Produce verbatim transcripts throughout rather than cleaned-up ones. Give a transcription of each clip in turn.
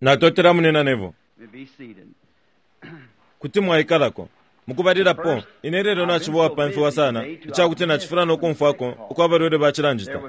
Natotela munina Neville. You may be seated. Kuti mwaikalako. Mukubalilapo, ine lelo naciba uwapamfiwa sana ica kuti nacifula no kumfwako uko abalwele bacilanjita.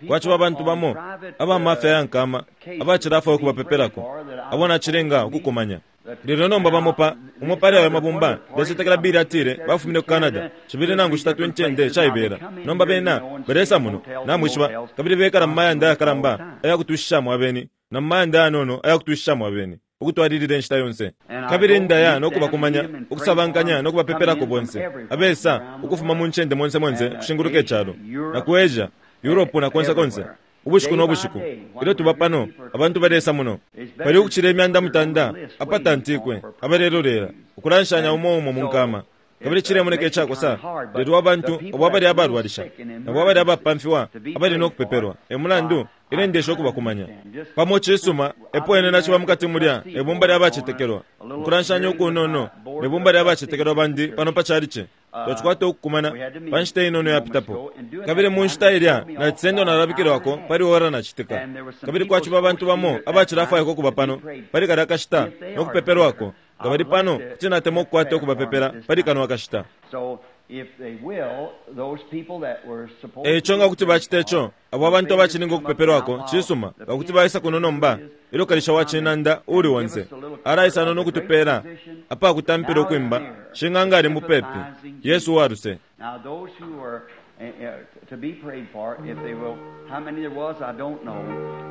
Kwaciba abantu bamo aba mafya ya nkama abacilafwaya ukubapepelako, abo nacilenga ukukumanya. Lelo nomba bamo pa umo pali ayo mabumba, ndecetekela Billy atile bafumine ku Canada, shibili nangu shitatu incende shaibela. Nomba bena balesa muno, namwishiba, kabili bekala mu mayanda ayakalamba ayakutushishamo abeni na mu mayanda ayanono ayakutushishamo abeni, ukutwalilila inshita yonse. Kabili ndaya no kubakumanya, ukusabankanya no kubapepelako bonse abesa ukufuma mu ncende monse monse kushinguluka icalo, na ku Asia, Europe na konse konse. Ubushiku no bushiku ilyo tuba pano, abantu balesa muno. Pali ukucila imyanda mutanda apatantikwe abalelolela ukulanshanya umo umo mu nkama. Kabili cilemoneka icakosa, lelo abantu abo abali abalwalisha nabo abali abapamfiwa abali no kupepelwa, e mulandu ine ndesha ukubakumanya pamo. Cisuma, epo ine naciba mukati mulya ibumba lya bacetekelwa, ukulanshanya ukunono ne bumba lya bacetekelwa bandi pano pa chalichi. Twacikwata ukukumana pa nshita inono yapitapo, kabili mu nshita ilya nacisendwa nalabikilwako pali ora nacitika. Kabili kwaciba abantu bamo abacilafwayako kuba pano pali kalya kashita no kupepelwako. Nga bali pano, kuti natemwa ukukwata ukubapepela pali kano akashita. So if they will, those people that were supposed Eico nga kuti bacita ico, abo abantu abacilinga ukupepelwako, cisuma, nga kuti baisa kuno nomba ilyo kalisha wa cinanda uuli onse alaisa no nokutupela apakutampila ukwimba Shing'anga Ali Mupepi, Yesu Uwa Luse. Now those who were uh, uh, to be prayed for, if they will, how many there was, I don't know.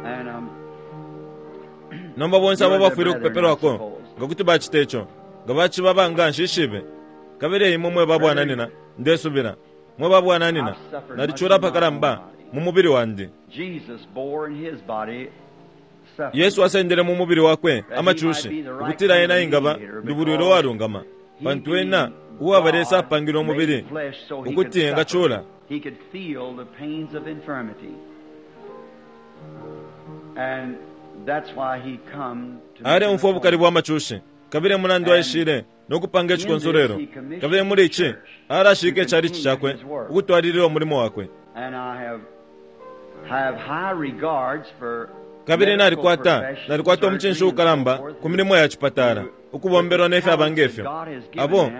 And um, Nomba bonse abo bafwile ukupepelwako, nga kuti bacita ico, nga baciba banga nshishibe. Kabili imwe mwe babwananina, ndesubila mwe babwananina, nalicula apakalamba mu mubili wandi. Jesus bore in his body suffering. Yesu asendele mu mubili wakwe amacushi, ukutila ena ingaba ndubulwilo uwalungama, pantu ena uwaba Lesa apangile umubili ukuti engacula. He could feel the pains of infirmity. And that's why he come to make Aleumfwa ubukali bwa macushi, kabili e mulandu aishile no kupanga icikonsolelo. Kabili muli ici alashika icalici cakwe ukutwalilila umulimo wakwe. And I have have high regards for Kabili nalikwata nalikwata umucinshi ukalamba ku milimo ya cipatala, ukubombelwa ne fyaba ngefyo, abo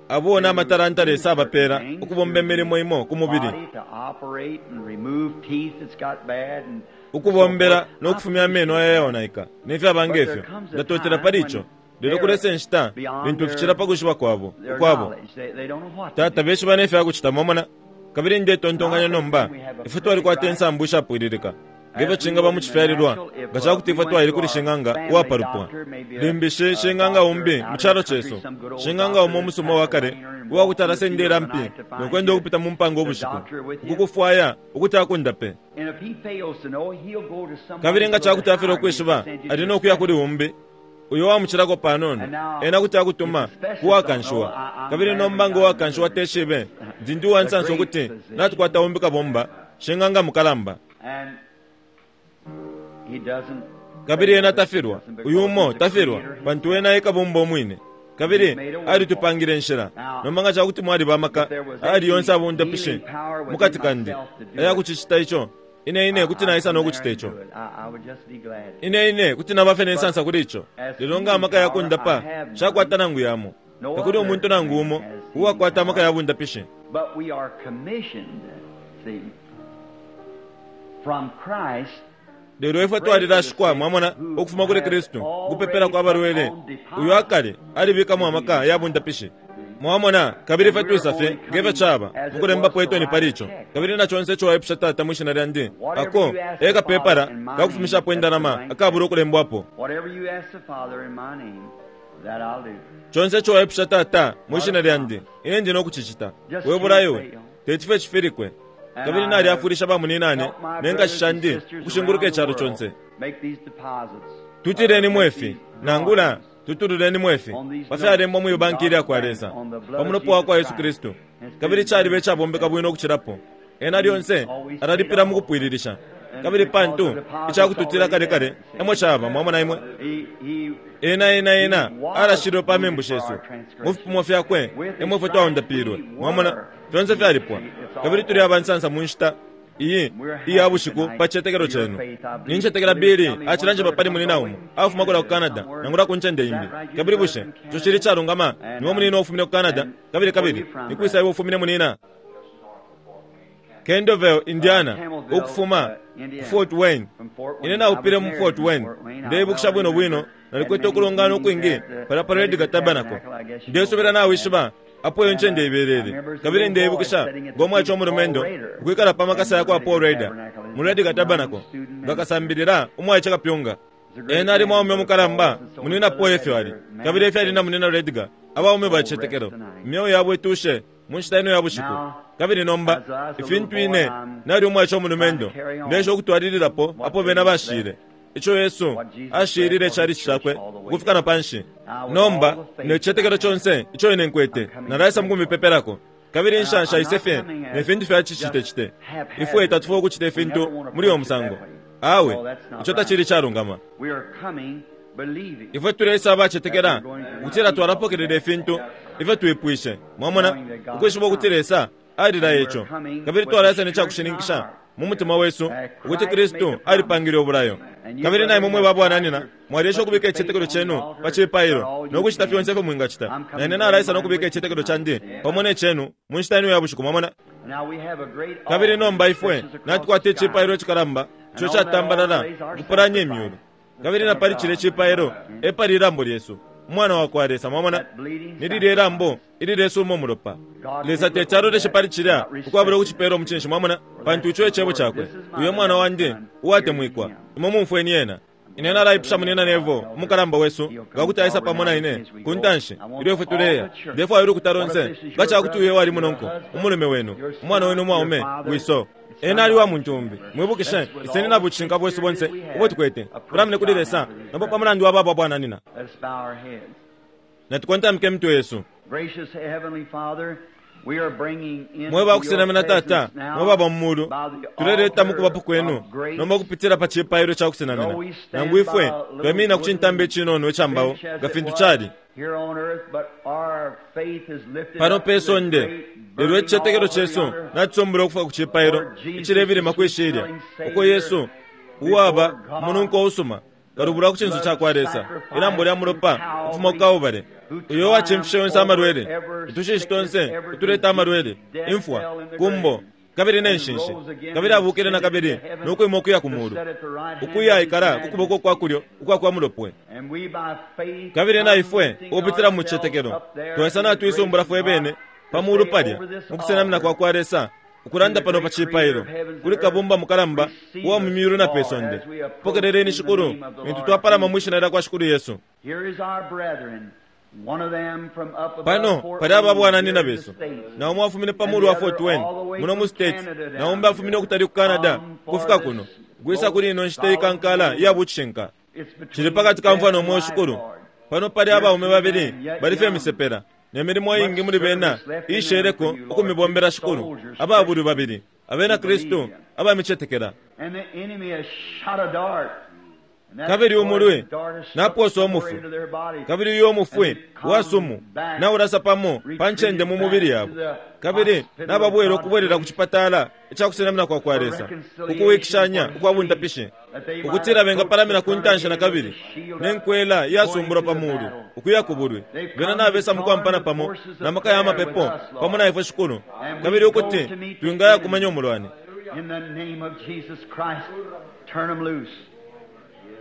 abo n'amatalanta Lesa abapeela ukubomba imilimo imo ku mubili, body to operate and remove teeth that's got bad and ukubombela no kufumya ameno ayayonaika ne fyaba ngefyo. Ndatotela pali ico. Lelo kulesa inshita lintu ficila pa kwishiba kwabo their ukwabo knowledge. They, they don't know what to tata do. beshiba ne fya kucita, mwamona. Kabili ndetontonkanya nomba ifwe twalikwata insambu ishapwililika ngefyo cingaba mu cifyalilwa nga ca kuti ifwe twaile kuli shing'anga uwapalupwa, limbi shi shing'anga umbi mu calo cesu, shing'anga umo umusuma wa kale uwakuti alasendela mpi no kwenda ukupita mu mpanga ubushiku ukukufwaya ukuti akundape. And if he fails to know, he'll go to somebody Kabili nga ca kuti afilwa ukwishiba, ali no kuya kuli umbi uyo wamucilako panono, ena kuti akutuma kuwakanshiwa. Kabili nomba nga uwakanshiwa teshibe, ndi ndi uwansansa ukuti natukwata umbi kabomba, shing'anga mukalamba. And he doesn't Kabili ena tafilwa, uyu umo tafilwa, pantu ena ekabumba umwine kabili alitupangile inshila. Nomba nga ca kuti mwaliba amaka ayali yonse abundapishi mukati kandi ayakucicita ico, ine ine kuti naisa no kucita ico. I, I would just be glad. Ine ine kuti naba fye ne nsansa kuli ico. Lelo nga amaka yakundapa shakwata nangu yamo, takuli umuntu nangu umo uwakwata amaka ya bundapishi. But we are commissioned, see, from Christ Lelo ifwe twalilashikwa, mwamona, ukufuma kuli Kristu ukupepela kwa balwele, uyo akale alibikamo amaka ya bundapishi, mwamona. Kabili ifwe twisa fye ngefyo caba mukulembapo itoni pali ico. Kabili na conse ico waipusha Tata mwishina lyandi, ako ekapepala kakufumishapo indalama akabula ukulembwapo. Whatever you ask the Father in my name, that I'll do. Conse ico waipusha Tata mwishina lyandi, ine ndi nokucicita. We bulayo teti fye cifilikwe. Kabili nalyafwilisha bamuninane ne nkashi shandi ukushinguluka icalo conse. Make these deposits. Tutileni mwefi nangula tutululeni mwefi pafyalembwa mwi banki ilya kwa Lesa pa mulopa wa kwa Yesu Kristu. Kabili caliba icabombeka bwino ukucilapo. Ena lyonse alalipila mu kupwililisha, kabili pantu icakututila kale kale emo caba, mwamona imwe. He, he, Ena ena ena alashilwe pa membu shesu, mu fipimo fyakwe emo ifwe twaundapilwe. Mwamona, fyonse fyalipwa, kabili tuli abansansa mu nshita iyi iya bushiku pa chicetekelo chenu. Nincetekela Billy acilanjeba pali munina umo afuma kula ku Canada nangula ku ncende imbi. Kabili bushe ico cili icalungama? Niwe munina ufumine ku Canada? Kabili kabili nikwisa iwe ufumine, munina? Kendoville, Indiana, ukufuma ku Fort Wayne. Ine naupile mu Fort Wayne. Ndeibukisha bwino bwino nalikwete ukulongana ukwingi palya pa Rediger Tabernacle. Ndesubila nawishiba apo iyo ncende ibelele. Kabili ndeibukisha ngo mwaice umulumendo ukwikala pa makasa yakwa Paul Rader mu Rediger Tabernacle nga kasambilila umwaice kapyunga. Ena ali mwaume umukalamba, munina Paul efyo ali, kabili efyo ali na munina Rediger, abaume ba cicetekelo. Imyeo yabo itushe mu nshita ino ya bushiku. Kabili nomba ifintu ine nali umwaice umulumendo, ndesha ukutwalililapo apo bena bashile ico Yesu ashilile icalici cakwe ukufika na panshi. Nomba ne cicetekelo conse ico ine nkwete, nalaisa mukumipepelako. Kabili nshansha isefye ne fintu fya cicitecite. Ifwe tatufwaya ukucita ifintu muli uyo musango. Awe, ico tacili calungama. Ifwe tuleisa abacetekela ukutila twalapokelela ifintu ifyo twipwishe. Mwamona, ukwishiba ukuti Lesa alilaya ico. Kabili twalaisa ne cakushininkisha mu mutima wesu ukuti Kristu alipangile ubulayo. Kabili na imwe mwe babwananyina mwalyesha ukubika icicetekelo cenu pa cipailo no kucita fyonse ifyo mwingacita. Na ine nalaisa no kubika icicetekelo candi pamo ne cenu mu nshita ino ya bushiku. Mwamona? Kabili nomba ifwe natukwata icipailo icikalamba ico catambalala ukupalanya imyulu. Kabili na pali cilya cipailo e pali ilambo lyesu, Umwana wa kwa Lesa. Mwamona? Ni lilya ilambo ililesuma umulopa. Lesa teti aloleshe pali cilya ukwabula ukucipela umucinshi, mwamona, pantu ico e Cebo Cakwe. Uyo e Mwana wandi uwatemwikwa, imwe mumfweni ena. Ine nalaipusha Munyina Neville, umukalamba wesu, nga kuti aisa pamo na ine ku ntanshi ilyo ifwe tuleya. Ndefwaya ulukuta lonse, nga ca kuti uyo ewali munonko, umulume wenu, umwana wenu umwaume, wiso. Ena ali wa muntu umbi. Mwibukishe, iseni na bucishinka bwesu bonse ubo tukwete, tupalamine kuli Lesa nomba pa mulandu wa aba bwananyina. Natukontamike imitwe yesu. Mwe ba kusenamina Tata, mwe baba mu mulu, tuleleta mu kubapo kwenu nomba ukupitila pa cipailo ca kusenamina. Nangu ifwe tweminina ku cintambi icinono ica mbao nga fintu cali pano pe sonde, lelo icicetekelo cesu nacisombula ukufika ku cipailo icilebilima kwi shilya, uko Yesu, uwaba umununko usuma, kalubula ku cinso ca kwa Lesa, ilambo lya mulopa ukufuma ku Kalbale, uyo uwacimfishe yonse amalwele, utushishi tonse utuleta amalwele, imfwa, kumbo, kabili ne nshinshi, kabili abukile na kabili no kwima ukuya ku mulu, ukuya ikala ku kuboko kwa kulyo ukwa kwa Mulopwe. Kabili na ifwe ukupitila mu cicetekelo twaisa natuisumbula fwe bene pa mulu palya mu kusenamina kwa kwa Lesa, ukulanda pano pa cipailo kuli Kabumba mukalamba uwa mu myulu na pe sonde. Pokeleleni, Shikulu, lintu twapalama mwi Shina lya kwa Shikulu Yesu. Pano pali aba bwananyina besu. Na umo afumine pa mulu wa Fort Wayne, muno mu States, na umbi afumine ukutali ku Canada, ukufika kuno, ukwisa kuli ino nshita ikankala iya bucishinka. Cili pakati ka mfwa no mweo, Shikulu. Pano pali abaume babili bali fye misepela, ne milimo iingi muli bena iisheleko ukumibombela, Shikulu. Ababulwi babili, abena Kristu abamicetekela. Kabili umulwi napoosa umufwi, kabili uyo umufwi wa sumu naulasa pamo pa ncende mu mubili yabo, kabili nababwela ukubwelela ku cipatala ica kusenamina kwa kwa Lesa ku kuwikishanya ukwa buntapishi, ukutila bengapalamina ku ntanshi na kabili ne nkwela iyasumbulwa pa mulu ukuya ku bulwi. Bena nabesa mu kwampana pamo na maka ya mapepo pamo na ifwe, Shikulu, kabili ukuti twingaya kumanya umulwani.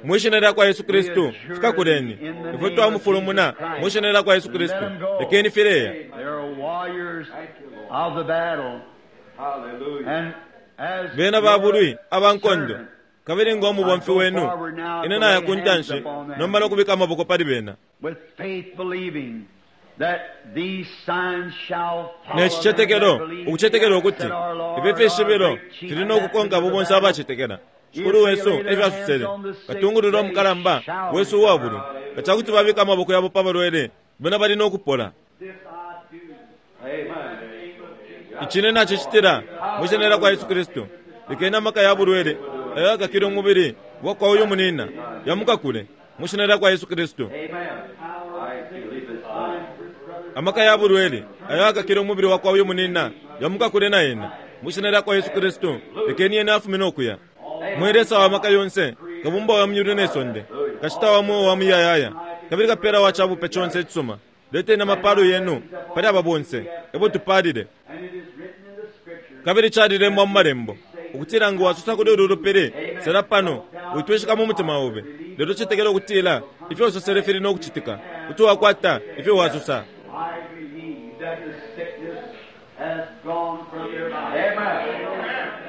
Mwi Shina lyakwa Yesu Kristu, fikakuleni. Ifwe twamufulumuna mwi Shina lyakwa Yesu Kristu. Lekeni fileya. Bena babulwi aba nkondo, kabili ngo mubomfi wenu, ine naya ku ntanshi nomba no kubika amaboko pali bena. Ne cicetekelo, ukucetekela ukuti ifi fishibilo fili no kukonka abo bonse abacetekela. Shikulu wesu efyo asosele, Katungulula umukalamba wesu uwa bulwi, nga ca kuti babika amaboko yabo pa balwele, bena bali no kupola. Icine nacicitila mwi Shina lyakwa Yesu Kristu. Lekeni amaka ya bulwele ayo yakakile umubili wa kwa uyu munina yamukakule mwi Shina lyakwa Yesu Kristu. Amaka ya bulwele ayo yakakile umubili wa kwa uyu munina yamukakule na ena. Mwishina lya kwa Yesu Kristu, lekeni yena afume no kuya. Mwe Lesa wa maka yonse, kabumba wa myulu ne sonde, kashita wa mweo wa muyayaya, kabili kapela wa chabupe chonse ichisuma. Leteni amapalo yenu pali aba bonse, ebo tupalile. Kabili chalilembwa mu malembo ukutila nga wasosa kuli ulu lupili, sela pano, witwishika mu mutima obe, lelo cetekela ukutila ifyo usosele fili no kucitika, kuti wakwata ifyo wasosa.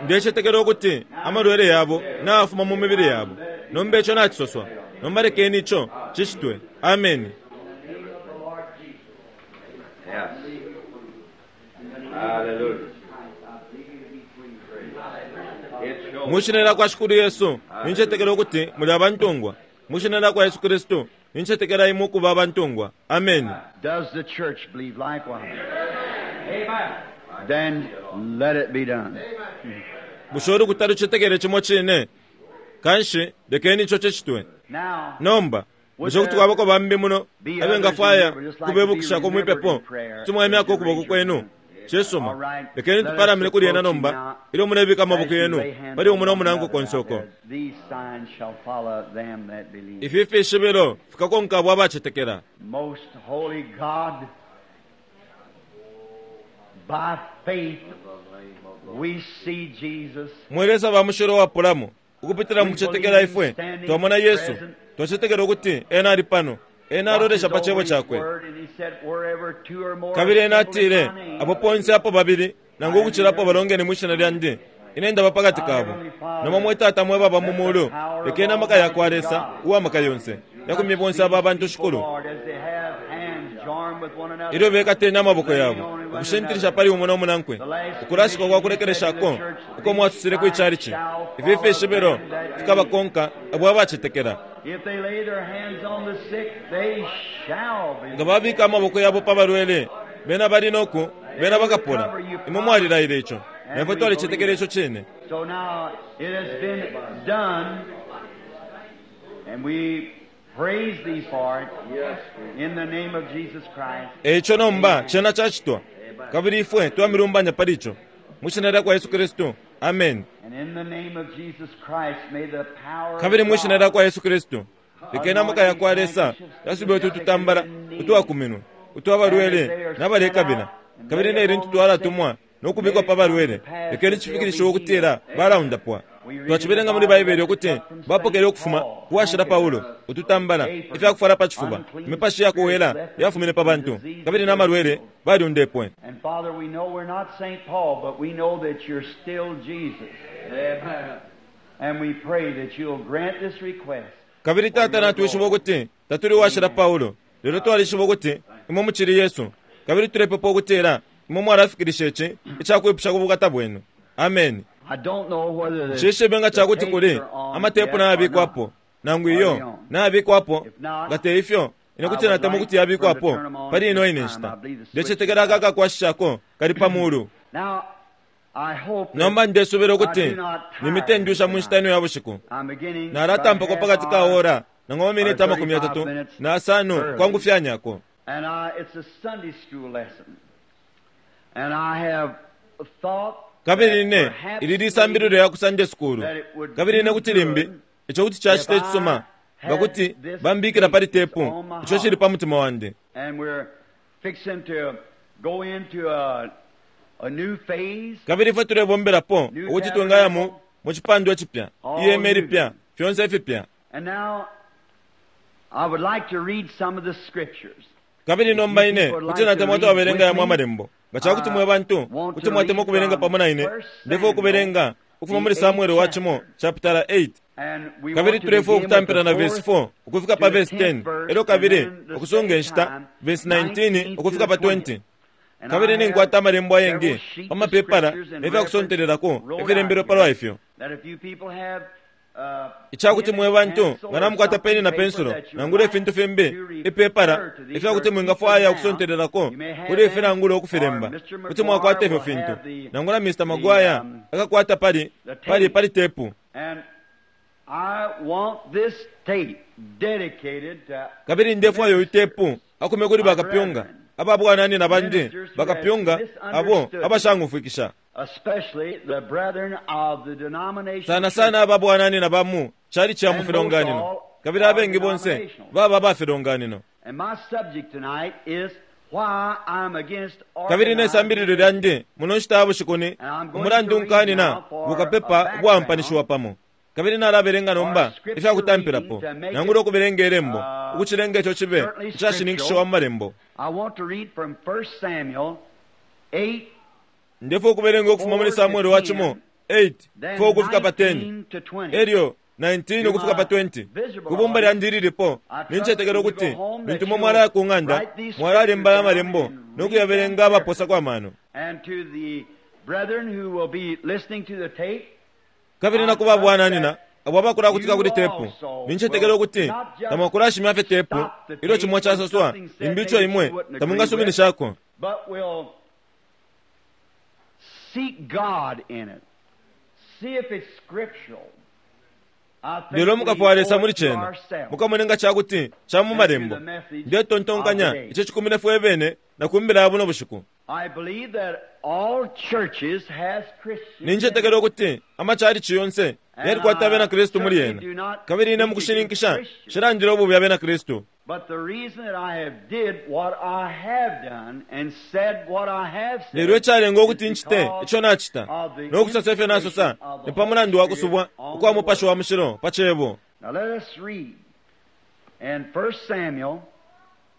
Ndecetekela ukuti amalwele yabo nayafuma mu mibili yabo. Nomba ico nacisoswa. Nomba lekeni ico cicitwe. Ameni. Mwishina lya kwa Shikulu Yesu, nincetekela ukuti muli abantungwa. Mwishina lya kwa Yesu Kristu, nincetekela imwe ukuba abantungwa. Ameni. Does the church believe likewise? Amen. Then let it be done. Bushe ulukuta lucetekele cimo cine? Kanshi lekeni ico cicitwe. Now, Nomba bushe kuti kwabako bambi muno abengafwaya kubebukishako mwipepo kuti mwayamyako ukuboko kwenu? Cisuma, lekeni tupalamile kuli ena nomba ilyo mulebika amaboko yenu pali umo no munanko konse uko. These signs shall follow them that believe. Ifi fishibilo fikakonka abo abacetekela. Most holy God, by faith we see Jesus. Mwe Lesa wa mushilo wapulamo, ukupitila mu kucetekela ifwe twamona Yesu, twacetekela ukuti ena ali pano, ena alolesha pa cebo cakwe. Kabili ena atile, apo ponse apo babili nangu ukucilapo balongene mwishina lyandi, ine ndaba pakati kabo. Nomba mwe Tata mwe baba mu mulu, lekeni amaka ya kwa Lesa uwa maka yonse yakumye bonse aba bantu Shikulu, ilyo bekatene amaboko yabo ukushintilisha pali umo no munankwe, ukulashikwa kwa kulekeleshako uko mwasusile kwi chalichi. Ifi fishibilo fikabakonka abo abacetekela. If they lay their hands on the sick, they shall be. Nga babika amaboko yabo pa balwele, bena bali noku, bena bakapola. Imwe mwalilaile ico, nafwe twalicetekela ico cine. So now it has been done, and we praise thee for it. In the name of Jesus Christ. Eico nomba cena cacitwa, kabili ifwe twamilumbanya pali ico mwishina lya kwa Yesu Kristu. Amen. And in the name of Jesus Christ, may the power Kabili of mwishina lya God kwa Yesu Kristu, lekeni amaka ya kwa Lesa yasube ututambala utwakuminwe utwabalwele n'abalekabila. Kabili ne lintu twalatumwa nokubikwa pa balwele, lekeni cifikilishiwe ukutila balaundapwa. Twacibelenga muli Baibele ukuti bapokele ukufuma kuwashila Paulo ututambala ifyakufwala pa cifuba, imipashi yakuwela yafumine pa bantu, kabili n'amalwele baliundepwe. And Father, we know we're not Saint Paul, but we know that you're still Jesus. Amen. And we pray that you'll grant this request. Kabili Tata natwishiba ukuti tatuli uwashila Paulo, lelo twalishiba ukuti imwe mucili Yesu, kabili tulepepa ukutila imwe mwalafikilisha ici icakwipusha ku bukata bwenu. Amen. I don't know whether the, Nshishibe nga cakuti the kuli tapes are on amatepu yet or nayabikwapo not. nangu iyo nayabikwapo, nga te ifyo ine kuti natemwa kuti yabikwapo pali ino ine nshita. Ndecetekela aka akakwashishako kali pa mulu. Now, I hope that Nomba ndesubila ukuti I do not tire nimitendusha mu nshita ino ya bushiku. I'm beginning Nalatampako by pakati ka half hour, ora nangu amaminiti amakumi yatatu na asanu kwangufyanyako. And I, it's a Sunday school lesson. And I have thought Kabili that ine perhaps ili lisambililo ya ku Sunday school. Kabili ine kuti limbi ico kuti cacita icisuma nga kuti bambikila pali tepu ico cili pa mutima wandi. And we're fixing to go into a, a new phase. Kabili ifwe tulebombelapo ukuti twingaya mu mu cipandwa cipya, ihema lipya, fyonse ifipya. And now I would like to read some of the scriptures. Kabili nomba ine kuti natemwa twabelenga yamwe amalembo. Nga cakuti mwe bantu kuti mwatemwa ukubelenga pamo na ine, ndefwa ukubelenga ukufuma muli Samuel wa cimo chapitala eight. And we Kabili want to tulefwa begin with ukutampila the na verse fourth four ukufika pa to the verse ten, tenth verse, elyo kabili and then the ukusunga second inshita time, verse nineteen nineteen ukufika to pa the twenty. twentieth. And Kabili I ninkwata have amalembo ayengi several sheets of amapepala scriptures and ne fyakusontelelako reference wrote ifilembelwe out palwa here ifyo. that if you people have, uh, Icakuti pen mwe bantu and pencil nga namukwata or peni na something pensulo paper that you nangula like ifintu fimbi to refer ipepala to these ifyakuti verses mwingafwaya now, ukusontelelako you may have kuli ifi them, nangula ukufilemba or Mister kuti mwakwata ifyo McGuire will fintu. have the- Nangula Mister the, Maguire um, akakwata pali the pali tape. pali tepu. And I want this tape dedicated to Kabili ndefwayo uyu tepu akume kuli bakapyunga ababwanani na bandi bakapyunga abo abashangumfwikisha. Especially the brethren of the denomination. Sana sana aba bwananyina ba mu chalichi ya mu filonganino, kabili abengi bonse baba ba filonganino. And my subject tonight is why I'm against Kabili ne sambililo lyandi muno nshita ya bushiku ni umulandu nkanina bukapepa ubwampanishiwa pamo. Kabili nalabelenga nomba ifyakutampirapo nangula ukubelenga ilembo ukucilenga ico cibe icashininkishiwa mu malembo. I want to read from First Samuel eight Ndefo ukubelenga ukufuma muli Samuel wa cimo eight four ukufika pa ten elyo nineteen ukufika pa twenty. Kubumba lyandi lilipo nincetekela ukuti lintu mwe mwalaya ku ng'anda mwalalemba amalembo nokuyabelenga abaposa kwa mano. And to the brethren who will be listening to the tape, Kabili na kuba bwananyina abo abakulakutika kuli tepu nincetekela ukuti tamwakulashimya fye tepu ilyo cimo casoswa limbi ico imwe tamungasuminishako, but will seek God in it. See if it's scriptural. I think lelo we mukafwaya Lesa owe muli it to cena ourselves. mukamone nga cakuti ca mu malembo. Ndetontonkanya ico cikumine fwe bene na ku mbila ya buno bushiku. I believe that all churches has Christians. Nincetekela ukuti amachalichi yonse yalikwata abena Kristu muli yena, kabili ine mukushininkisha shilandile ububi abena Kristu. But the reason that I have did what I have done and said what I have said Lelo icalenga ukuti is nchite because ico nacita nokusosa ifyo nasosa ni pa mulandu wa kusubwa ukwa Mupashi wa Mushilo pa cebo. Now let us read in First Samuel,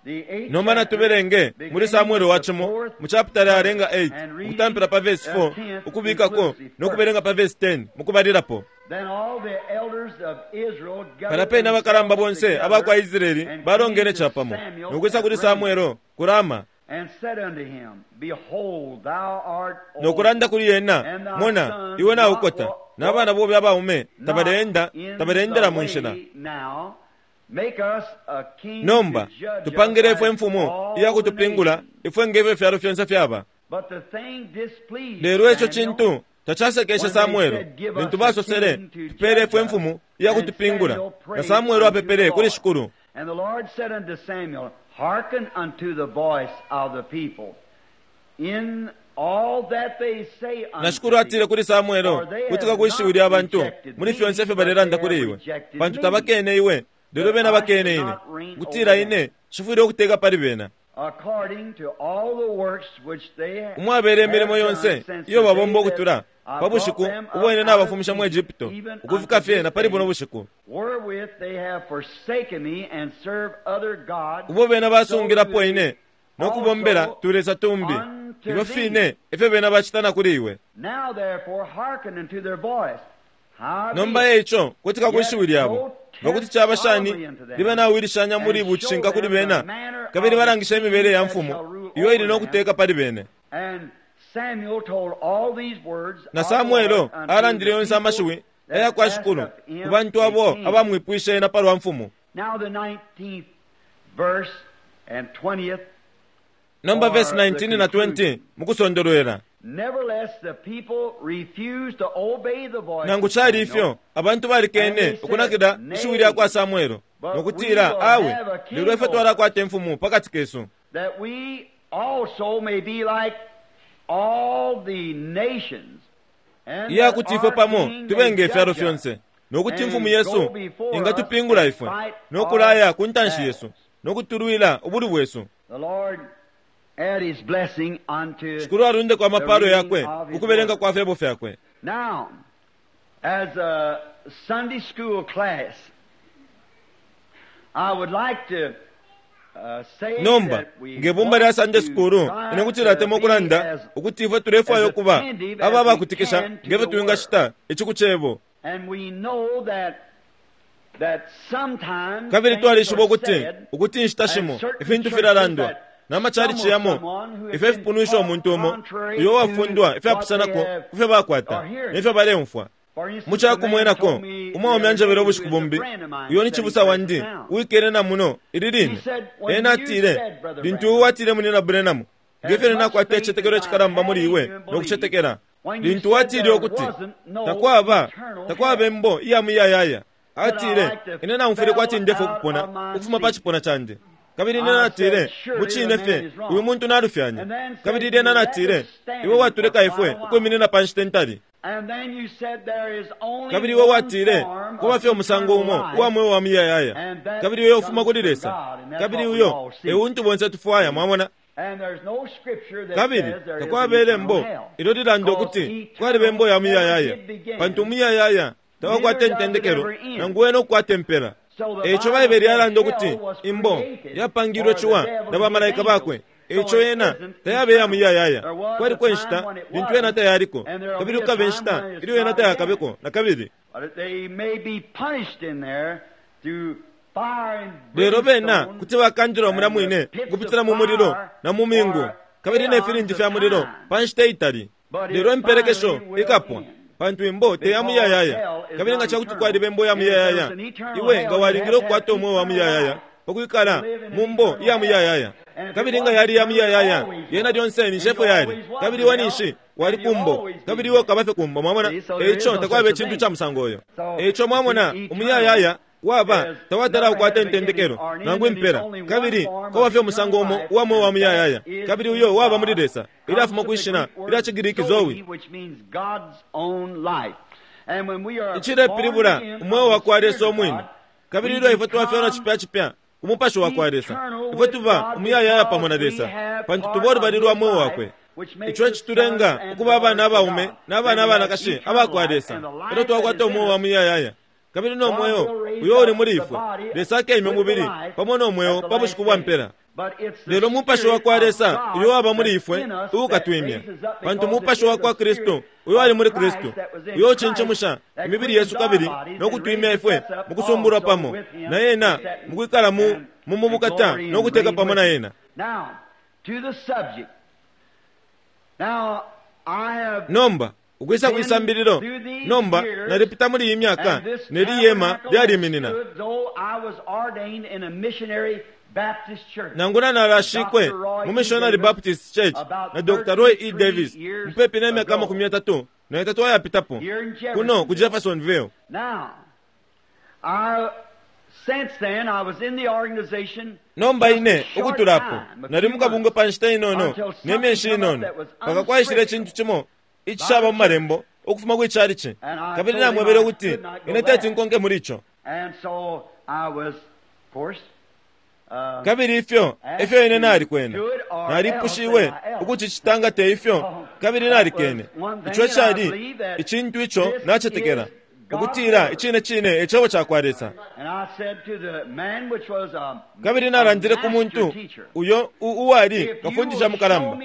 the eighth Nomba chapter, natubelenge muri beginning Samuel wa with the cimo fourth mu chapter yalenga eight and reading ukutampila pa verse four the tenth ukubikako inclusive nokubelenga pa verse ten mukubalilapo. Then all the elders of Israel gathered Pala pene abakalamba bonse themselves abakwa together Israeli and balongene came to capamo Samuel nokwisa at kuli Ramah Samuelo ku Rama and said unto him, Behold, thou art old, nokulanda kuli yena, and thy mona sons iwe not naukota walk n'abana bobe abaume not tabalenda in tabalendela the mu nshila. way now. Make us a king Nomba to judge tupangile us ifwe as imfumu all iya the kutupingula nations. ifwe ngefyo ifyalo fyonse fyaba. But the thing displeased Lelo ico Samuel cintu tacasekeshe when they Samuelo said, Give lintu us a basosele king to tupele judge ifwe us. imfumu iya And kutupingula. Samuel Na prayed Samuelo unto apepele the kuli Lord. Shikulu. And the Lord said unto Samuel, Hearken unto the voice of the people in all that they say Na unto Shikulu atile thee. kuli Samuelo For they kutika have kwishiwi not lya bantu rejected muli me, fyonse ifyo but they balelanda have kuli iwe, rejected pantu me, tabakene iwe lelo that bena I bakene should ine not reign kutila over them. ine shifwile ukuteka pali bena. According to all the works which they Umwabele imilimo have done yonse since iyo the babomba day ukutula that I pa brought bushiku them up ubwo ine out of nabafumisha mu Egypt, Egypto even ukufika unto fye this na pali buno day, bushiku. wherewith they have forsaken me and served other gods, Ubo bena so do basungilapo they ine nokubombela also tulesa tumbi unto ifyo thee. fine ifyo bena bacita na kuli iwe. Now therefore hearken unto their voice. Howbeit, Nomba eico kutika yet kwishiwi lyabo go nga kuti test caba solemnly shani unto them, libe nawilishanya muli and show bucishinka kuli them bena the manner kabili of the balangisha imibele king ya that mfumu shall rule iyo ili over them. nokuteka pali bene. And Samuel told all these words Na of the Samuelo Lord unto alandile the yonse people amashiwi that aya kwa asked Shikulu of him ku bantu a abo king. abamwipwishe ena palwa mfumu. Now the nineteenth verse and twentieth. Nomba for verse the nineteen na twenty conclusion. mukusondolwela. Nevertheless, the people refused to obey the voice Nangu of cali Samuel. ifyo abantu And balikene they said, ukunakila ishiwi lya kwa Nay, Samuelo but nokutila we will awe have a king lelo ifwe over twalakwata imfumu pakati kesu that we also may be like all the nations, and iya that kuti ifwe our pamo king may tubenge ifyalo judge us, fyonse nokuti and imfumu go yesu before us ingatupingula and ifwe fight nokulaya our ku ntanshi yesu battles. nokutulwila ubuli bwesu. The Lord add his blessing unto Shikulu alundeko the amapalo reading yakwe of his ukubelenga word. kwa fyebo fyakwe. Now, as a Sunday school class, I would like to uh, say Nomba that we ngebumba lya want Sunday to school try ine kuti to latema be ukulanda as ukuti ifwe tulefwaya as ukuba attentive aba as we abakutikisha can to ngefyo the word. twingacita ici ku cebo. And we know that that sometimes Kabili things twalishiba are ukuti said ukuti inshita at shimo certain ifintu churches filalandwa that n'amachalichi some or yamo someone who has ifyo been fipunwisha taught umuntu umo contrary uyo to wafundwa what they ifyapusanako have ku fyo bakwata are hearing. n'ifyo baleumfwa. For instance, Mu a man cakumwenako told me the umwaume other anjebele day who ubushiku is a bumbi friend of mine uyo ni sitting cibusa present wandi now. uwikele na muno ili He line said, when ena you atile said, Brother lintu Branham, watile munina Branham ngefyo as much nakwata faith icitetekelo as I icikalamba had muli in iwe you and believed, nokucetekela when you lintu said watile there ukuti wasn't no takwaba eternal takwaba hell, imbo iya muyayaya said I atile like to ine naumfwile kwati fell ndefo out ukupona of my ukufuma pa seat. cipuna candi. Kabili ine natile, mucine fye uyu muntu nalufyanya. Kabili lyena natile, iwe watuleka ifwe ukwiminina pa nshita ntali. Kabili iwe watile, kuba fye umusango umo uwa mweo wa muyayaya, kabili uyo ufuma kuli Lesa, kabili uyo e untu bonse tufwaya. Mwamona? Kabili takwaba ilembo ilyo lilanda ukuti kwaliba imbo ya muyayaya, pantu umuyayaya tawakwata intendekelo nangu wene ukukwata impela. Eico Baibele yalanda ukuti imbo yapangilwe ciwa na bamalaika bakwe, eico yena tayabe ya muyayaya. Kwaliko inshita lintu yena tayaliko, kabili kukaba inshita ilyo yena tayakabeko na kabili. Lelo bena kuti bakandilwa mula mwine ukupitila mu mulilo na mu mingu kabili ne filindi fya mulilo pa nshita itali. Lelo imperekesho ikapwa, pantu imbo te ya muyayaya. Kabili nga cakuti kwaliba imbo ya muyayaya, iwe nga walingile ukukwata umweo wa muyayaya pakwikala mu mbo iya muyayaya. Kabili nga yali ya muyayaya, yena lyonse ni shefo yali, kabili iwe ninshi wali kumbo, kabili iwe ukaba fye kumbo. Mwamona? Eico takwaba icintu ca musango uyo. Eico mwamona, umuyayaya waba tawatala kukwata intendekelo nangu impela, kabili kwaba fye umusango umo uwa mweo wa muyayaya, kabili uyo waba muli Lesa, ilafuma kwishina ilya ciGriki Zoe, icilepilibula umweo wa kwa Lesa umwine. Kabili ilyo ifwe twafyalwa cipya cipya ku mupashi wa kwa Lesa, ifwe tuba umuyayaya pamo na Lesa, pantu tuba ulubali lwa mweo wakwe. Ico citulenga ukuba abana abaume n'abana abanakashi aba kwa Lesa, elyo twakwata umweo wa muyayaya. Kabili no mweo uyo uli muli ifwe, Lesa akemya umubili pamo no mweo pa bushiku bwa mpela. Lelo umupashi wa kwa Lesa uyo waba muli ifwe uukatwimya, pantu umupashi wa kwa Kristu uyo ali muli Kristu, uyo ucincemusha imibili yesu kabili no kutwimya ifwe mu kusumbulwa pamo na yena, mu kwikala mu mumubukata no kuteka pamo na yena. Nomba ukwisa kwisambililo, nomba nalipita muli iyi myaka neli yema lyaliminina. Nanguna nalashikwe mu Missionary Baptist Church na Doctor Roy E. Davis mupepi ne myaka makumi yatatu na itatu ayapitapo kuno ku Jeffersonville. Nomba ine ukutulapo nali mukabungwe pa nshita inono ne myeshi inono, paka kwaishile icintu cimo icishaba mu malembo ukufuma kwi chalichi, kabili namwebele ukuti ine teti nkonke muli ico. Kabili ifyo efyo ine nali kwena nalipushiwe ukucicita te ifyo, kabili nalikene. Ico cali icintu ico nacetekela ukutila icine cine icebo ca kwa Lesa. Kabili nalandile ku muntu uyo uwali kafundisha mukalamba,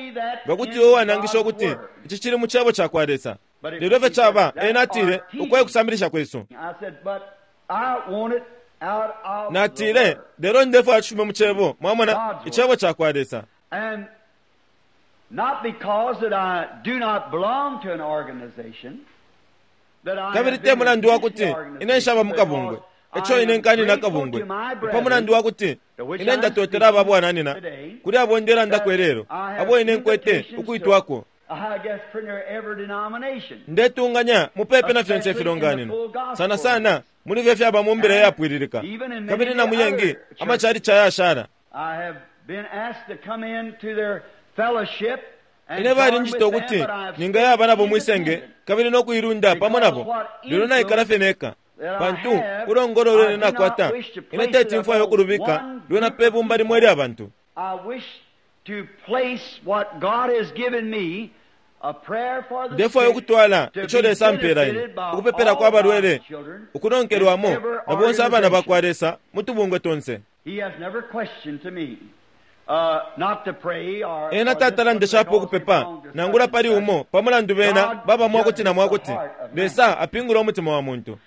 ngakuti uyo wanangisha ukuti ici cili mu cebo ca kwa Lesa. Lelo ifyo caba, ena atile ukwaye kusambilisha kwesu. Natile, lelo ndefwaya cifume mu cebo, mwamona, icebo ca kwa Lesa. Kabili te mulandu wa kuti ine nshaba mu kabungwe, eco ine nkanina akabungwe, pa mulandu wa kuti ine ndatotela aba bwananina kuli abo ndelandako ilelo, abo ine nkwete ukuitwako. Ndetunganya mupepe na fyonse ifilonganino, sana sana muli fye fyaba mu mbila yapwililika, kabili na muyengi amachalichi ayashala. Ine balinjita ukuti ningayaba nabo mwisenge kabili no kuilunda pamo nabo, lelo naikala fye neka, pantu ulongolo lwene nakwata ine teti mfwayo ukulubika lwena pe bumba limwe lya bantu. Ndefwayo ukutwala ico Lesa ampela ine, ukupepela kwa balwele, ukunonkelwamo na bonse abana ba kwa Lesa mu tubungwe tonse. Ena tatalandeshapo ukupepa nangula pali umo pamulandu bena baba mwakuti na mwakuti. Lesa apingula umutima wa muntu.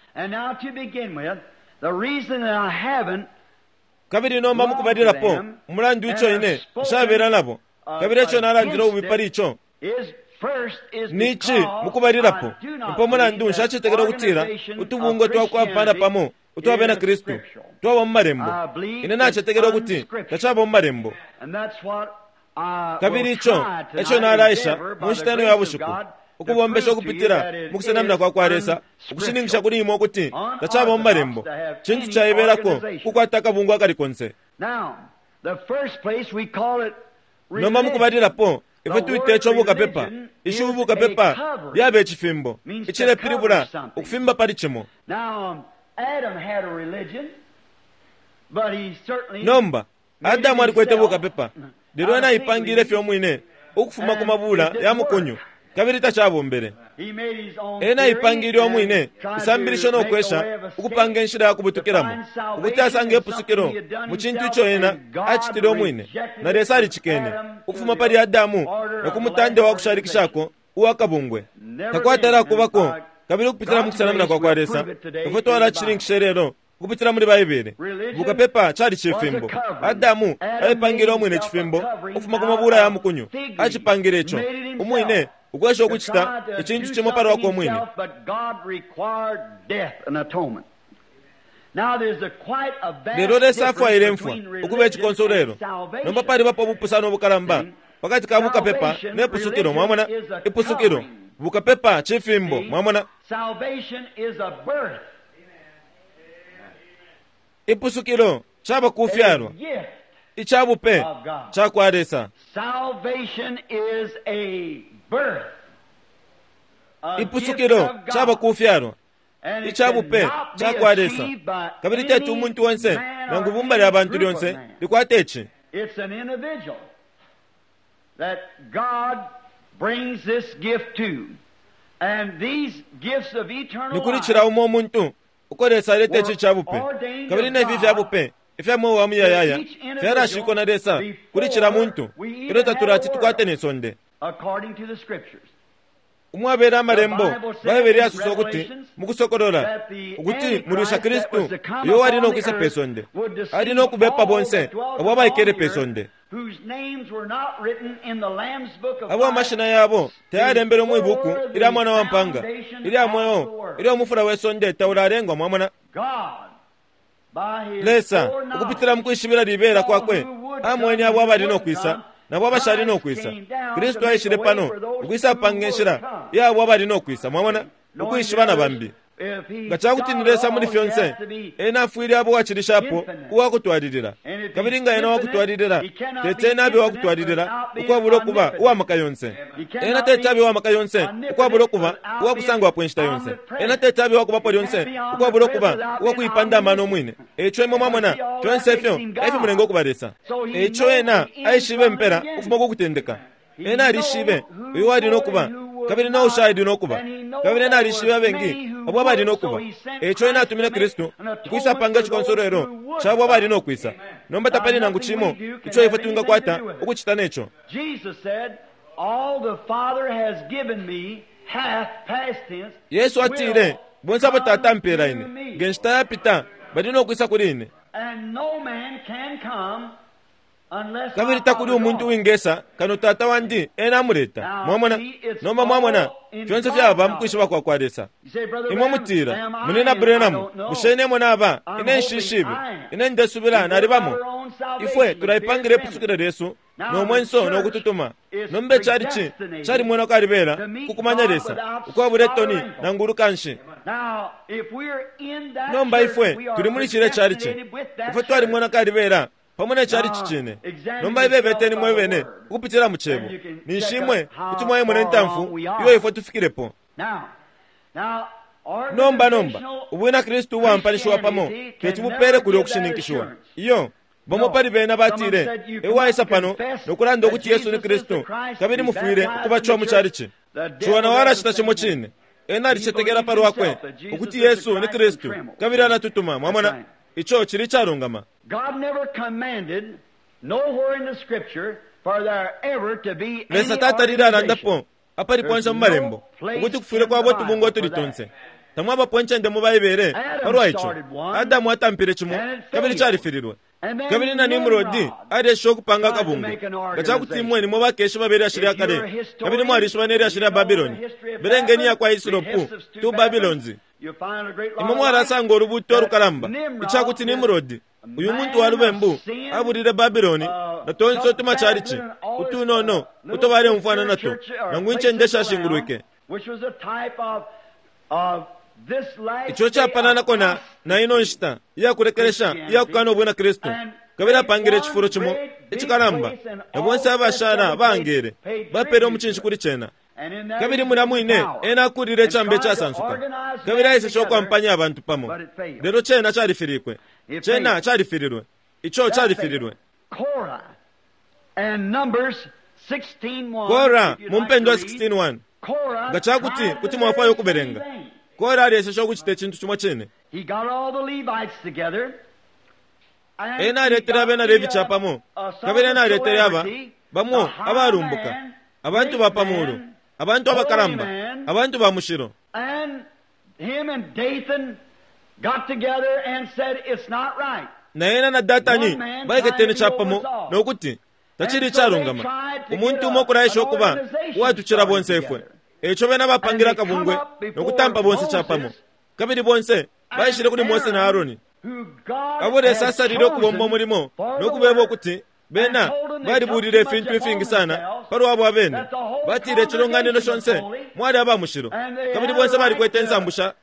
Kabili nomba mukubalilapo umulandu ico ine nshabela nabo, kabili eco nalandile ububi pali ico nici mukubalilapo nipo mulandu nshacetekela ukutila utubungwe twakwapana pamo utwa bena Kristu twaba mu malembo. Ine nacetekela ukuti tacaba mu malembo. Kabili ico eco nalaisha mu nshita ino ya bushiku, ukubombesha ukupitila mu kusenamina kwa kwa Lesa, ukushininkisha kuli imwe ukuti tacaba mu malembo. Cintu caibelako kukwata akabungwe akali konse. Nomba mukubalilapo ifwe tuite ico bukapepa. Ishiwi bukapepa lyaba icifimbo, icilepilibula ukufimba pali cimo. Nomba Adamu alikwete bukapepa, lelo ena aipangile fye umwine ukufuma ku mabula ya mukunyu, kabili tacabombele. Ena aipangile umwine isambilisho no kwesha ukupanga inshila ya kubutukilamo ukuti asange ipusukilo mu cintu ico ena acitile umwine, na Lesa alicikene ukufuma pali Adamu na ku mutande wa kushalikishako uwa kabungwe. Takwatala kubako, kabili ukupitila mu kusenamina kwa kwa Lesa ifwe twalacishininkisha lelo ukupitila muli Baibele. Bukapepa cali cifimbo. Adamu aipangile umwine icifimbo ukufuma ku mabula ya mukunyu, acipangile ico umwine ukwesha ukucita icintu cimo palwakwe umwine. Lelo Lesa afwaile imfwa ukuba icikonsolwelo. Nomba palibapo ubupusano ubukalamba pakati ka bukapepa ne pusukilo. Mwamona, ipusukilo bukapepa cifimbo. Mwamona, ipusukilo caba kufyalwa, icabupe cakwa Lesa. Ipusukilo caba kufyalwa, icabupe cakwa Lesa, kabili teti umuntu onse nangu ibumba lya bantu lyonse likwate ici. Ni kuli cila umo umuntu uko Lesa aleta ici icabupe, kabili nefi ifyabupe ifya mweo wa muyayaya fyalashikwa na Lesa kuli cila muntu ilyo tatulati tukwate ne sonde. Umwabela amalembo, Baibele yasosa ukuti mukusokolola ukuti mulwisha Kristu uyo wali no kwisa pe sonde, ali no kubepa bonse abo abaikele pe sonde, abo amashina yabo tayalembelwe mwi buku ilya mwana wa mpanga ilya mweo ilyo umufula we sonde taulalengwa. Mwamona, Lesa ukupitila mu kwishibila libela kwakwe amwene abo abali no kwisa nabo abashali no kwisa. Kristu aishile pano ukwisapanga inshila yabo abali no kwisa. Mwamona, ukwishiba na bambi. Nga cakuti ni Lesa muli fyonse, ena afwile abo wacilishapo uwakutwalilila, kabili nga ena wakutwalilila tete ena abe wakutwalilila ukwabula ukuba uwamaka yonse. Ena tete abe uwamaka yonse ukwabula ukuba uwakusangwapo inshita yonse. Ena tete abe uwakubapo lyonse ukwabula ukuba uwakuipanda amano umwine. Eico imwe mwamona fyonse ifyo efimulenga ukuba Lesa. Eico ena aishibe impela ukufuma ku kutendeka. Ena alishibe uyu wali no kuba kabili no ushali no kuba, kabili ena alishibe abengi abo abali no kuba. Eico ena atumine Kristu ukwisapanga icikonsolwelo cabo abali no kwisa. Nomba tapali nangu cimo ico ifwe twingakwata ukucita neco. Yesu atile, bonse abo Tata ampela ine, nge nshita yapita bali no kwisa kuli ine, kabili takuli umuntu wingesa kano Tata wandi ena amuleta. Mwamona? Nomba mwamona fyonse fyaba mukwishiba kwa kwa Lesa. Imwe mutila, munina Branham, bushe ine naba ine nshishibe, ine ndesubila nalibamo. Ifwe tulaipangila ipusukilo lyesu no mwenso no kututuma. Nomba calici calimwena kalibela kukumanya Lesa ukwabula etoni nangu ulukanshi. Nomba ifwe tuli muli cile calici, ifwe twalimwena kalibela pamo ne calici cine. Nomba ibebeteni mwe bene ukupitila mu cebo, ninshi imwe kuti mwaimona intamfu iyo ifwe tufikilepo. Nomba nomba ubwina Kristu ubwampanishiwa pamo teti bupele kuli ukushininkishiwa. Iyo bamo pali bena batile, ewaisa pano nokulanda ukuti Yesu ni Kristu, kabili mufwile ukubaciwa mu calici. Ciwa na walacita cimo cine. Ena alicetekela palwakwe ukuti Yesu ni Kristu, kabili anatutuma. Mwamona, ico cili calungama. Lesa tatalile alandapo apali ponse mu malembo ukuti kufwile kwaba utubungwe tuli tonse. Tamwabapo incende mu Baibele palwa ico. Adamu atampile cimo kabili califililwe, kabili na Nimrodi alesha ukupanga akabungwe. Nga cakuti imwe nimwe bakesha babele lyashi lya kale, kabili mwalishiba ne lyashi lya Babiloni, belengeni ya kwa Isilopu two Babylons, imwe mwalasanga ulubuto olukalamba icakuti Nimrodi uyu muntu wa lubembu abulile Babiloni na tonse utuma calici utunono uto baleumfwana nato nangu incende shashingulwike. Ico capananako na na ino nshita iyakulekelesha iyakukana ubwina Kristu, Kabili apangile icifulo cimo icikalamba, na bonse abashala baangele bapele umucinshi kuli cena. Kabili mulya mwine ena akulile icamba icasansuka, kabili aeseshe ukwampanya abantu pamo, lelo cena califilikwe. Cena califililwe. Ico califililwe. Kora mu mpendwa sixteen one, nga cakuti kuti mwafwaya ukubelenga, Kora alieseshe ukucita icintu cimo cine. Ena aletele abena Levi capamo, kabili ena aletele aba bamo abalumbuka, abantu ba pamulu, abantu abakalamba, abantu ba mushilo. Na ena na Datani baiketene capamo nokuti tacili icalungama umuntu umo ukulaesha ukuba uwatucila bonse ifwe. Eco bena bapangile akabungwe nokutampa bonse capamo, kabili bonse baishile kuli Mose na Aaroni, abo Lesa asalile ukubomba umulimo nokubeba ukuti bena balibulile ifintu ifingi sana palwabo abene. Batile icilonganino conse mwali aba mushilo, kabili bonse balikwete insambusha.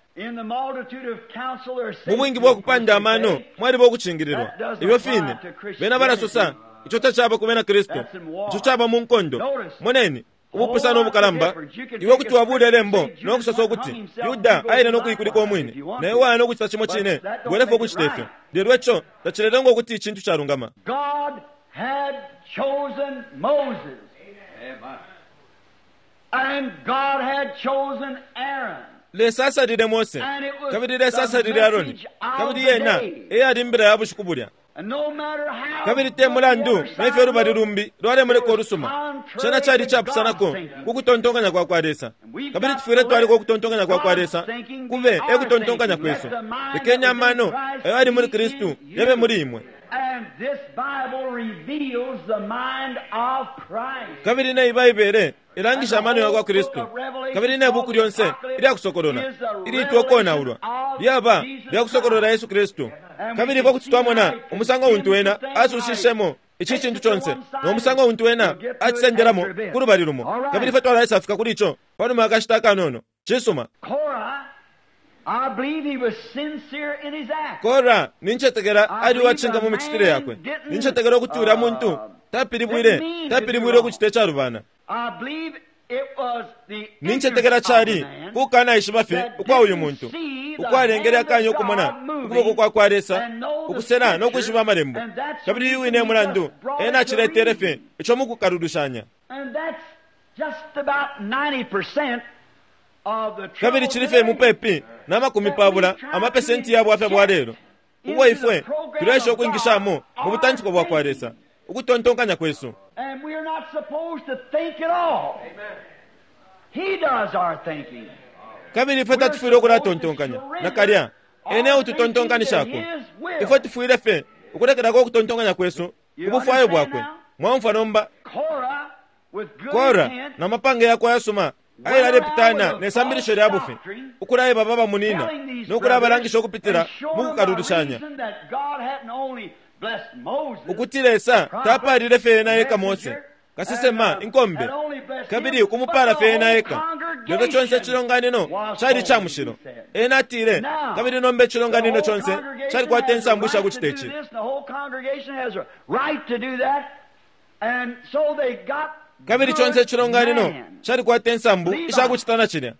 Mu bwingi bwa kupanda amano mwaliba ukucingililwa. Ibyo fine bena balasosa ico tacaba ku bena Kristu, ico caba mu nkondo. Moneni ubupusano ubukalamba. Iwe kuti wabula ilembo nokusosa ukuti Yuda aile nokuikulika umwine, naye waya nokucita cimo cine, bwelefe ukucita ifyo. Lelo ico tacilelenga ukuti icintu calungama. God had chosen Moses. And God had chosen Aaron. Lesa asalile Mose, kabili Lesa asalile Aaroni, kabili yena eyali imbila ya bushiku bulya. Kabili te mulandu nefyo lubali lumbi lwalemoneka ulusuma, cena cali icapusanako ku kutontonkanya kwa kwa Lesa. Kabili tufwile twaliko ukutontonkanya kwa kwa Lesa kube e kutontonkanya kwesu. Lekeni amano ayo ali muli Kristu yabe muli imwe. Kabili ne Baibele ilangisha amano ya kwa Kristu. Kabili ne buku lyonse ilya kusokolola ilitwa ukonaulwa lyaba lya kusokolola Yesu Kristu. Kabili ifwe kuti twamona umusango untu wena asushishemo ici cintu conse, no musango untu wena acisendelamo ku lubali lumo. Kabili ifwe twalaisafika kuli ico panuma yakashita akanono. Cisuma. Kora nincetekela ali uwacinga mu micitile yakwe. Nincetekela ukuti ulya muntu tapilibwile tapilibwile ukucita icalubana. Nincetekela cali kukanaishiba fye ukwa uyu muntu ukwalengele akanya ukumona ukuboko kwa kwa Lesa ukusela nokwishiba amalembo. Kabili uyu wine mulandu ena aciletele fye ico mukukalulushanya. Kabili cili fye mupepi na makumi pabula amapesenti ya bwafya bwa lelo ubwo ifwe tulesha ukwingishamo mu butantiko bwa kwa Lesa ukutontonkanya kwesu. Kabili ifwe tatufwile ukulatontonkanya nakalya ene ututontonkanishako. Ifwe tufwile fye ukulekelako ukutontonkanya kwesu ubufwayo bwakwe. Mwamfwa nomba. Kora na mapanga yakwe ayasuma ailalepitana ne sambilisho lya bufi, ukulaeba baba munina nokulabalangisha ukupitila mukukalulushanya ukuti Lesa tapalile fye ena eka Mose kasesema inkombe, kabili ukumupala fye ena eka. Lelo conse icilonganino cali ica mushilo. Ena atile, kabili nomba icilonganino conse calikwata insambu isha kucita ici. Kabili conse icilonganino calikwata insambu isha kucita na cilya.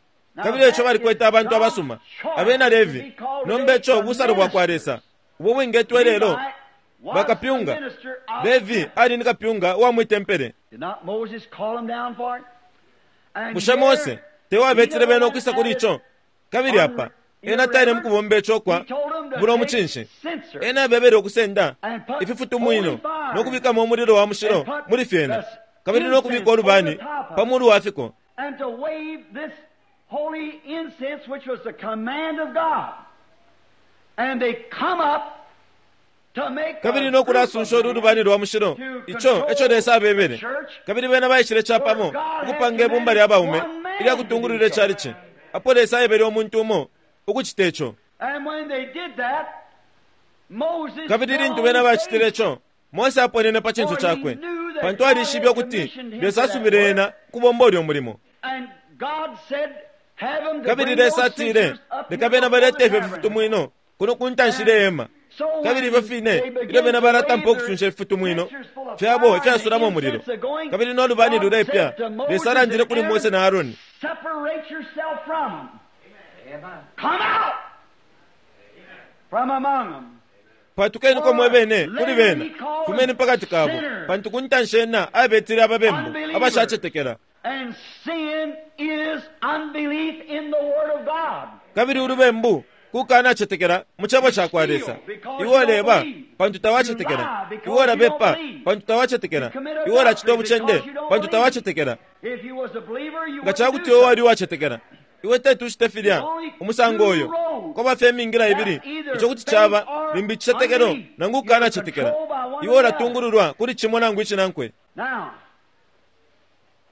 Kabili ico balikwete abantu abasuma abena Levi. Nomba ico busalo bwa kwa Lesa ubo bwingetwe lelo bakapyunga. Levi ali ni kapyunga uwa mwitempele. Bushe Mose tewabetele bena ukwisa kuli ico? Kabili apa ena taile mukubomba ico kwa buno mucinshi. Ena abebele ukusenda ififutumwino nokubikamo umulilo wa mushilo muli fyena, kabili nokubika ulubani pa mulu wa fiko. Kabili nokulasunsha ulu lubani lwa mushilo ico eco Lesa abebele. Kabili bena baishile capamo ukupanga ibumba lya baume ilya kutungulula icalici, apo Lesa aebele umuntu umo ukucita ico. Kabili lintu bena bacitile ico, Mose aponene pa cinso cakwe, pantu alishibe ukuti Lesa asubile ena ukubomba ulyo mulimo. Kabili Lesa atile, leka bena balete ifyo fifutumwino kuno ku ntanshi lehema. Kabili ifyo fine ilyo bena balatampa ukusunsha ififutumwino fyabo ifyasulamo umulilo kabili no lubani lulepya, Lesa alandile kuli Mose na Aaroni, Separate yourself from them. Come out from among them. Patukeniko mwe bene kuli bena, fumeni pakati kabo, pantu ku ntanshi ena abetile ababembu abashacetekela. And sin is unbelief in the Word of God. Kabili ulubembu kukanacetekela mu cebo ca kwa Lesa. Iwe oleba pantu tawacetekela, iwe olabepa pantu tawacetekela, iwe olacita ubucende pantu tawacetekela. If you was a believer, you Nga wouldn't ca kuti do iwe so. wali uwacetekela, iwe teti ucite filya umusango uyo. Kwaba fye imingila ibili, ico kuti caba limbi icicetekelo nangu ukanacetekela. Iwe olatungululwa kuli cimo nangu icinankwe. Now,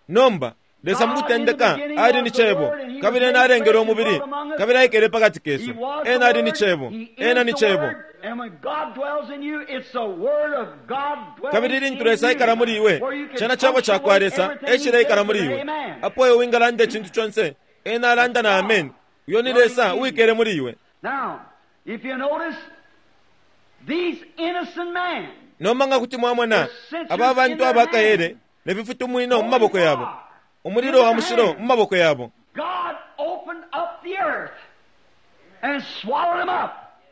Nomba Lesa mukutendeka ali ni cebo, kabili ena alengele umubili, kabili aikele pakati He kesu. was the Ena ali ni Word, cebo, He is ena ni the cebo. Word, and when God dwells in you, it's the Word of God dwelling Kabili lintu in Lesa aikala you, muli iwe, where you can cena cebo ca kwa punctuate Lesa everything He ecileikala says muli with iwe. amen. Apo iwe wingalanda icintu conse, ena alanda na amen. Uyo ni Lesa uwikele muli iwe. Now, if you notice, these innocent men, Nomba nga kuti mwamona aba bantu abakayele ne fifutumwino mu maboko yabo, umulilo wa mushilo mu maboko yabo. God opened up the earth and swallowed them up.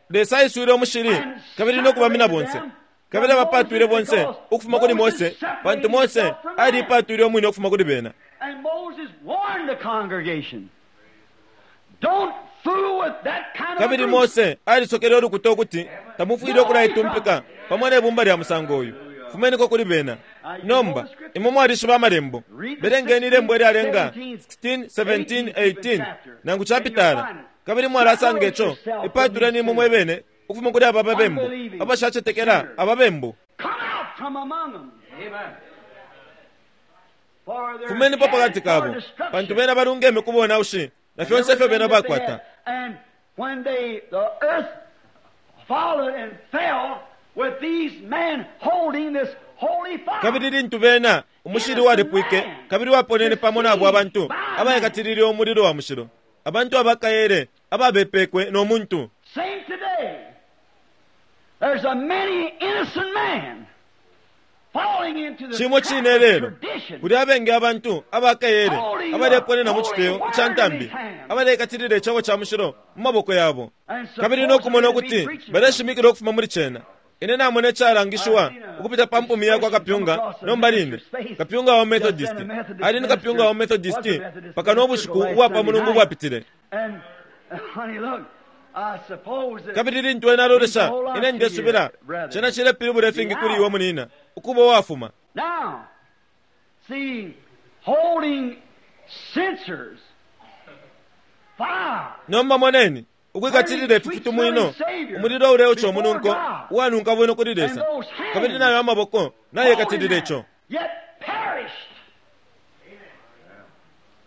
Lesa aiswile umushili kabili no kubamina bonse, kabili abapatwile bonse ukufuma kuli Mose, pantu Mose alipatwile umwine ukufuma kuli bena. And Moses warned the congregation, don't fool with that kind of a Kabili group. Mose alisokele ulukuta ukuti tamufwile ukulaitumpika pamo ne bumba lya musango uyu. Fumeniko kuli bena. Nomba imwe mwalishiba amalembo, belengeni ilembo ilyalenga sixteen, seventeen, eighteen nangu chapitala, kabili mwalasanga ico. Ipatuleni imwe mwe bene ukufuma kuli aba babembu abashacetekela ababembu. Come out from among them. For they're Fumenipo pakati headed for kabo, destruction. pantu bena balungeme ku bonaushi na fyonse ifyo bena bakwata. And when they, the earth followed and fell with these men holding this holy fire. Kabili lintu bena umushili walipwike kabili waponene pamo nabo abantu abaikatilile umulilo wa mushilo, abantu abakayele ababepekwe no muntu. Same today. There's a many innocent man falling into the Cimo trap cine of lelo tradition. kuli abengi abantu abakayele abaleponena mu citeyo ica ntambi, abaleikatilile icebo ca mushilo mu maboko yabo, kabili nokumona ukuti baleshimikila ukufuma muli cena. Ine namona icalangishiwa ukupita pa mpumi yakwa kapyunga nomba line, kapyunga wa Methodist ali ni kapyunga wa Methodist paka no bushiku ubwa pa mulungu ubwapitile. And honey, look, I suppose that Kabili lintu ena alolesha, ine ndesubila cena cilepilibula ifingi kuli iwe munina ukuba uwafuma. Now, see, holding censers, fire, Nomba moneni ukwikatilila ififutumwino, umulilo uleuca umununko uwanunka bwino kuli Lesa, kabili nayo amaboko nayekatilila ico. yet perished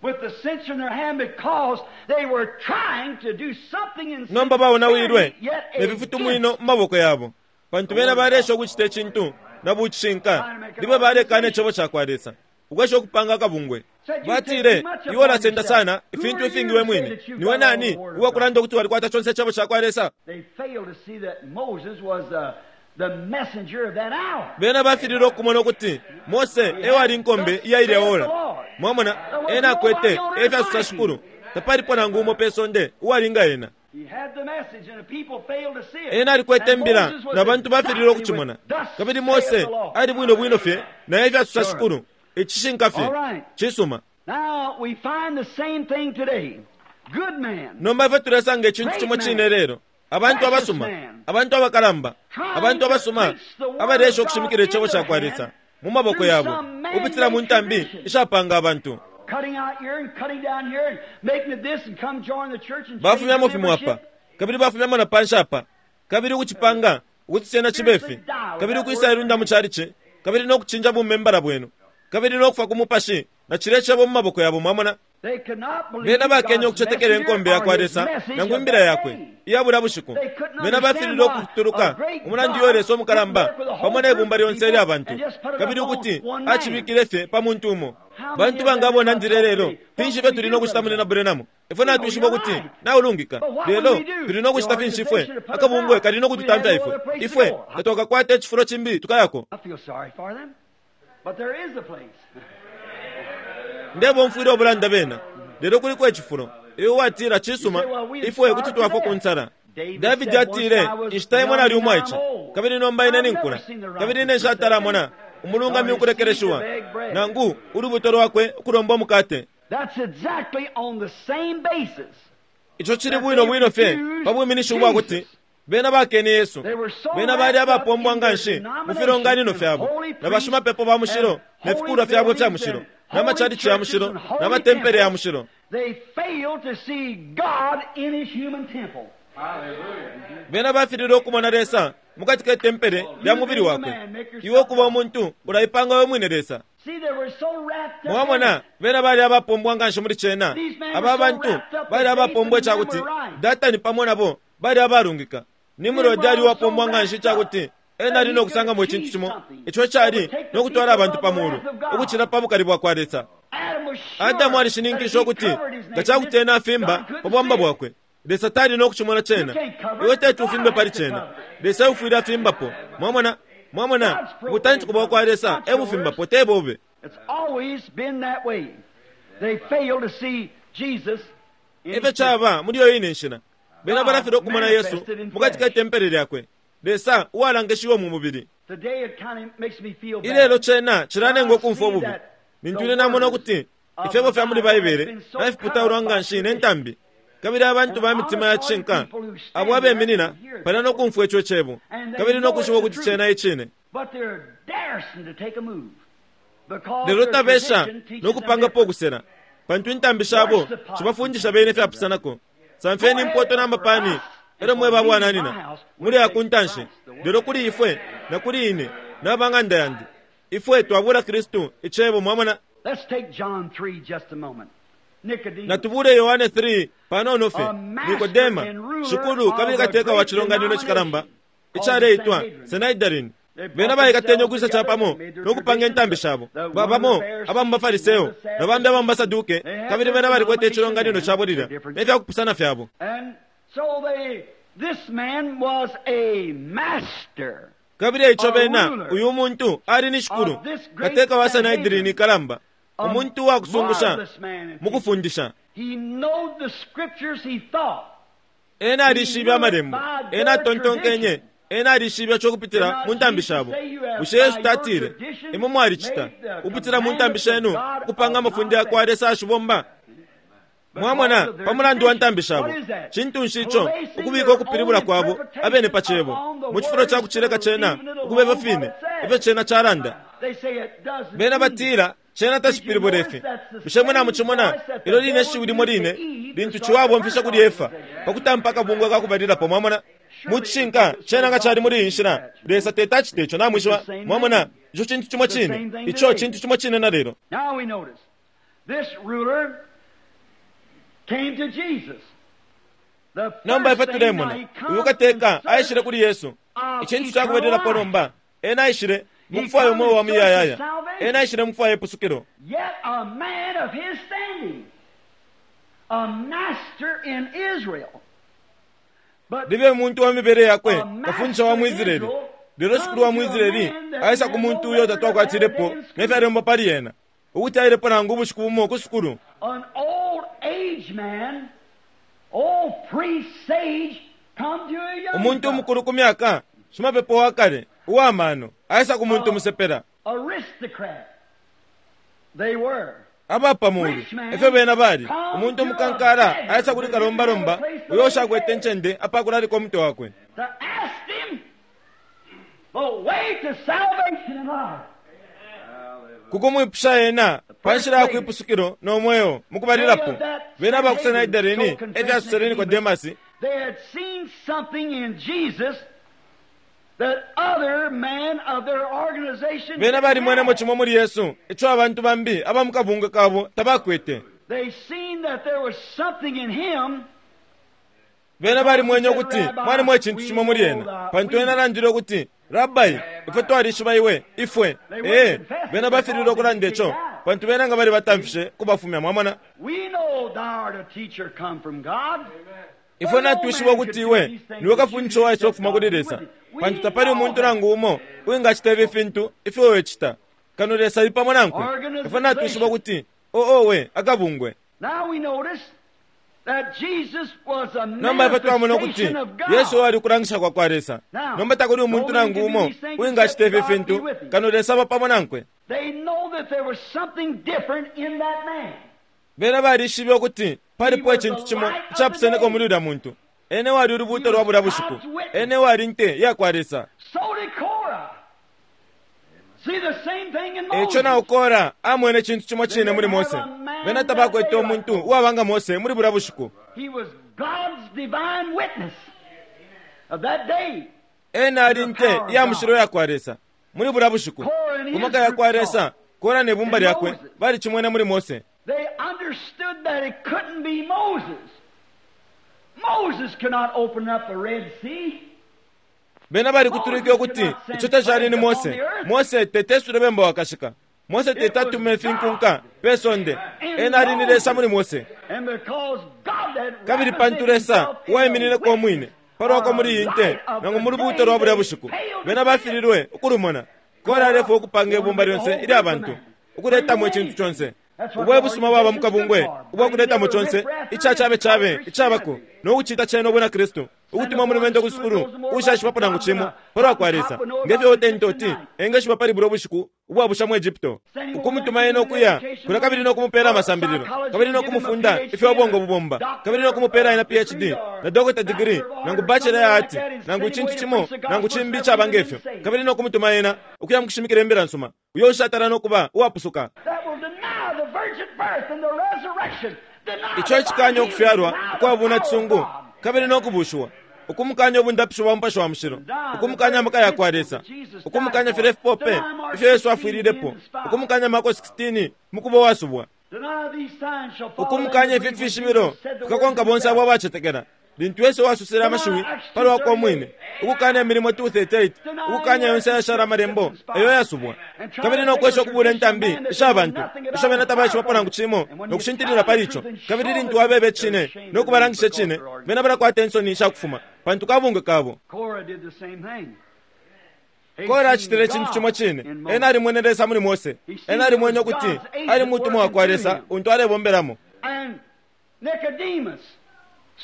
with the censer in their hand because they were trying to do something in Nomba baonawilwe sincerity, yet ne fifutumwino mu maboko yabo, pantu bena balesha ukucita icintu na bucishinka, limwe balekana icebo ca kwa Lesa ukwesha ukupanga akabungwe. Batile, iwe olasenda sana ifintu ifingi we mwine, niwe nani uwakulanda ukuti walikwata conse icebo ca kwa Lesa? They failed to see that Moses was the, the messenger of that hour. Bena bafilile okumona ukuti Mose ewali inkombe iyaile ora. Mwamona ena akwete efyasusa shikulu, tapalipo nangu umo pe sonde uwalinga ena. He had the message and the people failed to see it. Ena alikwete And imbila Moses was na bantu bafilile exactly okucimona. with, "Thus Kabili saith Mose the Lord." ali bwino bwino fye naye efyasusa shikulu, icishinka fye cisuma. Now we find the same thing today. Good man. Nomba ife tulesanga icintu cimo cine lelo, abantu abasuma, abantu abakalamba, abantu abasuma abalesha ukushimikila icebo ca kwa Lesa mu maboko yabo ukupitila mu ntambi ishapanga abantu. Cutting out here and cutting down here and making it this and come join the church and change Bafumyamo the fimo apa membership. kabili bafumyamo na panshi apa, kabili ukucipanga ukuti cena cibe fi, kabili ukwisailunda mu calici, kabili no kucinja bumembala bwenu, kabili no kufa ku mupashi na cile cebo mu maboko yabo. Mwamona, They could not believe bena bakenye God's ukucetekela messenger inkombe ya or kwa his Lesa message nangu of imbila that yakwe day. iyabula bushiku. Bena bafilile ukutuluka umulandu iyo Lesa umukalamba pamo ne bumba lyonse ilya bantu, kabili ukuti acibikile fye pa muntu umo. Bantu bangabona ndile lelo, finshi ifyo tuli no kucita muli na Branham? Ifwe natwishiba ukuti naulungika, lelo tuli no kucita finshi ifwe? Akabungwe kali no kututamfya ifwe. Ifwe tatwakakwate icifulo cimbi tukayako. Ndebomfwila ubulanda bena, lelo kuliko icifulo. Iwe watila, cisuma, ifwe kuti twafwa ku nsala. Davidi atile, inshita imo nali umwaice, kabili nomba ine ninkula, kabili ine nshatalamona umulungami ukulekeleshiwa, nangu ulubuto lwakwe ukulomba umukate. Ico cili bwino bwino fye pa bwiminishi ubwa kuti bena bakene Yesu. Bena bali abapombwa nga nshi mu filonganino fyabo, na bashimapepo ba mushilo, ne fikulwa fyabo fya mushilo, na machalichi ya mushilo, na matempele ya mushilo. Bena bafilile ukumona Lesa mukati ke tempele lya mubili wakwe. Iwe ukuba umuntu ulaipanga we mwine Lesa. Mwamona, bena bali abapombwa nga nshi muli cena. Aba bantu bali abapombwa icakuti Datani pamo nabo bali abalungika. Nimrodi ali uwapombwa nga nshi icakuti ena ali no kusangamo icintu cimo ico cali no kutwala abantu pa mulu ukucila pa bukali bwa kwa Lesa. Adamu alishininkisha ukuti nga cakuti ena afimba pa bwamba bwakwe, Lesa tali no kucimona cena. Iwe teti ufimbe pali cena, Lesa eufwile afimbapo. Mwamona, mwamona, ubutantiko bwa kwa Lesa ebufimbapo, te bobe. Efyo caba muli yo ine nshila. Bena balafilwa ukumona Yesu mukati ke tempele lyakwe, Lesa uwalangishiwe mu mubili. Ilelo cena cilanenga ukumfwa ububi lintu ine namona ukuti ifyebo fya muli Baibele nafiputaulwa nga nshi ne ntambi, kabili abantu ba mitima ya cishinka abo abeminina palya no kumfwa ico cebo kabili no kushiba ukuti cena icine, lelo tabesha no kupangapo ukusela, pantu intambi shabo shibafundisha bene fyapusanako. Samfyeni impoto na mapani elyo mwe babwananina muli akuntanshi, lelo kuli ifwe na kuli ine na bang'anda yandi, ifwe twabula Kristu icebo. Mwamona, natubule Yohane three panono fye. Nikodema, shikulu kabili kateka wa cilonganino cikalamba icaleitwa Senaidarini, bena baikatenye ukwisa capamo no kupanga intambi shabo. Babamo abamu bafariseo na bambi abamu basaduke, kabili bena balikwete icilonganino cabo lilya ne fyakupusana fyabo. Kabili ico bena uyu muntu ali ni shikulu kateka wa Sanhedrini kalamba, umuntu wakusungusha mukufundisha. Ena alishibe amalembo, ena atontonkenye, ena alishibe cokupitila mu ntambi shabo. Bushe Yesu tatile, imwe mwalicita ukupitila mu ntambi shenu ukupanga amafundi yakwa Lesa ashibomba? Mwamona, pa mulandu wa ntambi shabo, cintu nshi ico ukubika ukupilibula kwabo abene pa cebo mu cifulo ca kucileka cena ukubeba fine ifyo cena calanda. Bena batila cena tacipilibula ifi. Bushe mwe namucimona ilo line shiwi limo line lintu ciwabomfesha kuli Efa pa kutampa akabungwe kakubalilapo? Mwamona, mu cishinka cena nga cali muli iyi nshila, Lesa tetacita ico. Namwishiba, mwamona, ico cintu cimo cine, ico cintu cimo cine na lelo. Nomba ife tulemona uyu kateka aishile kuli Yesu. Icintu cakubalilapo nomba, ena aishile mukufwaya umweo wa muyayaya, ena aishile mukufwaya ipusukilo. Libe muntu wa mibele yakwe, kafundisha wa Muisraeli, lelo shikulu wa Muisraeli aisa ku muntu uyo tatwakwatilepo ne fyalembo pali ena ukuti ailepo nangu ubushiku bumo ku sukulu. Umuntu umukulu ku myaka, shimapepo wa kale uwa mano, aisa ku muntu musepela. Aba pamulu efyo bena bali. Umuntu umukankala aisa kuli kalombalomba uyo ushakwete ncende apakulaliko umutwe wakwe, kukumwipusha ena pa nshila ya kwipusukilo no mweo mukubalilapo. Bena ba ku Sanhedrini efyasosele Nikodemasi bena balimwenemo cimo muli Yesu ico abantu bambi aba mu kabungwe kabo tabakwete. Bena balimwenye ukuti mwalimo icintu cimo muli ena, pantu ena alandile ukuti, Rabbi, ifwe twalishiba iwe, ifwe. Ee, bena bafilile ukulanda ico, pantu bena nga bali batamfishe kubafumya. Mwamona, know thou art a teacher come from God. Ifwe natwishiba ukuti iwe niwe kafundisha uwaisa ukufuma kuli Lesa, pantu tapali umuntu nangu umo uwingacita ifi fintu ifyo wecita kano Lesa ali pamo nankwe. Ifwe natwishiba ukuti oowe akabungwe. Now we notice that Jesus was a Nomba ifwe twamona ukuti manifestation of God. Yesu ali kulangisha kwa kwa Lesa. Nomba takuli umuntu nangu umo uwingacita ifi fintu kano Lesa aba pamo nankwe. They know that there was something different in that man. Bena balishibe ukuti palipo icintu cimo icapuseneko muli ulya muntu. Ene wali ulubuuto lwa bulya bushiku. Ene wali nte ya kwa Lesa. So did Korah. See the same thing in Eco na Moses. Kora amwene icintu cimo cine muli Mose. Bena tabakwete umuntu uwaba nga Mose muli bulya bushiku. He was God's divine witness of that day. Ena ali nte ya mushilo ya kwa Lesa muli bulya bushiku. Ku maka ya kwa Lesa, Kora ne bumba lyakwe balicimwene muli Mose. They understood that it couldn't be Moses. Moses could not open up the Red Sea. Bena balikutulike ukuti ico tacali ni Mose. Mose tetesule bemba wakashika. Mose tetatume finkunka pe sonde. Ena ali ni Lesa muli Mose. And because God had Kabili pantu represented Lesa himself in uwaiminineko the umwine witness palwakwa muli iyi nte nangu mu lubuuto lwa bulya bushiku. Bena bafililwe ukulumona. Kora alefwa ukupanga ibumba lyonse ilya bantu, ukuletamo icintu conse. Ubwe busuma bwaba mu kabungwe ubwakuletamo conse ica cabe cabe icabako nokucita cene ubwina Kristu, ukutuma mulumendo ku sukulu ushashipapo nangu cimo palwa kwa Lesa, ngefyo utentoti engeshipa pali bulya bushiku ubwabusha mu Egypto, ukumutuma ena ukuya kulya kabili nokumupela amasambililo, kabili nokumufunda ifyo ubwongo bubomba, kabili nokumupela ena P H D na doctor degree nangu bachelor ya art nangu icintu cimo nangu cimbi icaba ngefyo, kabili nokumutuma ena ukuya mukushimikila imbila nsuma uyo ushatala nokuba uwapusuka. That will deny the virgin birth and the resurrection. Deny Ico icikanya ukufyalwa ukwabuna cisungu kabili nokubushiwa, ukumukanya obundapisho bwa Mupashi wa Mushilo, ukumukanya amaka ya kwa Lesa, ukumukanya filya ifipope ifyo Yesu afwililepo, ukumukanya Marko sixteen mukuba uwasubwa, Deny these signs shall follow ukumukanya them ifi that believe. fishibilo Jesus said the fikakonka words bonse abo himself. abacetekela. Lintu Yesu wasusile amashiwi palwa kwa mwine, ukukanya imilimo two thirty-eight, ukukanya yonse yashala amalembo eyo yasubwa, kabili nokwesha ukubula intambi isha bantu isho bena tabaishibapo nangu cimo nokushintilila pali ico. Kabili lintu wabebe cine nokubalangisha cine, bena balakwata insoni ishakufuma pantu kabungwe kabo. Korah did the same thing. Kora acitile icintu cimo cine. Ena alimwene Lesa muli Mose. Ena alimwene ukuti ali mutumwa wa kwa Lesa untu alebombelamo. And Nicodemus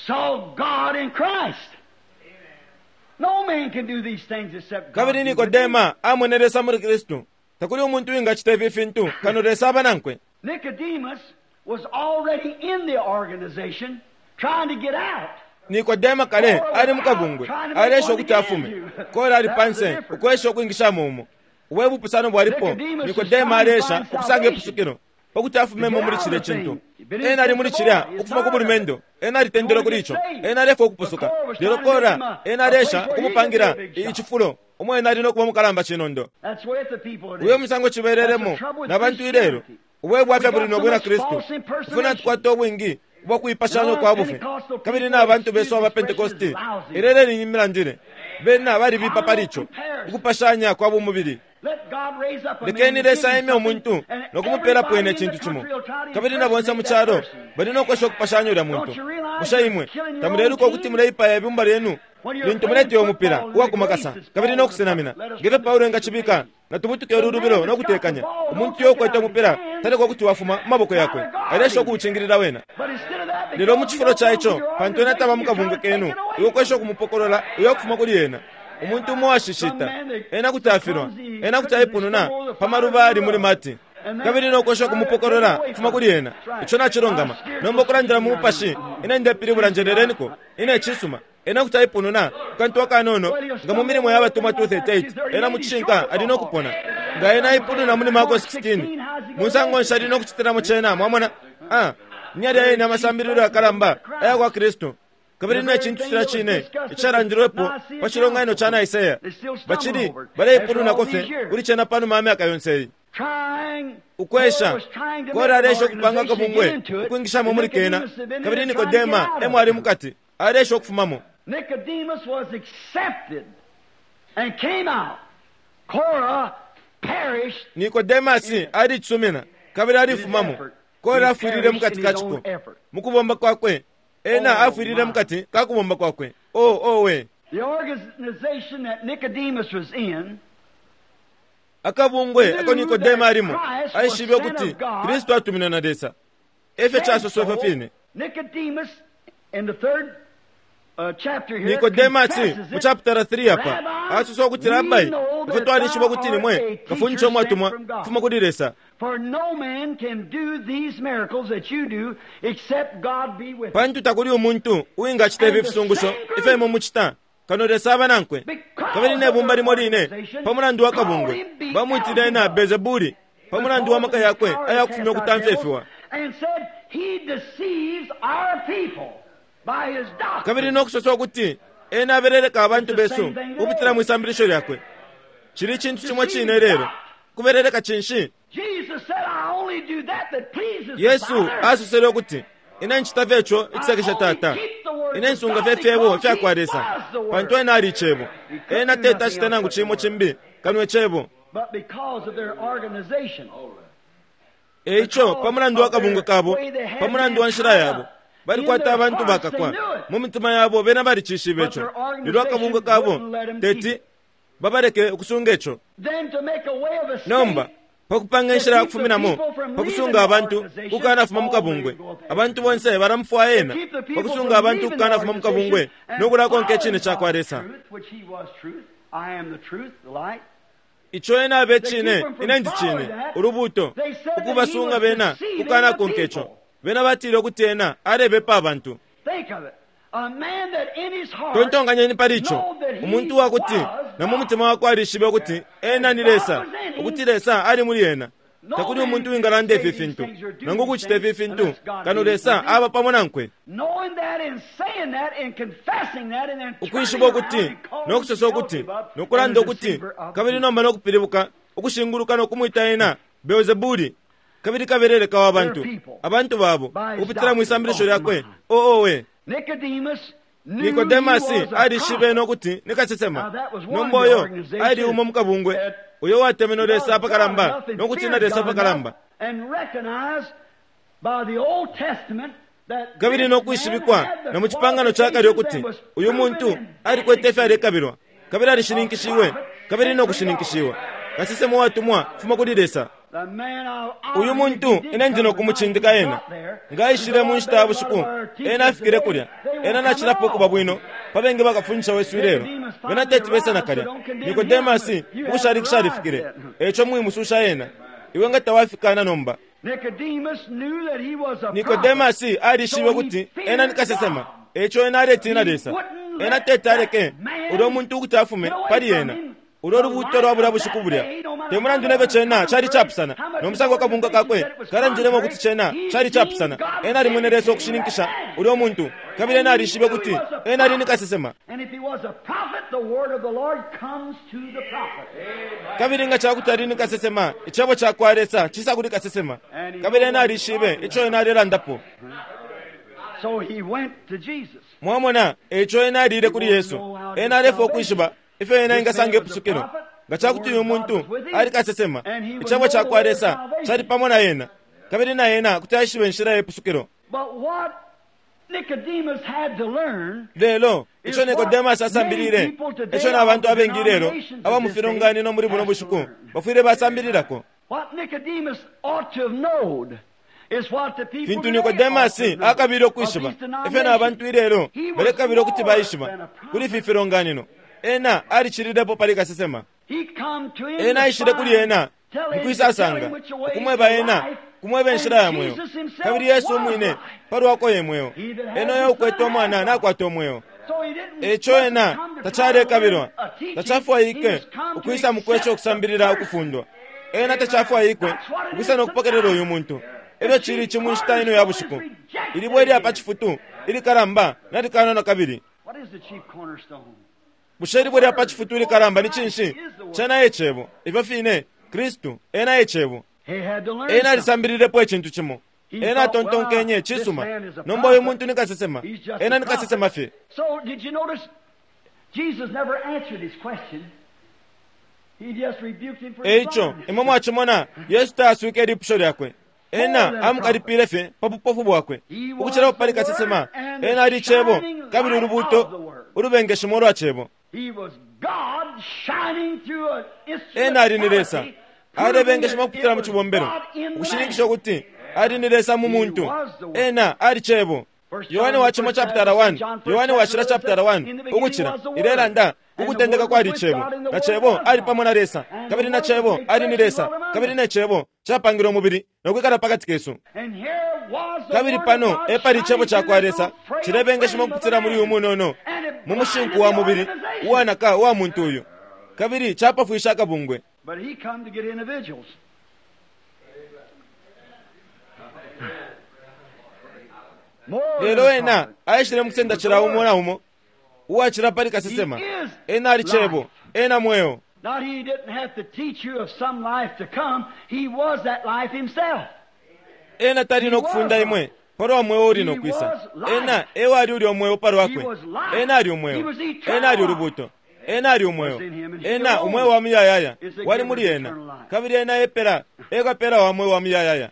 saw God in Christ. No man can do these things except God. Kabili be with him. Nikodema amwene Lesa muli Kristu. Takuli umuntu uwingacita ifi fintu kano Lesa aba nankwe. Nicodemus was already in the organization trying to get out. Nikodema kale ali mukabungwe alesha ukuti afume. Kora ali panse ukwesha ukwingishamo umo. Ubwe bupusano bwalipo. Nikodema alesha ukusanga ipusukilo pakuti afumemo muli cilya cintu. Ena ali muli cilya ukufuma ku bulumendo. Ena alitendele kuli ico. Ena alefwa ukupusuka. Lelo Kora ena alesha ukumupangira icifulo umo ena ali nokuba mukalamba cinondo. That's where the people Uyo musango cibereremo na bantu ilelo. Ubwe bwafya buli nobwina Kristu. Ufuna tukwata obwingi ubwakuipashanya kwa bufi. Kabili na abantu besu aba Pentecosti ilele ni imilandile. Bena balibipa pali ico ukupashanya kwa bumubili. Let God raise up a man Lekeni and give Lesa him aime umuntu something, and nokumupela pwene everybody in icintu the cimo. country will try to Kabili na bonse mu impersonate that calo person. bali nokwesha ukupashanya ulya muntu. Bushe imwe tamuleluka ukuti muleipaya ibumba lyenu lintu muleteya umupira uwakumakasa kabili nokusenamina ngefyo Paulo engacibika natubutuke ululubilo nokutekanya. Umuntu uyo ukwete umupira taleka ukuti wafuma mu maboko yakwe, alesha ukuucingilila wena. But instead of that, Lelo mu because cifulo you ca don't ico, belong to your pantu ena taba mu kabungwe organization, you kenu, try to take it uyo away. ukwesha ukumupokolola uyo ukufuma kuli ena. Umuntu umo washishita, ena kuti afilwa, ena kuti aipununa pa maluba ali muli mati, kabili nokwesha ukumupokolola ukufuma kuli ena. Ico nacilongama. Nomba ukulandila mu mupashi, ine ndepilibula njeleleniko, ine cisuma. Ena kuti aipununa kukantu akanono nga mu milimo ya batumwa two thirty-eight, ena mu cishinka ali nokupona. Nga ena aipununa muli Marko sixteen, musango nshi ali nokucitilamo cena, mwamona? Ah, ni yalya yene amasambililo yakalamba aya kwa Kristu. Kabili ne cintu cila cine icalandilwepo pa cilonganino ca Nicaea, bacili baleipununako fye kuli cena panuma ya myaka yonse iyi. Trying Ukwesha Korah was trying to Kora make an alesha ukupanga organization akabungwe get into it. ukwingishamo And muli kena. Nicodemus had been Kabili in there trying to Nikodema get out of emo ali it. mukati alesha ukufumamo. Nicodemus was accepted and came out. Korah perished Nikodemasi alicisumina kabili alifumamo. Kora afwilile mukati ka ciko mukubomba kwakwe. Ena afwilile mukati ka kubomba kwakwe. Oh, oh we. The organization that Nicodemus was in, akabungwe ako Nikodema alimo aishibe ukuti Kristu atuminwe na Lesa. Efyo casoswa ifyo fine. Nicodemus in the third uh, chapter here Nikodemasi mu chapter three apa asoswa ukuti, Rabbi, ifwe twalishiba ukuti nimwe kafundisha omwatumwa kufuma kuli Lesa. For no man can do these miracles that you do except God be with him. Pantu takuli umuntu uwingacita ifi fisungusho ifyo imwe mucita kano Lesa aba nankwe. Kabili nebumba limo line pa mulandu wa kabungwe bamwitile na Beelzebuli pa mulandu wa maka yakwe ayakufumya ukutamfya ifiwa. And said he deceives our people by his doctrine. Kabili nokusosa ukuti ena aberereka abantu besu ukupitila mwisambilisho lyakwe. Chili chintu chimwe chine lelo kuberereka chinshi. Jesus said, I only do that that pleases Yesu the Father. asosele ukuti ine nchita fyecho icisakisha tata, ine nsunga fye fyebo fyakwa Lesa, pantu ena ali icebo. Ena teta acita nangu chimo chimbi kano icebo. But because of their organization, Eico pa mulandu wa kabungwe kabo, pa mulandu wa nshila yabo, balikwata abantu bakakwa mu mitima yabo, bena balicishibe ico. Lelo akabungwe kabo teti babaleke ukusunga ico. then to make a way of escape, Nomba pakupanga inshila yakufuminamo pakusunga abantu kukanafuma mukabungwe, abantu bonse balamufwaya ena pakusunga abantu kukanafuma mukabungwe nokulakonka icine cakwa Lesa. truth, which he was truth. I am the truth, the light. Ico ena abe cine, ine ndi cine, ulubuto, ukubasunga bena kukanakonka ico. Bena batile ukuti ena alebepa abantu. Think of it. A man that in his heart Tontonkanyeni pali ico, umuntu wakuti na mu mutima wakwe alishibe ukuti ena ni Lesa, ukuti Lesa ali muli ena. Takuli umuntu wingalanda ifi fintu nangu kucita ifi fintu kano Lesa aba pamo nankwe. knowing that and saying that and confessing that and then Ukwishiba ukuti nokusosa ukuti nokulanda ukuti kabili nomba nokupilibuka ukushinguluka nokumwita ena Beelzebuli kabili kaberereka wa bantu abantu babo ukupitila mwisambilisho lyakwe. Oo we. Nicodemus knew he Nikodemasi was a alishibe prophet. nokuti ni kasesema. Nomba uyo ali umo mukabungwe uyo watemenwe Lesa apakalamba nokutina Lesa apakalamba And recognized by the Old Testament that kabili this nokwishibikwa man had the na mu cipangano cakale ukuti uyu muntu alikwete ifyo alekabilwa kabili alishininkishiwe kabili nokushininkishiwa. Kasesema watumwa fuma kuli Lesa. The man of honor, Uyu muntu he did ine ndi come nokumucindika tonight, ena he got there. nga aishile mu nshita ya bushiku, ena afikile kulya, ena nacilapo ukuba bwino pabenge bakafundisha wesu ilelo. Bena teti besa nakalya. Nikodemasi ukushalikisha alifikile, eco mwimususha ena iwe nga tawafikana nomba. Nicodemus knew that he was a prophet. Nikodemasi alishibe ukuti ena ni kasesema, eco ena aletina Lesa. Ena teti aleke ulyo muntu ukuti afume pali ena ulwo lubuto lwabula bushiku bulya. Te mulandu nefyo cena cali capusana nomusango akabunga kakwe kalanjilemo ukuti cena cali capusana, ena alimwene Lesa ukushininkisha ulyo muntu kabili ena alishibe ukuti ena ali ni kasesema. And if he was a prophet, the word of the Lord comes to the prophet. Kabili nga cakuti ali ni kasesema, icebo cakwa Lesa cisa kuli kasesema, kabili ena alishibe ico ena alelandapo. So he went to Jesus. Mwamona, eco ena alile kuli Yesu. Ena alefwa ukwishiba ifyo ena ingasanga ipusukilo. Nga cakuti uyu muntu ali kasesema, icebo cakwa Lesa cali pamo na ena, kabili na ena kuti aishibe inshila ye pusukilo. But what Nicodemus had to learn Lelo ico Nikodemasi asambilile, ico na bantu abengi lelo aba mu filonganino muli buno bushiku bafwile basambililako. What Nicodemus ought to have known is what the people Fintu today ought to Nikodemasi know akabile of ukwishiba these denominations. ifyo na bantu ilelo He was balekabila ukuti more baishiba than a prophet. kuli ifi filonganino. Ena alicililepo pali kasesema. He come to him Ena to aishile kuli find, ena tell him, mukwisasanga tell him which way ukumweba to ena life, kumweba inshila ya and mweo. Jesus himself Kabili Yesu was umwine life. palwako ye mweo. Ena uyo ukwete umwana nakwata umweo. So he didn't Eco ena come to try to tacalekabilwa, learn a teaching. He tacafwaikwe was come to ukwisa mukwesha accept ukusambilila the ukufundwa. Ena tacafwaikwe ukwisa nokupokelela uyu muntu. Elyo cili cimu nshita ino ya bushiku, ilibwe ilya pa cifutu ilikalamba nalikana na kabili. What is the chief cornerstone? Bushe ilibwe lya pa cifutu ilikalamba ni cinshi? Cena e cebo. Ifyo fine Kristu ena e cebo. He had to learn Ena something. alisambililepo icintu cimo. Ena atontonkenye cisuma, nomba uyu muntu ni kasesema. Ena ni kasesema fye. So did you notice Jesus never answered his question? He just rebuked him for his Eico blindness. imwe mwacimona Yesu taaswike ilipusho lyakwe. Ena amukalipile fye pa bupofu bwakwe ukucilapo pali kasesema. Ena ali Cebo kabili ulubuuto ulubengeshima ulwa Cebo. Ena ali ni Lesa alebengeshima ukupitila mu cibombelo, ukushininkisha ukuti ali ni Lesa mu muntu. Ena ali Cebo. Yohane wa cimo chapter one, Yohane wa shila chapter one, ukucila ilelanda ukutendeka kwali Cebo, na Cebo ali pamo na Lesa, kabili na Cebo ali ni Lesa, kabili ne Cebo chapangilwe umubili no kwikala pakati kesu. Kabili pano epali Cebo ca kwa Lesa cilebengeshima ukupitila muli uyu munono mu mushinku wa mubili uwanaka uwa muntu uyu, kabili chapafwisha akabungwe. But he come to get individuals. Lelo ena aishile mukusenda cila umo na umo uwacila pali kasesema. Ena ali Cebo, ena mweo. Not he didn't have to teach you of some life to come. He was that life himself. Ena tali no kufunda imwe palwa mweo uli no kwisa. Ena ewali uli omweo palwakwe. Ena ali umweo, ena ali ulubuto, ena ali umweo, ena umweo wa muyayaya wali muli ena, kabili ena epela ekapela wa mweo wa muyayaya.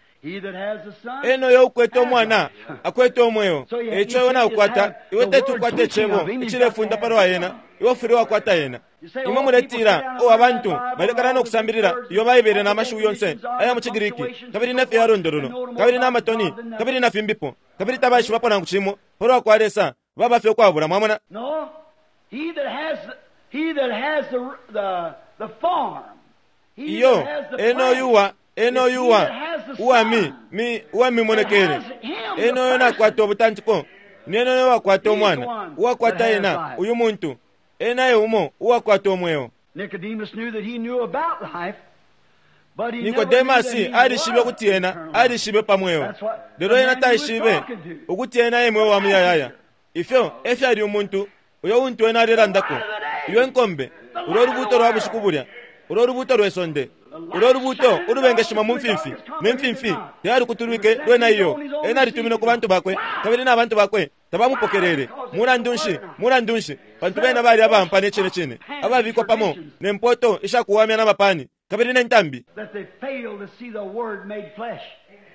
Eno yo ukwete omwana akwete omweo. Eco iwe naukwata, iwe teti ukwate Cebo icilefunda palwa ena, iwe ufwile wakwata ena. Imwe muletila o abantu balekana nokusambilila iyo Baibele na mashiwi yonse aya mu Cigiriki, kabili nefyo yalondololo, kabili n'amatoni, kabili na fimbipo, kabili tabaishibapo nangu cimo palwa kwa Lesa, baba fye ukwabula. Mwamona? No, he that has he that has the the the form. Iyo eno yuwa eno yuwa uwami mi uwamimonekele eno yo nakwata obutantiko neno yo wakwata omwana uwakwata ena uyu muntu ena ye umo uwakwata omweo. Nicodemus knew that he knew about life, but he Nikodemasi alishibe ukuti ena alishibe pa mweo, lelo ena taishibe ukuti ena ye mweo wa muyayaya. Ifyo efyali umuntu uyo untu ena alelandako, iyo enkombe ulo lubuto lwa bushiku bulya, ulo lubuto lwe sonde, ulo lubuto ulubengeshima mu mfimfi ne mfimfi teyalukutulwike lwena iyo. Ena alitumine ku bantu bakwe, kabili n'abantu bakwe tabamupokelele. Mulandu nshi? Mulandu nshi? Pantu bena bali abampana icine cine, ababikwa pamo ne mpoto ishakuwamya n'amapani kabili n'entambi, that they failed to see the Word made flesh.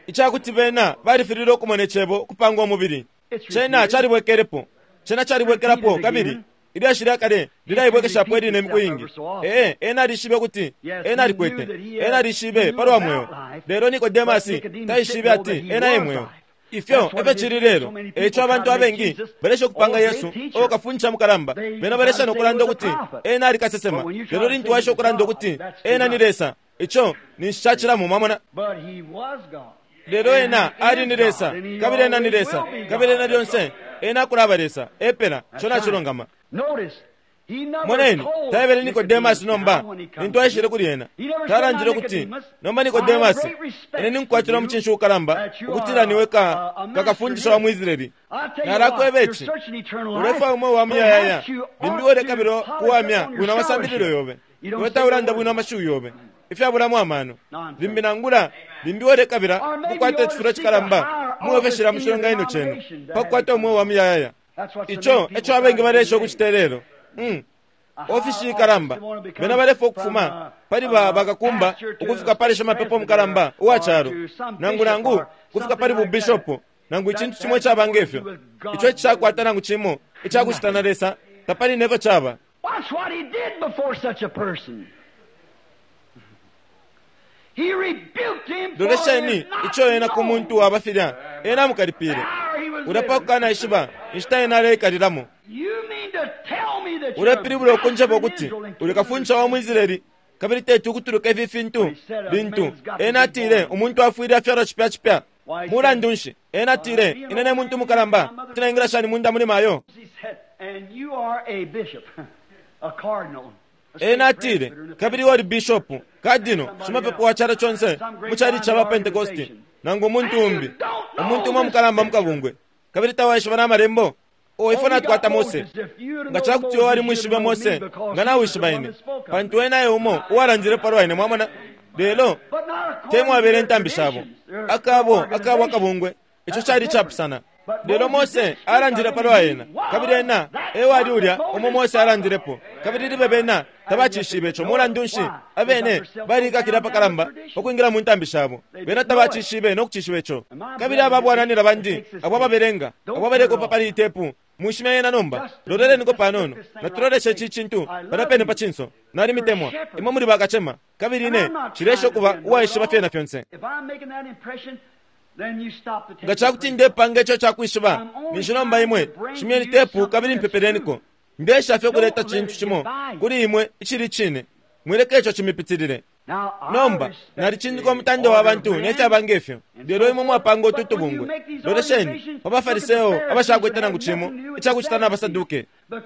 icakuti bena balifililwe okumona Icebo kupangwa umubili. Cena calibwekelepo, cena calibwekelapo kabili ilyashi lya kale lilaibwekeshapo iline imiku ingi. Ee, ena alishibe ukuti ena alikwete, ena alishibe palwa mweo, lelo Nikodemasi taishibe ati ena ye mweo. Ifyo efyo cili lelo. Eco abantu abengi balesha ukupanga Yesu o kafundisha mukalamba, bena balesha nokulanda ukuti ena ali kasesema, lelo lintu waisha ukulanda ukuti ena ni Lesa, ico ninshi cacilamo. Mwamona? But he was God. Lelo ena ali ni Lesa, kabili ena ni Lesa, kabili ena lyonse ena akulaba Lesa epela. Co nacilongama. Notice, he never Moneni, told taebele Nikodemasi nomba now when he comes lintu aishile kuli ena, He never said, talandile "Now, ukuti Nicodemus, nomba I have Nikodemasi, great respect ine ninkwatila for you, omucinshi ukalamba that you ukutila are niwe ka a- a master kakafundisha wa mu here. Israeli. I tell you Nalakweba what, you're ichi, searching eternal ulefa life. umwe wa muyayaya, Perhaps you limbi ought wole to kabili polish up kuwamya on your bwino amasambililo scholarship. yobe, You don't iwe say taulanda a bwino word. amashiwi yobe ifyabulamo amano, Nonsense. limbi nangula limbi wole kabila Or maybe kukwata you ought icifulo to seek a cikalamba higher muwefeshela mu office in your cilonganino cenu denomination to pakukwata have umwe wa muyayaya. That's what so Ico many people eco abengi try to do balesha today. ukucita lelo. Mm. A higher Ofisi ikalamba office, they wanna become bena balefa from, ukufuma uh, pali ba uh, bakakumba pastor to ukufika pali shamapepo mukalamba uwa or calo, to some nangu bishop nangu or kufika pali something like bubishopu that. nangu That icintu has cimo icaba ngefyo. to do with God's Ico icishakwata will. nangu cimo icakucita na Lesa tapali nefyo caba. Watch what he did before such a person. He rebuked him for Lolesheni his not ico ena ku muntu knowing waba filya ena amukalipile the hour he was ulapa living. kukanaishiba inshita ena aleikalilamo. You mean to tell me that you're a Ulepilibula ukunjeba master in ukuti Israel and uli kafundisha wa mu Israeli kabili teti ukutuluka ifi fintu lintu ena atile umuntu afwile afyalwa cipya cipya. Mulandu nshi? Ena atile ine ne muntu mukalamba tinaingila shani munda muli mayo. He said, and you are a bishop, a cardinal, a state Ena atile presbyter in the kabili wali bishopu kadino shimapepo wa calo conse mu cali ca bapentekosti nangu umuntu umbi umuntu umwe mukalamba mukabungwe kabili tawaishiba n'amalembo. O ifwe natwata Mose, nga cakuti iwe wali mwishibe Mose nga nawishiba ine, pantu ena e umo uwalandile palwa ine. Mwamona? Lelo temwabele intambi shabo akabo akabo akabungwe, ico cali capusana. Lelo Mose alandile palwa ena, kabili ena ewali ulya umo Mose alandilepo, kabili libe bena Tabacishibe ico. Mulandu nshi, abene balikakila apakalamba pakwingila mu ntambi shabo. Bena tabacishibe no kucishiba ico. Kabili ababwananila bandi abo ababelenga, abo abalekopa pali itepu, mwishimya yena nomba. Loleleniko panono, natuloleshe ici cintu palya pene pa cinso. Nalimitemwa imwe muli bakacema, kabili ine nshilesha ukuba uwaishiba fyena fyonse. Nga cakuti ndepanga ico cakwishiba, ninshi nomba imwe shimyeni tepu kabili mpepeleniko. Ndesha fye kuleta cintu cimo kuli imwe icili cine. Mwileka ico cimipitilile. Nomba nalicindika umutande wa bantu ne fyaba ngefyo, lelo imwe mwapanga utu tubungwe. Lolesheni pa baFariseo abashakwete nangu cimo icakucita na baSaduke,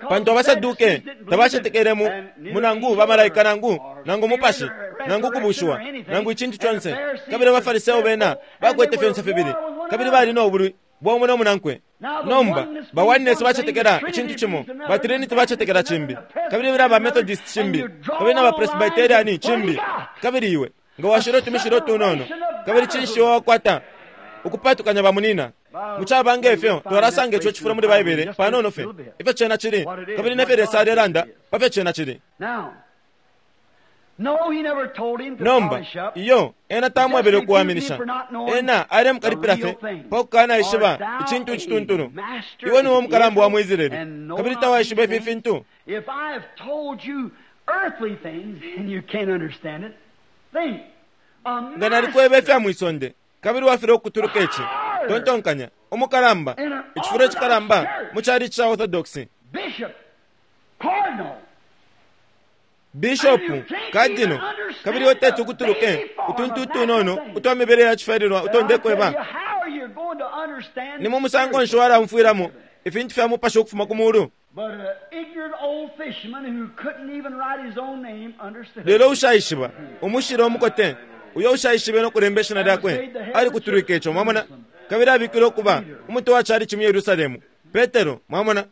pantu abaSaduke tabacetekele mu munangu bamalaika nangu nangu mupashi nangu kubushiwa nangu icintu conse. Kabili abaFariseo bena bakwete fyonse fibili, kabili bali no bulwi bwa no munankwe. Nomba ba Oneness bacetekela icintu cimo, ba Trinity bacetekela cimbi, kabili ba Methodist cimbi, kabili na ba Presbyterian cimbi. Kabili iwe nga washila utumishila utunono, kabili cinshi wakwata ukupatukanya bamunina mucaba ngefyo. Twalasanga ico cifulo muli Baibele panono fye ifyo cena cili, kabili nefyo Lesa alelanda pafyo cena cili. Nomba iyo ena tamwebele ukuwaminisha, ena alemukalipila fye pakukana ishiba icintu icituntulu. Iwe niwe umukalamba wa mu Israeli, kabili tawaishiba ifi fintu. Nga nalikweba ifya mwisonde, kabili wafile ukutuluka ici, tontonkanya umukalamba, icifulo icikalamba mu chalichi cha Orthodox, bishopu, kadino, kabili otete ukutuluke utuntu utunono utwa mibele ya cifyalilwa utondekweba. Ni mu musango nshi walamfwilamo ifintu fya mupashi ukufuma ku mulu? Lelo ushaishiba umushilo umukote uyo ushaishibe no kulemba ishina lyakwe alikutulwike ico, mwamona, kabili abikile ukuba umutwe wa chalichi mu Yerusalemu, Petero, mwamona.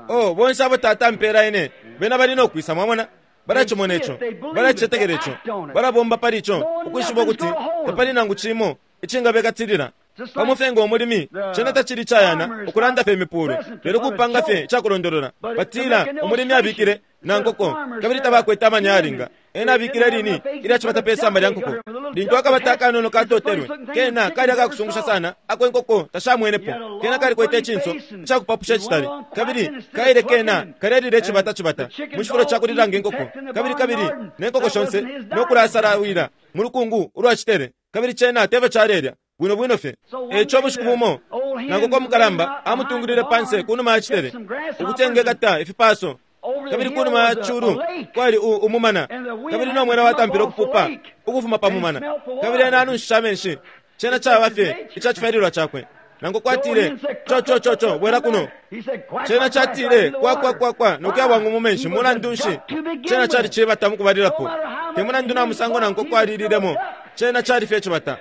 Oh, bonse abo tata mpera ine bena bali no kwisa, mwamona. Balacimona ico, balacicetekela ico, balabomba pali ico, ukwishiba ukuti tapali nangu cimo icingabekatilila. Pamo fye nga umulimi, cena tacili cayana ukulanda fye imipulo, lelo kupanga fye icakulondolola. Batila umulimi abikile na nkoko, kabili tabakwete amanyalinga. Ena abikile lini ilya cibata pe samba lya nkoko. Lintu akabata akanono katotelwe, kena kali akakusungusha sana ako inkoko tashamwenepo. Kena kalikwete icinso icakupapusha icitali, kabili kaile kena kalelile icibata cibata mu cifulo cakulilanga inkoko, kabili kabili ne nkoko shonse no kulasalawila mu lukungu ulwa citere, kabili cena tebe calelya bwino bwino fye. Eco bushiku bumo nankoko mukalamba amutungulile panse kunuma ya citere ukutengekata ifipaso, kabili kunuma ya culu kwali umumana, kabili no mwela watampile ukupupa ukufuma pa mumana, kabili ena anunshisha amenshi. Cena caba fye icacifyalilwa cakwe. Nankoko atile, cho cho cho cho, bwela kuno. Cena catile kwa kwa kwa kwa nokuya bwangu mu menshi. Mulandu nshi, cena cali cibata mukubalilapo. Te mulandu na musango nankoko alililemo, cena cali fye cibata.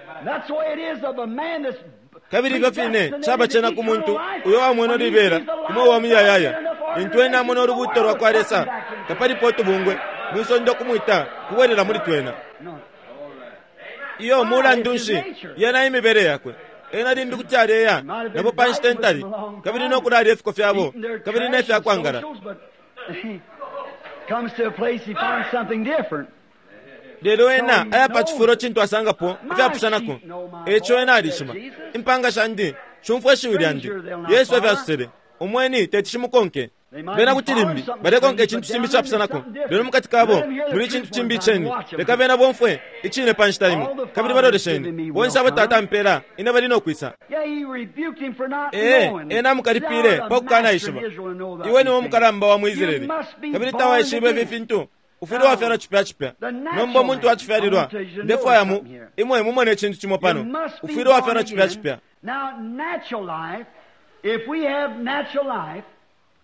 Kabili ifyo fine caba cena ku muntu uyo wamwene libela umwe wa muyayaya. Lintu ena amona ulubuto lwa kwa Lesa, tapalipo utubungwe mwisonde ukumwita kubwelela muli twena. Iyo mulandu nshi, yena imibele yakwe. Ena limbi kuti aleya nabo pa nshita ntali, kabili no kulalya ifiko fyabo, kabili ne fya kwangala. Lelo ena aya pa cifulo cintu asangapo ifyapusanako. Eco ena alishima, impanga shandi shumfwe ishiwi lyandi. Yesu efyasosele, umweni teti shimukonke. Bena kuti limbi balekonka icintu cimbi capusanako, lelo mukati kabo muli icintu cimbi iceni. Leka bena bomfwe icine pa nshita imo, kabili balolesheni. Bonse abo tata mpera ine bali no kwisa. Ee, ena amukalipile pa kukana ishiba. Iwe niwe mukalamba wa mu Israeli, kabili tawaishiba ifi fintu. Ufwile wafyalwa cipya cipya. Nomba umuntu wacifyalilwa, ndefwaya mu imwe mumone icintu cimo pano. Ufwile wafyalwa cipya cipya.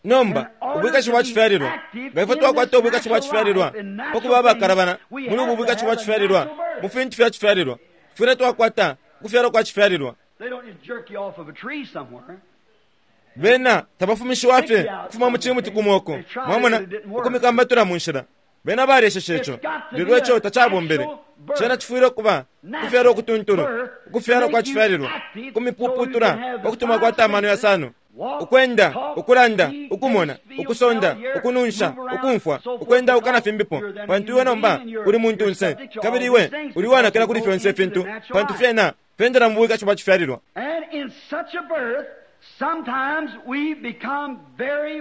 Nomba ubwikashi bwa cifyalilwa, nga ifwe twakwata ubwikashi bwa cifyalilwa pakuba abakalabana muli ubu bwikashi bwa cifyalilwa mu fintu fya cifyalilwa, tufwile twakwata ukufyalwa kwa cifyalilwa. Bena tabafumishiwa fye kufuma mu cimuti kumwoko, mwamona, ukumikambatula mu nshila. Bena balesheshe ico, lelo ico tacabombele. Cena cifwile ukuba kufyalwa ukutuntulu, ukufyalwa kwa cifyalilwa, kumipuputula pakuti mwakwata amano yasano. Ukwenda, ukulanda, ukumona, ukusonda, ukununsha, ukumfwa, ukwendauka na fimbipo, pantu iwe nomba uli muntunse, kabili iwe uli wanakela kuli fyonse ifintu, pantu fyena fyendela mu bwikashi bwa cifyalilwa.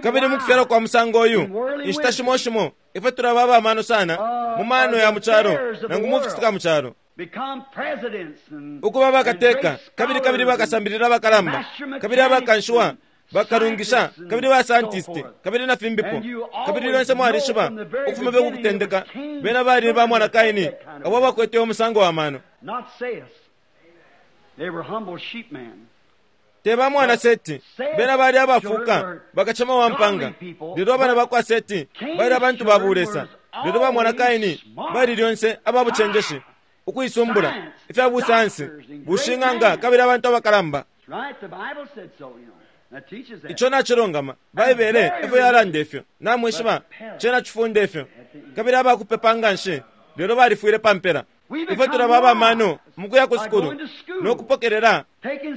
Kabili mukufyalwa kwa musango uyu, inshita shimo shimo ifwe tulaba abamano sana mu mano ya mu calo nangu mu ficitika mu calo, ukuba bakateka kabili kabili bakasambilila abakalamba kabili abakanshiwa bakalungisha kabili ba scientist kabili na fimbipo. Kabili lyonse mwalishiba ukufuma fye kukutendeka bena bali ba mwana Kaini abo bakwete umusango wa mano. Te ba mwana Seti, bena bali abafuka bakacema wa mpanga. Lelo abana bakwa Seti bali abantu babulesa. Lelo ba mwana Kaini bali lyonse ababucenjeshi, ukuisumbula ifya busayansi bushing'anga kabili abantu abakalamba. Ico nacilongama, Baibele efyo yalanda ifyo, namwishiba cena cifunda ifyo. Kabili abakupepa nganshi, lelo balifwile pampela. Ifwe tulaba abamano mukuya ku sukulu nokupokelela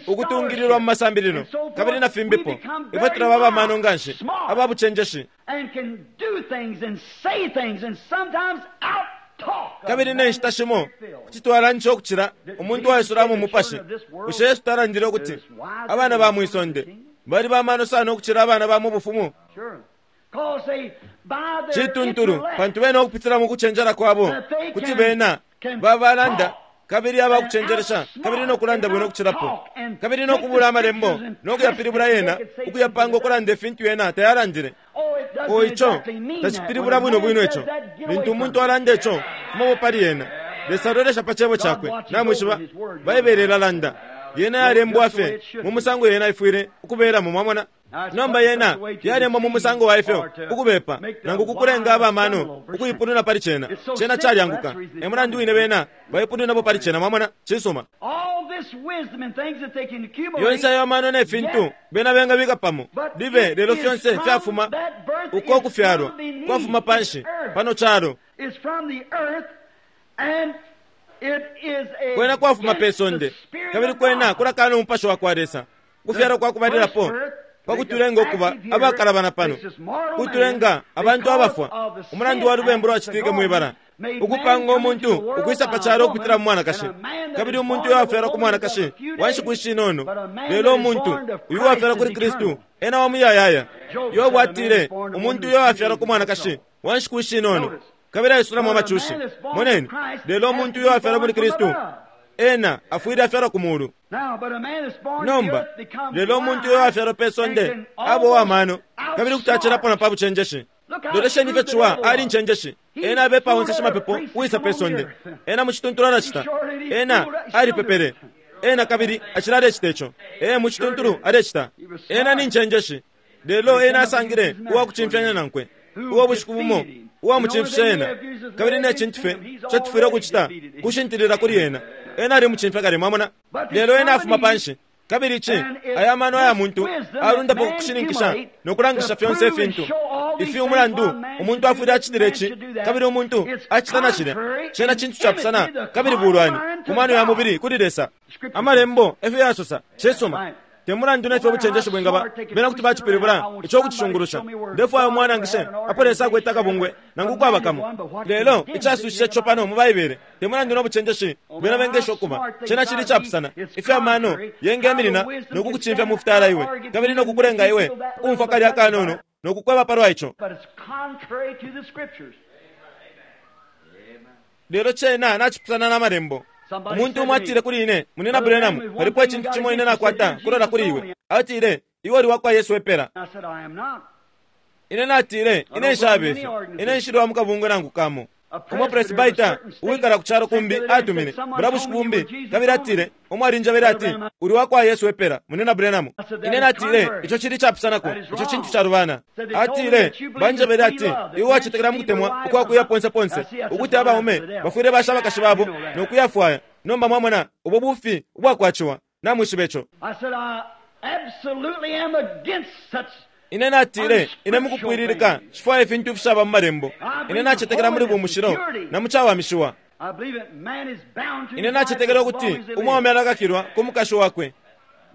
ukutungililwa mu masambililo kabili na fimbipo. Ifwe tulaba abamano nganshi ababucenjeshi kabili nenshita shimo kuti twalangisha ukucila umuntu waisula mu mupashi. Bushe Yesu talandile ukuti abana ba mwisonde bali bamano sana ukucila abana ba mu bufumu? Cituntulu, pantu bena ukupitila mu kucenjela kwabo kuti bena babalanda kabili abakucenjelesha kabili nokulanda bwino ukucilapo kabili nokubula amalembo nokuyapilibula yena ukuyapanga ukulanda ifintu yena tayalandile. O ico tacipilibula bwino bwino ico. Lintu umuntu alanda ico, fumapo pali yena. Lesa alolesha pa cebo cakwe. Namwishiba, Baibele ilalanda yena yalembwa fye mu musango yena ifwile ukuberamo, mwamona. Nomba yena yalembwa mu musango wa ifyo ukubepa nangu kukulenga abamano ukuipununa pali cena. Cena calyanguka, e mulandu wine bena baipununapo pali cena, mwamona. Cisuma, yonse ayo amano ne fintu bena bengabika pamo libe, lelo fyonse fyafuma uko kufyalwa kwafuma panshi pano calo. Kwena kwafuma pe sonde kabili kwena kulakana umupashi wa kwa Lesa. Kufyalwa kwa kubalilapo pakutulenga ukuba abakalabana pano, kutulenga abantu abafwa umulandu wa lubembu lwacitike mwibala, ukupanga umuntu ukwisa pa calo ukupitila mu mwanakashi. Kabili umuntu uyo wafyalwa ku mwanakashi wa nshiku ishinono, lelo umuntu uyu wafyalwa kuli Kristu ena wa muyayaya. Yobu atile umuntu uyo wafyalwa ku mwanakashi wa nshiku ishinono kabili aisulamo amacushi. Moneni, lelo umuntu uyo wafyalwa muli Kristu ena afwile afyalwa ku mulu. Nomba lelo umuntu uyo wafyalwa pe sonde abo uwamano kabili kuti acelapo na pa bucenjeshi. Lolesheni ifyo ciwa ali ncenjeshi. Ena abepa onse shimapepo uwisa pe sonde. Ena mucituntulu alacita. Ena alipepele. Ena kabili acila alecita ico. Ee, mucituntulu alecita. Ena ni ncenjeshi. Lelo ena asangile uwakucimfyanya nankwe uwa bushiku bumo uwamucimfisha ena. Kabili ne cintu fye ico tufwile ukucita kushintilila kuli ena. Ena ali mucimfya kale, mwamona. Lelo ena afuma panshi. Kabili ici aya mano aya muntu alundapo kushininkisha nokulangisha fyonse ifintu ifi umulandu umuntu afwile acitile ici kabili umuntu acita na cilya. Cena cintu capusana kabili bulwani ku mano ya mubili kuli Lesa. Amalembo efyo yasosa. Cisuma, te mulandu nefyo obucenjeshi bwingaba, bena kuti bacipilibula ico ukucishungulusha. Ndefwaya umwanangishe apo Lesa akwete akabungwe nangu ukwabakamo. Lelo icasushishe ico pano mu Baibele, te mulandu n'obucenjeshi bena bengesha okuba, cena cili capusana ifya mano yengeminina nokukucimfya mu futala iwe kabili nokukulenga iwe ukumfwa kali akanono nokukweba palwa ico. Lelo cena nacipusana n'amalembo. Umuntu umwe atile kuli ine, Munina Branham, palipo icintu cimo ine nakwata kulola kuli iwe. Atile, iwe uli wakwa Yesu epela. Ine natile, ine nshabe ifyo. Ine nshili wa mukabungwe nangu kamo. Umo presbyter uwikala ku calo kumbi atumine bula bushiku bumbi kabili atile, umwalinjabele ati uli wakwa Yesu epela, Munina Branham. Ine natile, ico cili capusanako, ico cintu calubana. Atile, banjabele ati iwe wacetekela mukutemwa ukwakuya ponse ponse, ukuti abaume bafwile basha abakashi babo nokuyafwaya. Nomba mwamona ubo bufi ubwakwaciwa. Namwishiba ico. Ine natile, ine mukupwililika shifwaya ifintu ifishaba mu malembo. Ine nacetekela muli bumushilo na mucawamishiwa. Ine nacetekela ukuti umwaume alakakilwa ku mukashi wakwe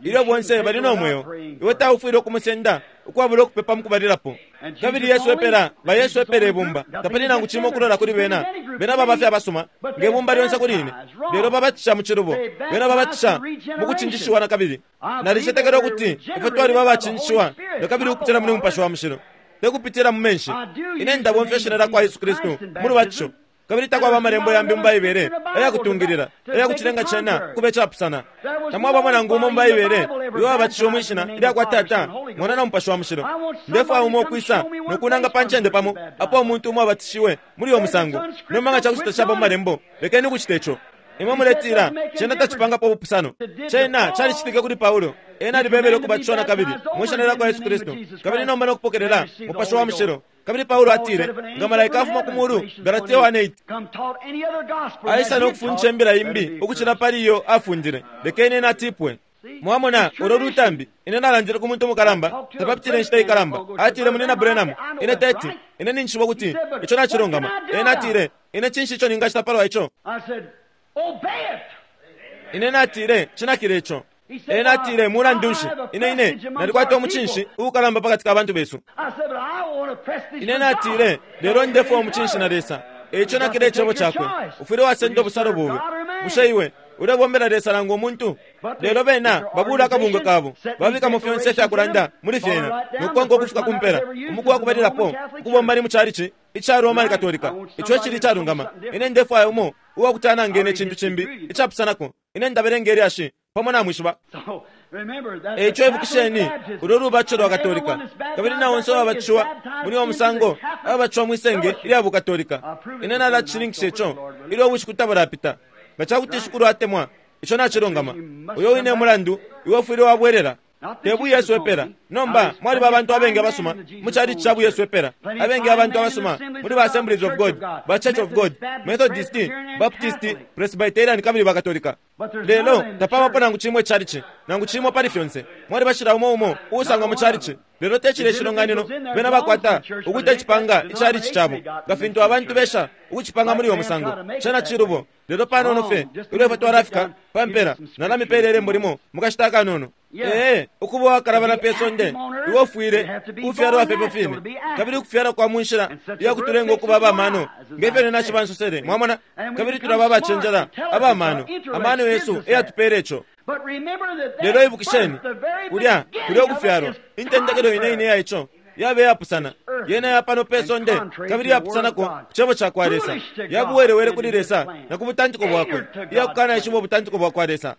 Ilyo bonse bali no mweo, iwe taufwile ukumusenda ukwabula ukupepa mukubalilapo. Kabili Yesu epela, ba Yesu epela ibumba, tapali nangu cimo ukulola kuli bena. Bena baba fye abasuma nge bumba lyonse kuli ine, lelo babatisha mu cilubo, bena babatisha mu kucinjishiwa na kabili. Nalicetekela ukuti ifwe twaliba abacinjishiwa na kabili ukupitila muli Mupashi wa Mushilo, te kupitila mu menshi. Ine ndabomfya ishina lya kwa Yesu Kristu mu lubatisho, kabili takwaba amalembo yambi mu Baibele ayakutungilila ayakucilenga cena kube capusana. Tamwabamo nangu umo mu Baibele uyo wabatishiwe mwishina ilya kwa Tata, Mwana na Mupashi wa Mushilo. Ndefwaya umo ukwisa nokunanga pa ncende pamo apo umuntu umo abatishiwe muli uyo musango. Nomba nga cakuti tacaba mu malembo, lekeni ukucita ico. Imwe muletila cena tacipangapo ubupusano. Cena calicitike kuli Paulo. Ena alibebele ukubatishiwa na kabili mwishina lya kwa Yesu Kristu, kabili nomba nokupokelela Mupashi wa Mushilo. Kabili Paulo atile, nga malaika afuma ku mulu, Galatia one eight, aisa nokufundisha imbila imbi ukucila pali iyo afundile, lekeni ena atipwe. Mwamona ulo lutambi, ine nalandile ku muntu mukalamba, tapapitile inshita ikalamba. Atile, munina Branham, ine teti, ine ninjishiba ukuti ico nacilungama. Ena atile, ine cinshi ico ningacita palwa ico? Ine natile, cinakile ico. Ena atile, mulandu nshi, ine ine nalikwata umucinshi uukalamba pakati ka bantu besu. Ine natile, lelo ndefwa umucinshi na Lesa. Eico nakile icebo cakwe. Ufwile wasenda ubusalo bube. Bushe iwe ulebombela Lesa nangu umuntu? Lelo bena babula akabungwe kabo, babikamo fyonse ifyakulanda muli fyena, nokukonka ukufika ku mpela. Umuku wakubalilapo ukubomba ni mu calici ica Roman Katolika. Ico icili icalungama. Ine ndefwaya umo uwakuti anangene icintu cimbi icapusanako. Ine ndabelenga ilyashi pamo namwishiba. Eico ibukisheni ulo lubatisho lwa Katolika, kabili na onse uwabatishiwa muli uwo musango ababatishiwa mwisenge ilya bukatolika. Ine nalacishininkisha ico ilyo ubushiku tabulapita. Nga cakuti Shikulu atemwa, ico nacilungama. Uyo wine mulandu iwe ufwile wabwelela. Te bu Yesu epela. Nomba mwaliba abantu abengi abasuma mu calici ca bu Yesu epela, abengi abantu abasuma muli ba Assemblies of God, ba Church of God, Methodist, Baptist, Presbyterian kabili ba Katolika. Lelo tapabapo nangu cimo icalici, nangu cimo pali fyonse. Mwaliba cila umo umo uusangwa mu calici, lelo te cile icilonganino bena bakwata ukuita icipanga icalici cabo, nga fintu abantu besha ukucipanga muli uyo musango. Cena cilubo. Lelo panono fye ilyo ifwe twalafika pa mpela, nalamipele ilembo limo mukashita akanono. Ee, ukuba uwakalabana pe sonde, iwe ufwile ukufyalwa fye fine, kabili ukufyalwa kwa munshila iyakutulenga ukuba abamano, nge fyo naciba nsosele. Mwamona? Kabili tulaba abacenjela, abamano. Amano yesu eyatupele ico. Lelo ibukisheni, kulya kulya ukufyalwa, intendekelo ine ine ya ico yabe yapusana. Yena yapano pe sonde, kabili yapusanako ku cebo ca kwa Lesa, yabuwelewele kuli Lesa na ku butantiko bwakwe, iyakukana ishiba ubutantiko bwa kwa Lesa.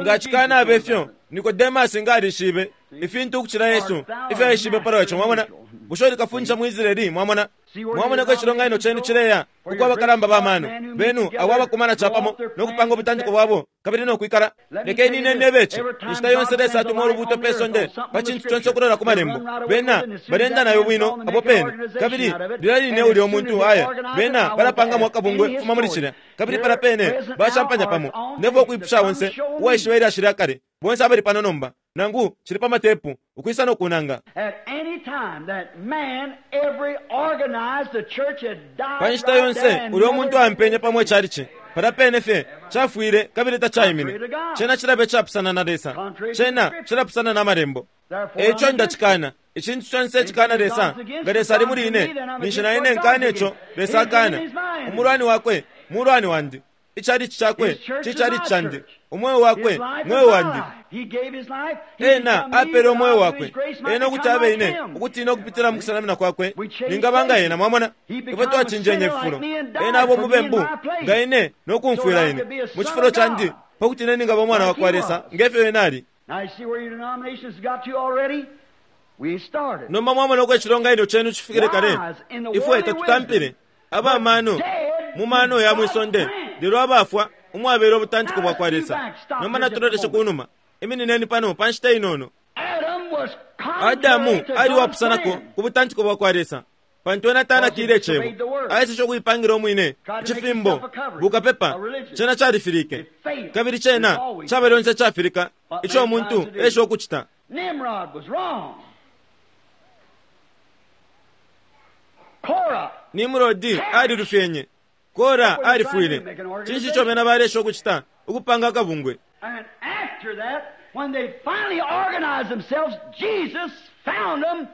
Nga cikana abe fyo, Nikodemasi nga alishibe ifintu ukucila Yesu ifyo aishibe palwa ico. Mwamona? Bushe ulikafundisha mu Israeli? Mwamona? Mwamoneko icilonganino cenu cileya uko abakalamba ba mano benu abo abakumana capamo nokupanga ubutantiko bwabo kabili nokwikala. Lekeni ine ndebe ici, inshita yonse Lesa atuma ulubuuto pe sonde pa cintu conse ukulola ku malembo, bena balenda nayo bwino apo pene. Kabili lilya line ulya umuntu aya, bena balapangamo akabungwe kufuma muli cilya, kabili pala pene bacampanya pamo. Ndefwaya ukwipusha onse uwaishiba ilyashi lya kale, bonse abali pano nomba, nangu cili pa matepu, ukwisa nokunanga. Pa nshita yonse ulya umuntu ampenye pamo icalici, pala pene fye cafwile kabili tacaimine. Cena cilabe capusana na Lesa, cena cilapusana na malembo. Eico ndacikana. Icintu conse icikana Lesa, nga Lesa ali muli ine, ninshi na ine nkana ico Lesa akana. Umulwani wakwe mulwani wandi, icalici cakwe cicalici candi, umweo wakwe mweo wandi. Ena apele umweo wakwe, ena ukuti abe ine, ukuti ine ukupitila mu kusenamina kwakwe ningaba nga ena. Mwamona? Ifwe twacinjenye ififulo. Ena aba umubembu nga ine nokumfwila ine mu cifulo candi, pakuti ine ningaba umwana wa kwa Lesa nge fyo ena ali. Nomba mwamona uko icilonganino cenu cifikile kale. Ifwe tatutampile abamano mu mano ya mwisonde, lelo abafwa umwabela ubutantiko bwa kwa Lesa. Nomba natuloleshe kunuma. Iminineni pano pa nshita inono. Adamu ali uwapusanako ku butantiko bwa kwa Lesa, pantu ena tanakile icebo. Aeseshe ukuipangira umwine icifimbo bukapepa, cena califilike, kabili cena caba lyonse cafilika ico umuntu esha ukucita. Nimrodi alilufyenye, Kora alifwile. Cinshi ico bena balesha ukucita? ukupanga akabungwe. And after that, when they finally organized themselves, Jesus found them.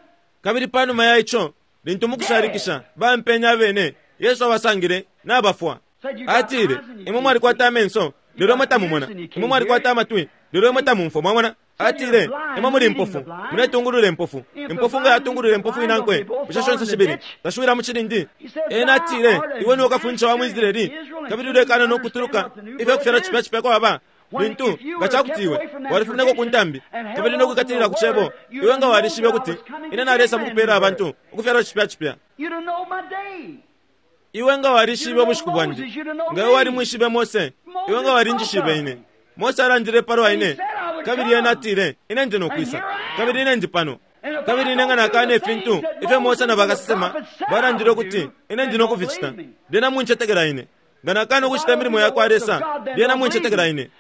Kabili panuma ya ico, lintu mukushalikisha bampenye abene, Yesu abasangile nabafwa. Atile, imwe mwalikwata amenso, lelo imwe tamumona. Imwe mwalikwata amatwi, lelo imwe tamumfwa. Mwamona? Atile, imwe muli impofu, muletungulula impofu. Impofu nga yatungulula impofu inankwe, bushe shonse shibili tashuwila mu cilindi. Ena atile, iwe niwe kafundisha wa mu Israeli, kabili ulekana no kutuluka ifyo kufyala cipya cipya kwaba. Lintu nga cakuti iwe walifumineko ku ntambi kabili no kwikatilila ku cebo, iwe nga walishibe ukuti ine nalesa mukupela abantu ukufyalwa cipya cipya. Iwe nga walishibe ubushiku bwandi, nga iwe walimwishibe Mose, iwe nga walinjishibe ine. Mose alandile palwa ine, kabili ena atile, ine ndi nokwisa, kabili ine ndi pano. Kabili ine nga nakana ifintu ifyo Mose na bakasesema balandile ukuti ine ndi nokuficita, lyena muncetekela ine. Nga nakana ukucita imilimo yakwa Lesa, lyena muncetekela ine.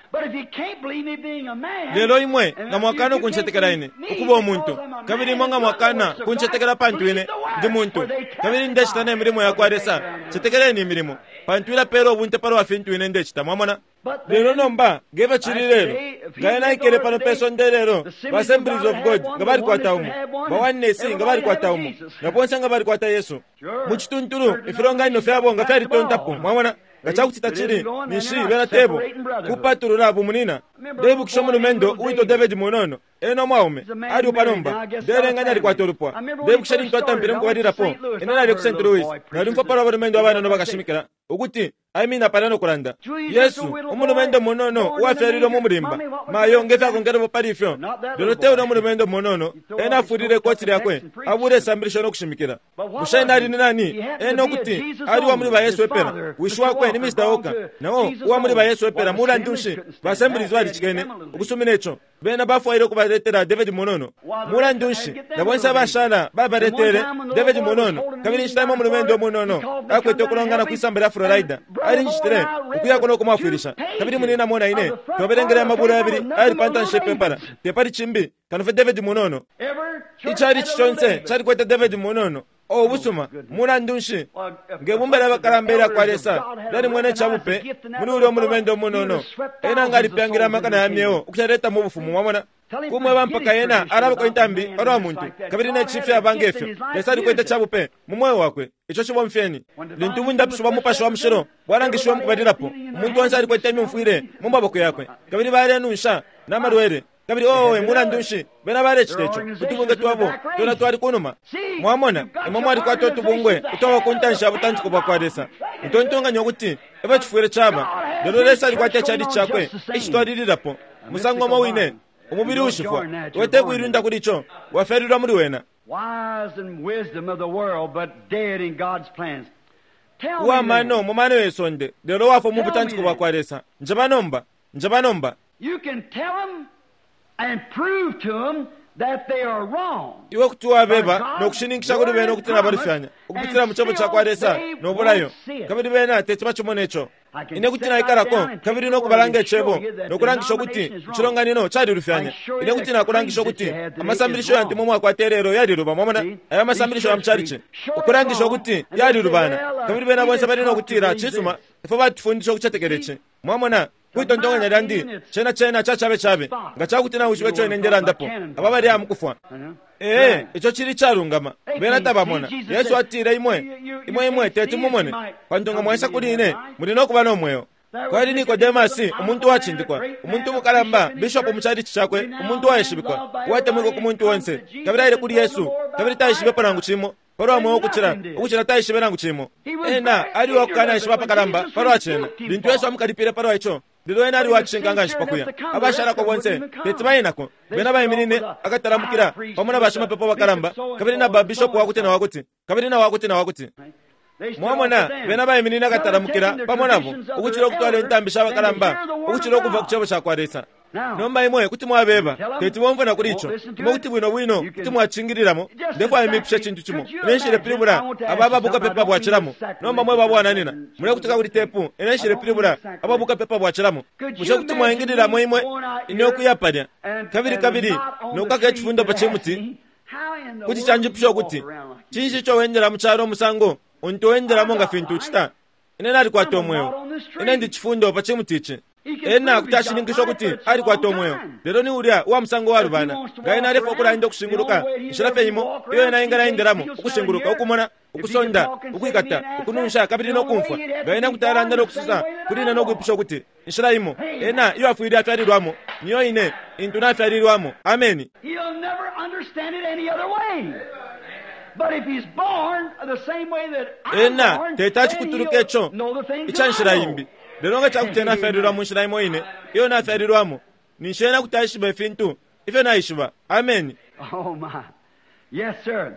Lelo imwe nga mwakana ukuncetekela ine ukuba umuntu, kabili imwe nga mwakana kuncetekela pantu ine ndi muntu, kabili ndecita ne milimo yakwa Lesa, cetekeleni imilimo, pantu ilapela ubunte palwa fintu ine ndecita. Mwamona? Lelo nomba ngefyo cili lelo, nga ena aikele pano pe sonde lelo, ba Assemblies of God nga balikwata umo, ba Oneness nga balikwata umo, na bonse nga balikwata Yesu. Mu cituntulu ifilonganino fyabo nga fyalitontapo. Mwamona? Nga cakuti tacili ninshi bena tebo kupatulula bumunina. Ndebukisha umulumendo uwitwa David munono, ena umwaume ali upa nomba, ndelenganya alikwata ulupwa. Ndebukisha lintu atampile mukubalilapo, ine nali ku Saint Louis, nalimfwa palwa balumendo abanono bakashimikila ukuti aimina palya no kulanda. Yesu umulumendo munono uwafyalilwe mu mulimba, mayo ngefyakonkelepo pali ifyo. Lelo teula umulumendo munono, ena afulile ikoti lyakwe, abule isambilisho no kushimikila. Bushe ena ali ni nani? Ena ukuti ali uwa muli ba Yesu epela, wishi wakwe ni Mister Walker, nao uwa muli ba Yesu epela. Mulandu nshi ba Assemblies balicikene ukusumina ico? Bena bafwaile ukubaletela David munono. Mulandu nshi na bonse abashala babaletele David munono? Kabili inshita imo umulumendo munono akwete ukulongana kwisamba lya Florida, alinjitile ukuyako no kumwafwilisha. Kabili munina mona ine twabelengele amabula yabili ayali pa ntanshi yepepala, tepali cimbi kano fye David munono. Icali conse calikwete David munono. O ubusuma, mulandu nshi ngebumba lya bakalamba ilya kwa Lesa lyalimwene icabupe muli ulya umulumendo munono. Ena nga alipyangile amakana ya myeo ukucaleta mu bufumu. Mwamona? Kumweba mpaka ena alabako intambi palwa muntu, kabili ne cifi aba ngefyo. Lesa alikwete icabupe mu mweo wakwe, ico cibomfyeni. Lintu ubundapishi bwa Mupashi wa Mushilo bwalangishiwe mukubalilapo, umuntu onse alikwete imyumfwile mu maboko yakwe, kabili balenunsha n'amalwele. Kabili owe mulandu nshi bena balecita ico? Utubungwe twabo twena twali kunuma. Mwamona, imwe mwalikwata utubungwe utwaba ku ntanshi ya butantiko bwa kwa Lesa. Ntontonganya ukuti efyo cifwile caba, lelo Lesa alikwata icali cakwe icitwalililapo musango umo wine. Umubili ushifwa iwe tekuilunda kuli ico, wafyalilwa muli wena. Uwa mano mu mano ye sonde, lelo wafwa mu butantiko bwa kwa Lesa. Njeba nomba, njeba nomba. You can tell them and prove to them that they are wrong. Iwe kuti wabeba no kushininkisha kuli bena ukuti nabalufyanya ukupitila mu cebo ca kwa Lesa no bulayo, kabili bena teti bacimone ico. Ine kuti naikalako kabili no kubalanga icebo no kulangisha ukuti icilonganino calilufyanya. Ine kuti nakulangisha ukuti amasambilisho yantu imwe mwakwata lelo yaliluba. Mwamona? Aya masambilisho ya mucalici ukulangisha ukuti yalilubana, kabili bena bonse bali no kutila cisuma ifwe batufundisha ukucetekela ici. Mwamona? Kwitontonkanya lyandi cena cena cacabe cabe nga cakuti nawishibe ico ine ndelandapo, aba bali amukufwa. Ee, ico cili calungama. Bena tabamona. Yesu atile, imwe imwe imwe teti mumone, pantu nga mwaisa kuli ine muli no kuba no mweo. Kwali Nikodemasi, umuntu wacindikwa, umuntu mukalamba, bishopu mu calici cakwe, umuntu waishibikwa, uwatemwikwa ku muntu onse, kabili aile kuli Yesu, kabili taishibepo nangu cimo palwa mweo ukucila ukucila taishibe nangu cimo. Ena ali wakukanaishiba apakalamba palwa cena lintu Yesu amukalipile palwa ico. Lelo ena ali wacishinka nganshi pakuya abashalako bonse teti bayenako. Bena baiminine akatalamukila pamo na bashimapepo bakalamba, kabili na babishopu wakuti na wakuti, kabili na wakuti na wakuti. Mwamona, bena baiminine akatalamukila pamo nabo ukucila ukutwala intambi sha bakalamba, ukucila ukuva ku cebo ca kwa Lesa. Nomba imwe kuti mwabeba teti bomfwe na kuli ico. Imwe kuti bwino bwino kuti mwacingililamo. Ndefwaya imipusha icintu cimo. Ine nshilepilibula aba babukapepa bwacilamo. Nomba mwe babwananina mulekutika kuli tepu. Ine nshilepilibula aba bukapepa bwacilamo. Bushe kuti mwaingililamo imwe ine ukuya palya kabili kabili nokukaka icifundo pa cimuti? Kuti canjipusha ukuti cinshi ico wendela mu calo umusango untu wendelamo nga fintu ucita? Ine nalikwata umweo. Ine ndi cifundo pa cimuti ici. Ena kuti ashininkisha ukuti alikwata umweo, lelo ni ulya uwa musango walubana. Nga ena alefwaya ukulaenda ukushinguluka, inshila fye imo iyo ena engalaendelamo ukushinguluka, ukumona, ukusonda, ukwikata, ukununsha kabili no kumfwa. Nga ena kuti alanda no kusosa kuli ine no kwipusha ukuti inshila imo ena iyo afwile afyalilwamo niyo ine intu nafyalilwamo. Ameni. He'll never understand it any other way. But if he's born the same way that I'm Ena born, teta then acikutuluka he'll ico know the things ica that nshila I know. imbi. Lelo nga cakuti ena afyalilwa mu nshila imo ine iyo nafyalilwamo, ninshi ena kuti aishiba ifintu ifyo naishiba. Ameni. Oh my. Yes, sir.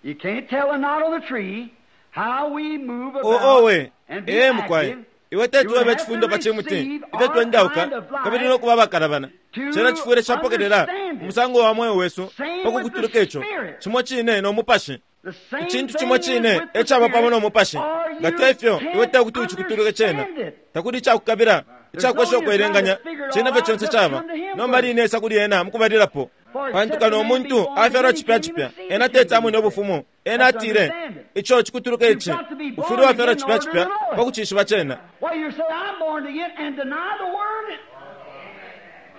You can't tell a knot on the tree how we move about Owe and be ee mukwai, active. iwe teti You would webe have chifundo to pa chimuti receive ifyo our twendauka kind of life kabili nokuba abakalabana. to Cena chifwile chapokelela understand it. umusango wa mweo wesu Same pa with the kukutuluka ico Spirit. chimo chine no mupashi. The same Icintu thing chimo is chine with the ecaba pamo Spirit, no mupashi. or Nga you tefyo can't iwe tekuti uchikutuluke cena. understand it. Takuli icakukabila icakwesha no use ukwelenganya trying to figure it cena all fye out. chonse Just caba. come to him Nomba first. line esa kuli ena mukubalilapo. For Pantu except kano a man be umuntu born afyalwa again, he chipya can't chipya even see the ena teti kingdom amwene of ubufumu. Ena That's atile understand it. ico chikutuluka You've ichi got to be born ufwile wafyalwa again in chipya order chipya to know it. pa kuchishiba cena. Why, you say, I'm born again and deny the word?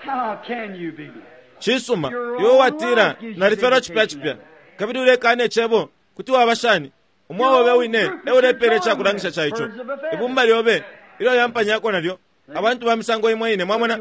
How can you be? Chisuma Your iwe own watila life gives you nalifyalwa the chipya indication chipya of it. kabili ulekana icebo kuti waba shani umweo Your obe own wine group e ulepela that you're icakulangisha joined ca ico. with, birds of a feather. Ibumba lyobe ilyo yampanyako nalyo abantu ba misango imwe ine mwamona.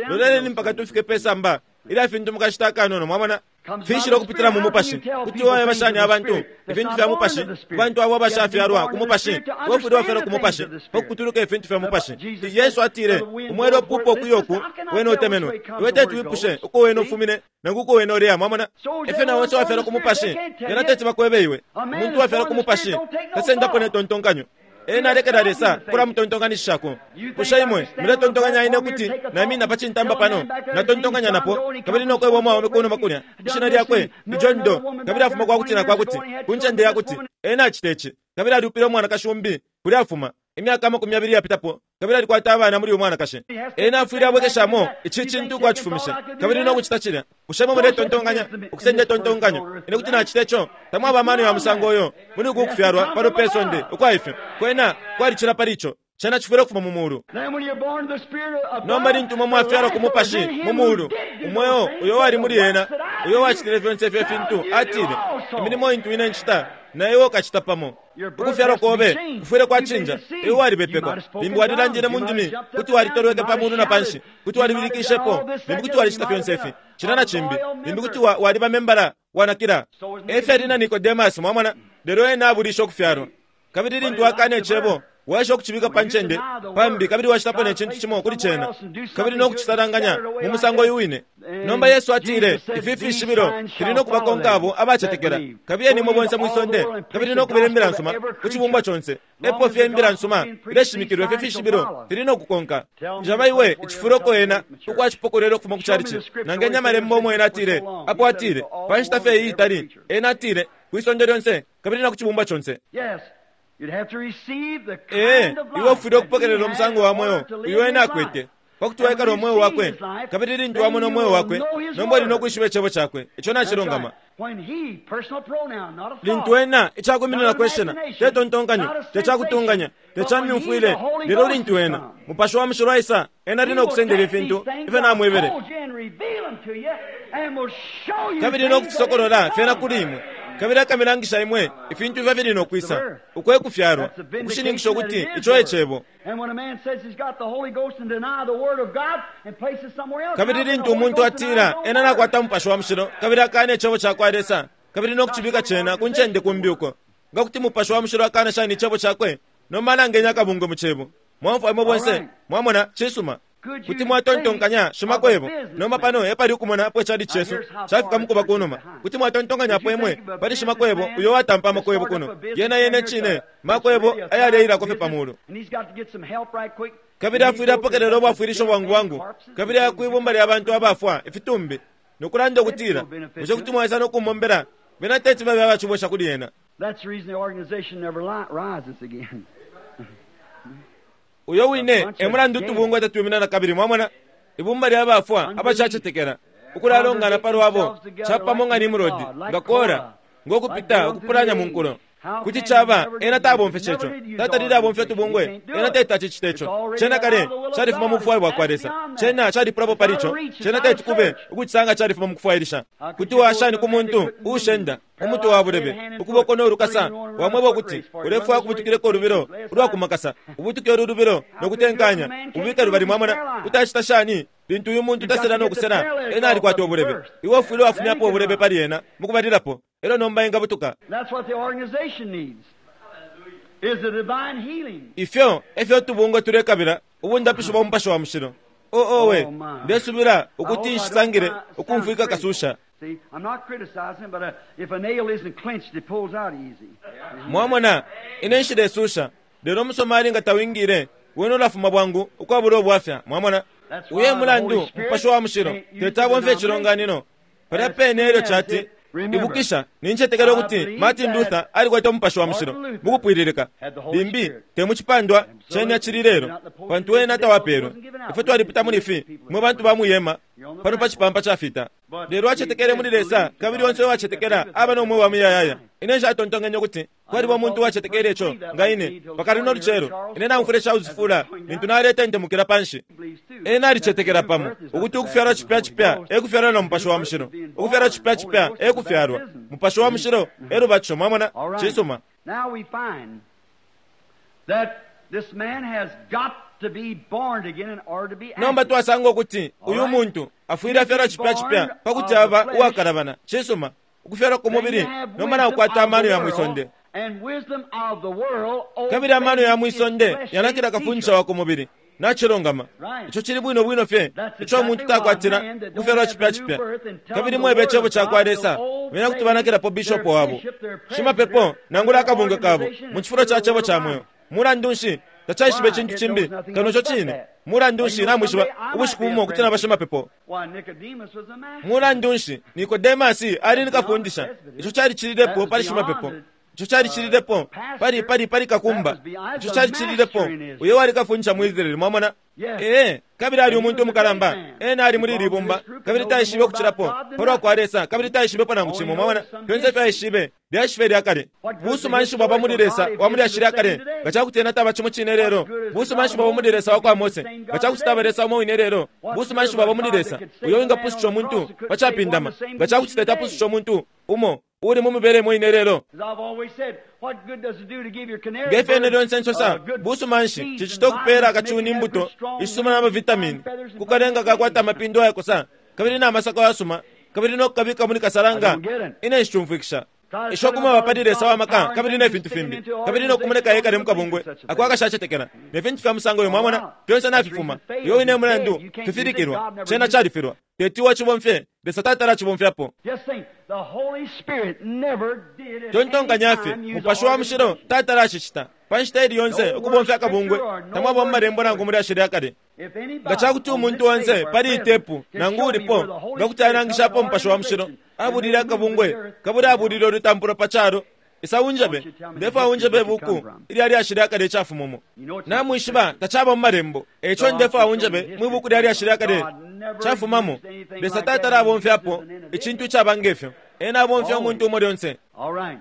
Loleleni mpaka tufike pe samba ilya fintu mukashita akanono mwamona. Finshile ukupitila mu mupashi kuti wayeba shani abantu ifintu fya mupashi bantu abo abashafyalwa ku mupashi wefwile wafyalwa ku mupashi pa kukutuluka ifintu fya mupashi. Yesu atile umwele upupa ukuyoku wene utemenwe iwe teti wipushe uko wene ufumine nangu uko wene uleya mwamona. Efyo na wonse wafyalwa ku mupashi yena teti bakwebe iwe. Umuntu wafyalwa ku mupashi tasendapo netontonkanyo. Ena alekela Lesa kulamutontonkanishishako. Bushe imwe muletontonkanya ine kuti namina pa cintamba pano natontonkanya napo kabili nokweba umwaume kunuma kulya ishina lyakwe ni John Doe kabili afuma kwakuti na kwakuti ku ncende yakuti ena acita ici kabili aliupile umwanakashi umbi kulya afuma imyaka amakumi yabili yapitapo kabili alikwata abana muli uyu mwanakashi. Ena afwile abwekeshamo ici cintu ukwacifumisha kabili nokucita cilya. Bushe imwe muletontonkanya ukusenda itontonkanyo ine kuti nacita ico? Tamwaba amano ya musango uyo muli uku kufyalwa pano pe sonde ukwa ifyo kwena kwalicila pali ico. Cena chifwile ukufuma mu mulu. Then when you're born of the Spirit above, Nomba lintu imwe mwafyalwa ku mupashi mu mulu, umweo uyo wali muli ena uyo wacitile fyonse ifyo fintu atile imilimo intu ine ncita na iwe ukacita pamo. Ukufyalwa kobe kufwile kwachinja. Iwe walibepekwa limbi walilandile mu ndimi kuti walitolweke pa mulu na panshi kuti walibilikishepo limbi kuti walicita fyonse ifi cina na cimbi limbi kuti wa- waliba membala wanakila. Efyo ali na Nicodemus mwamona. Lelo ena abulisha ukufyalwa kabili lintu akana icebo waisha ukucibika pa ncende pambi kabili wacitapo ne cintu cimo kuli cena kabili no kucisalanganya mu musango uyu wine. Nomba Yesu atile ifi fishibilo fili no kubakonka abo abacetekela. Kabili nimwe bonse mwisonde kabili no kubila imbila nsuma ku cibumbwa conse. Epo fye imbila nsuma ileshimikilwa ifi fishibilo fili no kukonka. Njaba iwe icifulo uko ena ukwacipokolele ukufuma ku calici nangenya amalembo umo ena atile apo atile pa nshita fye iyi itali ena atile kwisonde lyonse kabili na ku cibumbwa conse. Yes, you'd have to receive the Ee, kind of iwe life ufwile that ukupokelela he had umusango wa in mweo order to live uyo ena his akwete life. pakuti waikala umweo wakwe kabili lintu wamona umweo wakwe nomba uli no kwishiba icebo cakwe ico nacilungama. That's right. When he, personal pronoun, not a thought, Lintu ena icakwiminina kweshena te tontonkanyo te cakutunganya te ca myumfwile lelo lintu ena mupashi wa mushilo aisa ena ali he no will kusendela take ifintu these things ifyo I've namwebele told you and reveal them to you and will show you kabili no things that kufisokolola is fyena to kuli come. imwe kabili akamilangisha imwe ifintu ifyo fili no kwisa ukwe kufyalwa That's the vindication ukushininkisha that ukuti it is ico e word. cebo. And when a man says he's got the Holy Ghost and deny the word of God and places somewhere else, Kabili how can lintu the Holy umuntu Ghost deny atila his own ena word? nakwata mupashi wa mushilo kabili akana icebo cakwa Lesa kabili no kucibika cena ku ncende kumbi uko nga kuti mupashi wa mushilo akana shani icebo cakwe nomba alangenya akabungwe mu cebo. Mwamfwa imwe bonse mwamona cisuma kuti mwatontonkanya shimakwebo nomba pano epali ukumona apo icali cesu cafika mukuba kunuma kuti mwatontonkanyapo imwe pali shimakwebo uyo watampa amakwebo kuno yena yene cine makwebo ayaleilako fye pamulu. And he's got to get some help right quick. Kabili afwile apokelela ubwafwilisho bwangu bwangu kabili akwibumba lya bantu abafwa ifitumbi nokulanda ukutila bushe kuti mwaisa no kumombela bena teti babe abacibwesha kuli ena. That's the reason the organization never li- rises again. Uyo wine e mulandu tubungwe tatwimina na kabili mwamona ibumba lya bafwa abacacetekela ukulalongana palwabo capamo nga Nimrodi nga Kora ngokupita ukupulanya mu nkulo. Kuti chaba ena tabomfeshe ico, tatalile abomfya tubungwe, ena teti acicite ico. Cena kale califuma mu bufwayo bwakwa Lesa, cena calipulapo pali ico, cena teti kube ukucisanga califuma mu kufwailisha. Kuti washani ku muntu uushenda umuti wa bulebe ukuboko no lukasa, wamweba ukuti ulefwaya kubutukileko ulubilo ulwa kumakasa, ubutuke ulu lubilo no kutenkanya ubike lubali. Mwamona, kuti acita shani lintu uyu muntu tasela no kusela? Ena alikwata ubulebe. Iwe ufwile wafumyapo ubulebe pali ena mukubalilapo, elo nomba engabutuka. That's what the organization needs, is the divine healing. Ifyo efyo tubungwe tulekabila, ubundapisho bwa Mupashi wa Mushilo. O owe, ndesubila ukuti nshisangile ukumfwika kasusha. See, I'm not criticizing, but uh, if a nail isn't clenched, it pulls out easy. Mwamona, ine nshilesusha, lelo umusomali nga tawingile wene ulafuma bwangu ukwabula ubwafya. Mwamona, uye mulandu Mupashi wa Mushilo teti abomfye icilonganino palya pene. Elyo cati ibukisha, nincetekela ukuti Martin Luther alikwete Umupashi wa Mushilo mukupwililika, limbi te mu cipandwa cena cili lelo, pantu wena tawapelwe. Ifwe twalipita muli ifi, mwe bantu ba muyema pano pa cipampa cafita. Lelo acetekele muli Lesa, kabili onse uwacetekela aba no mweo wa muyayaya. Ine nshatontonkenye ukuti kwaliba umuntu uwacetekele ico nga ine pakali no lucelo. Ine naumfwile Charles Fuller lintu naletentemukila panshi. Ena alicetekela pamo ukuti ukufyalwa cipya cipya e kufyalwa na Mupashi wa Mushilo, ukufyalwa cipya cipya e kufyalwa Mupashi wa Mushilo e lubatisho. Mwamona? Cisuma. Now we find that this man has got to be born again in order to be Nomba active. twasanga ukuti uyu muntu afwile afyalwa cipya cipya pakuti aba uwakalabana. Cisuma. Ukufyalwa ku mubili, nomba nakukwata amano ya mwisonde, And wisdom of the world kabili amano ya obeys mwisonde its fleshly yanakila kafundisha teacher. wa ku mubili. Nacilongama ico cili bwino bwino fye ico umuntu takwatila ukufyalwa cipya cipya. Kabili mwebe icebo cakwa Lesa, bena kuti banakilapo bishopo wabo, shimapepo, nangula akabungwe kabo mu cifulo ca cebo ca mweo. Mulandu nshi, tacaishiba icintu cimbi kano ico cine. Mulandu nshi, namwishiba, ubushiku bumo kuti naba shimapepo. Why, Nicodemus was a master. Mulandu nshi, Nikodemasi ali ni kafundisha. Ico calicililepo pali shimapepo, ico calicililepo pali pali pali kakumba, ico calicililepo uyo wali kafundisha mu Israeli. Mwamona? Ee, kabili ali umuntu umukalamba. Ena ali muli ili bumba, kabili taishibe ukucilapo palwa kwa Lesa, kabili taishibepo nangu cimo. Mwamona, fyonse ifyo aishibe lyashife lya kale. Busuma nshi bwaba muli Lesa wa muli ashili akale nga cakuti ena taba cimo cine lelo? Busuma nshi bwaba muli Lesa wa kwa Mose nga cakuti taba Lesa umo wine lelo? Busuma nshi bwaba muli Lesa uyo wingapususha umuntu pa capindama nga cakuti tetapususha umuntu umo uli mu mibele imo ine lelo? As I've always said, what good does it do to give your canary Nge fyene bird, lyonse nsosa, uh, good busuma nshi seeds cicita and ukupeela vitamins to akacuni make it have imbuto good, strong ishisuma na wings, mavitamini, fine feathers and kukalenga kakwata amapindo ayakosa kabili na masako ayasuma, kabili no kukabika muli kasalanga? Ine nshicumfwikisha isho kumaba pali Lesa wa maka kabili ne fintu fimbi, kabili no kumuleka yekale mukabungwe ako akashacetekela ne fintu fya musango uyo. Mwamona, fyonse nafifuma. Iyo ine mulandu fifilikilwa, cena califilwa, teti wacibomfye. Lesa tatala acibomfyapo. Just think, the Holy Spirit never did at Tontonkanya any fye, time use Mupashi wa Mushilo organization. tatala acicita pa nshita ili yonse ukubomfya akabungwe. Tamwaba mu malembo nangu muli ashili akale. If anybody Nga cakuti on umuntu this onse tape or pali present itepu can nangu show me ulipo where the Holy nga kuti Spirit alangishapo comes Mupashi wa Mushilo organization and abulile they moved akabungwe the earth, kabili abulile ulutampulo pa calo, isa unjebe ndefwa unjebe ibuku ilya lyashili akale icafumumo. Namwishiba tacaba mu malembo, eco ndefwa unjebe mwi buku lya lyashili akale cafumamo. Lesa tatala abomfyapo icintu icaba ngefyo. Ena abomfya umuntu umo lyonse. All right.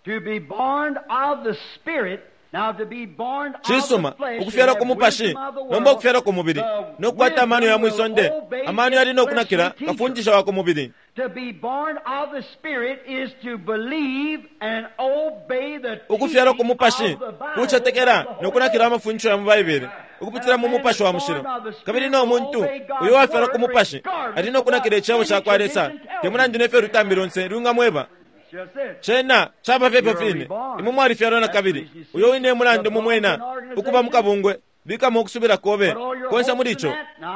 To be born of the Spirit. Now to be born of Cisuma. the flesh, Ukufyalwa and ku have mupashi, wisdom of the world, nomba ukufyalwa ku mubili the no kukwata amano ya wisdom mwisonde, will obey amano yali no kunakila its fleshly teacher. kafundisha wa ku mubili. To be born of the Spirit is to believe and obey the Ukufyalwa ku teaching mupashi of the Bible kucetekela by the no kunakila Holy amafundisho ya mu Baibele ukupitila mu Mupashi wa Mushilo. Kabili no muntu uyo wafyalwa ku mupashi ali no kunakila icebo ca kwa Lesa, te mulandu ne fyo lutambi lonse lungamweba. Just it. Cena caba fye ifyo fine. Imwe mwalifyalwa na kabili. Uyo wine mulandu mumwena ukuba mukabungwe, bikamo ukusubila kobe konse muli ico.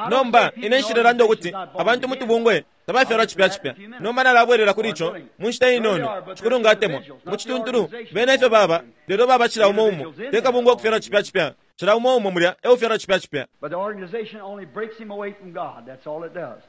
Nomba ine nshilelanda ukuti abantu mutubungwe tabafyalwa cipya cipya. Nomba nalabwelela kuli ico mu nshita inono, Shikulu nga atemwa. Mu cituntulu bena ifyo baba, lelo baba cila umo umo, te kabungwe ukufyalwa cipya cipya. Cila umo umo mulya e ufyalwa cipya cipya. But the organization only breaks him away from God. That's all it does.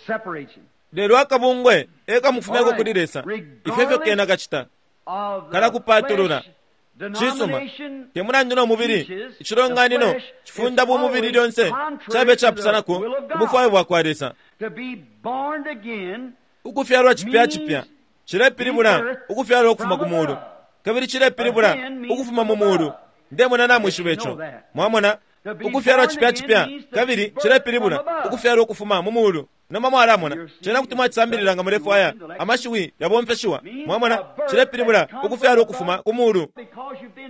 Separates him. Lelo akabungwe e kamufumyako kuli Lesa. Ifyo ifyo kena kacita, Of the kalakupatulula. flesh, Cisuma. denomination Te mulandu no mubili, icilonganino cifunda bumubili lyonse cabe capusanako ubufwayo bwa kwa Lesa. To be born again Ukufyalwa cipya cipya cilepilibula ukufyalwa ukufuma ku muulu. Kabili cilepilibula ukufuma mu mulu. Ndemona namwishiba ico. Mwamona? Ukufyalwa cipya cipya kabili cilepilibula ukufyalwa ukufuma mu mulu. Nomba mwalamona cena kuti mwacisambilila nga mulefwaya amashiwi yabomfeshiwa. Mwamona, cilepilibula ukufyalwa ukufuma ku mulu.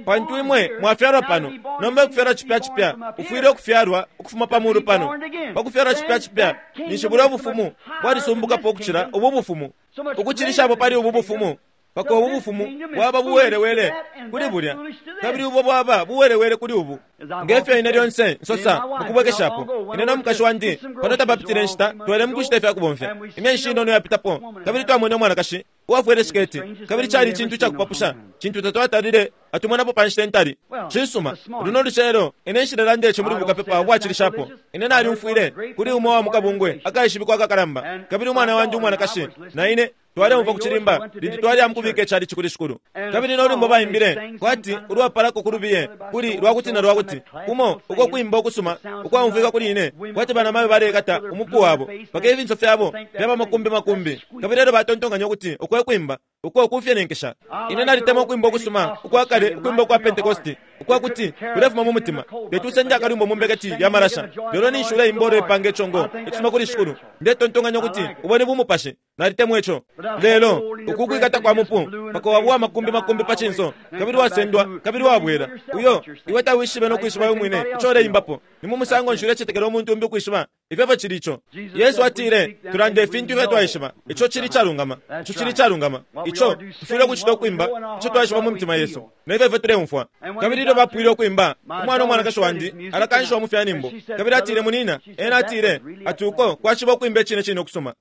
Pantu imwe mwafyalwa pano, nomba ukufyalwa cipya cipya ufwile ukufyalwa ukufuma pa mulu pano. Pakufyalwa cipya cipya ninshi bulya ubufumu bwalisumbukapo ukucila ubu bufumu, ukucilishapo pali ubu bufumu. Pako ubu bufumu bwaba buwelewele kuli bulya, kabili ubo bwaba buwelewele kuli ubu. Ngefyo ine lyonse nsosa mukubwekeshapo, ine no mukashi wandi pano tapapitile nshita twele mukushita ifyakubomfya imyeshi inono yapitapo, kabili twamwene umwanakashi uwafwele siketi, kabili cali icintu icakupapusha cintu tatwatalile atumonapo pa nshita intali. Cisuma, luno lucelo ine nshilelanda ici muli bukapepa ubwacilishapo. Ine nalyumfwile kuli umo wa mukabungwe akaishibikwa akakalamba, kabili umwana wandi umwanakashi na ine twaleumva kucilimba lintu twali amukubika icali kuli shikulu. Kabili nolwimbo baimbile kwati ulwapalako kulubiye kuli lwakuti na lwakuti kumo uko kwimba ukusuma ukwaumvwika kuli ine kwati banamayo balekata umupu wabo paka ifinso fyabo fyaba makumbi makumbi, kabili lelo batontonkanya ukuti uko kwimba uko kufyenenkesha. Ine nalitemwa ukwimba ukusuma ukwakale, ukwimba kwa Pentecosti ukwakuti kulefuma mu mutima. Tetusende akalwimbo mu mbeketi ya marasha, lelo ninshi uleimba ulepanga icongo icisuma kuli shikulu. Ndetontonkanya ukuti ubone bumupashi. Nalitemwa ico. Lelo uku kwikata kwa mupu paka wabuwa makumbi makumbi pa cinso, kabili wasendwa kabili wabwela uyo iwe tawishibe no kwishiba we mwine ico uleimbapo. Ni mu musango nshi ulecetekela umuntu umbi ukwishiba ifyo efyo cili ico. Yesu atile tulande ifintu ifyo twaishiba. Ico cili calungama, ico cili calungama. Ico tufwile ukucita ukwimba ico twaishiba mu mitima yesu nefyo ifyo tuleumfwa. Kabili ilyo bapwile ukwimba, umwana umwanakashi wandi alakanshiwa mu fyanimbo, kabili atile munina, ena atile ati uko kwashiba ukwimba icine cine ukusuma.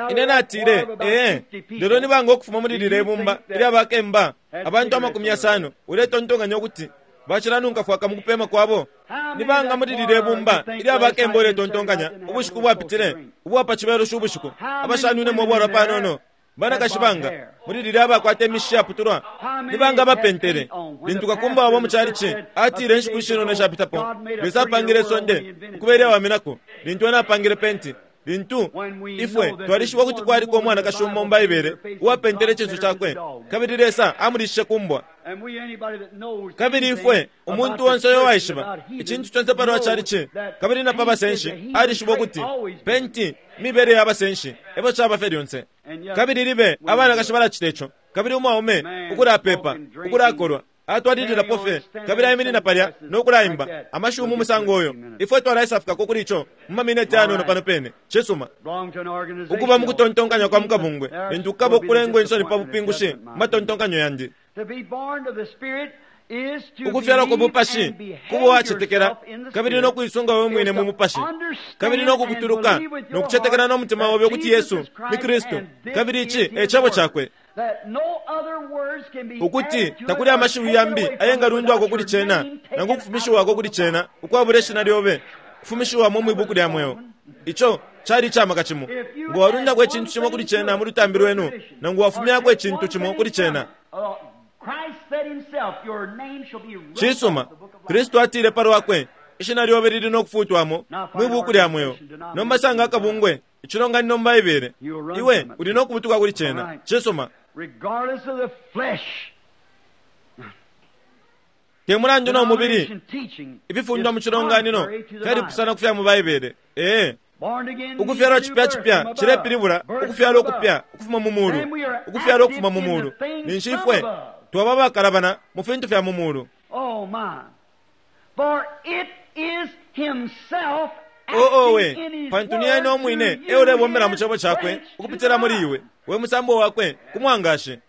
Ine natile ee, lelo nibanga ukufuma muli lile ibumba ilya bakemba abantu amakumi yasano uletontonkanya ukuti bacilanunka fwaka mu kupema kwabo? Nibanga muli lile ibumba ilya bakemba uletontonkanya ubushiku bwapitile ubwapa cibelushi ubushiku abashanwinemo ubwalwa panono banakashi banga muli lile abakwata imishi yaputulwa? Nibanga abapentele lintu kakumba wabo mu calici atile inshiku ishinono ishapitapo Lesa apangile isonde ukuba ilyawaminako lintu ena apangile penti, lintu ifwe twalishiba ukuti kwaliko umwanakashi umo mu Baibele uwapentele icinso cakwe, kabili Lesa amulishishe kumbwa. Kabili ifwe umuntu onse uyo waishiba icintu conse palwa calici kabili na pa basenshi alishiba ukuti penti mibele ya basenshi ebo caba fye lyonse. Kabili libe abanakashi balacita ico, kabili umwaume ukulapepa ukulakolwa atwalililapo fye kabili aiminina palya no kulaimba amashiwi mu musango uyo. Ifwe twalaisafikako kuli ico mu mamineti yanono pano pene. Cisuma, ukuba mu kutontonkanya kwa mukabungwe lintu kukaba ukulengwa insoni pa bupingushi mu matontonkanyo yandi. Ukufyalwa kwa mupashi kuba uwacetekela kabili no kuisunga wewe mwine mu mupashi, kabili no kukutuluka no kucetekela no mutima obe ukuti Yesu ni Kristu kabili ici e cebo cakwe, ukuti takuli amashiwi yambi ayengalundwako kuli cena nangu ukufumishiwako kuli cena ukwabula ishina lyobe kufumishiwamo mwibuku lya mweo. Ico cali icamaka cimo. Ngo walundako icintu cimo kuli cena mu lutambi lwenu nangu wafumyako icintu cimo kuli cena. Cisuma, Kristu atile palwakwe ishina lyobe lili no kufutwamo mwibuku lya mweo. Nomba sanga akabungwe icilonganino mu Baibele, iwe uli no kubutuka kuli cena. Cisuma, te mulandu no mubili ififundwa mu cilonganino fyalipusana ku fya mu Baibele. Ee, ukufyalwa cipya cipya cilepilibula ukufyalwa ukupya ukufuma mu mulu, ukufyalwa ukufuma mu mulu. Ninshi ifwe twaba bakalabana mu fintu fya mu mulu. Oo we, pantu ni ena umwine e ulebombela mu cebo cakwe ukupitila muli iwe, we musambo wakwe ku mwangashi.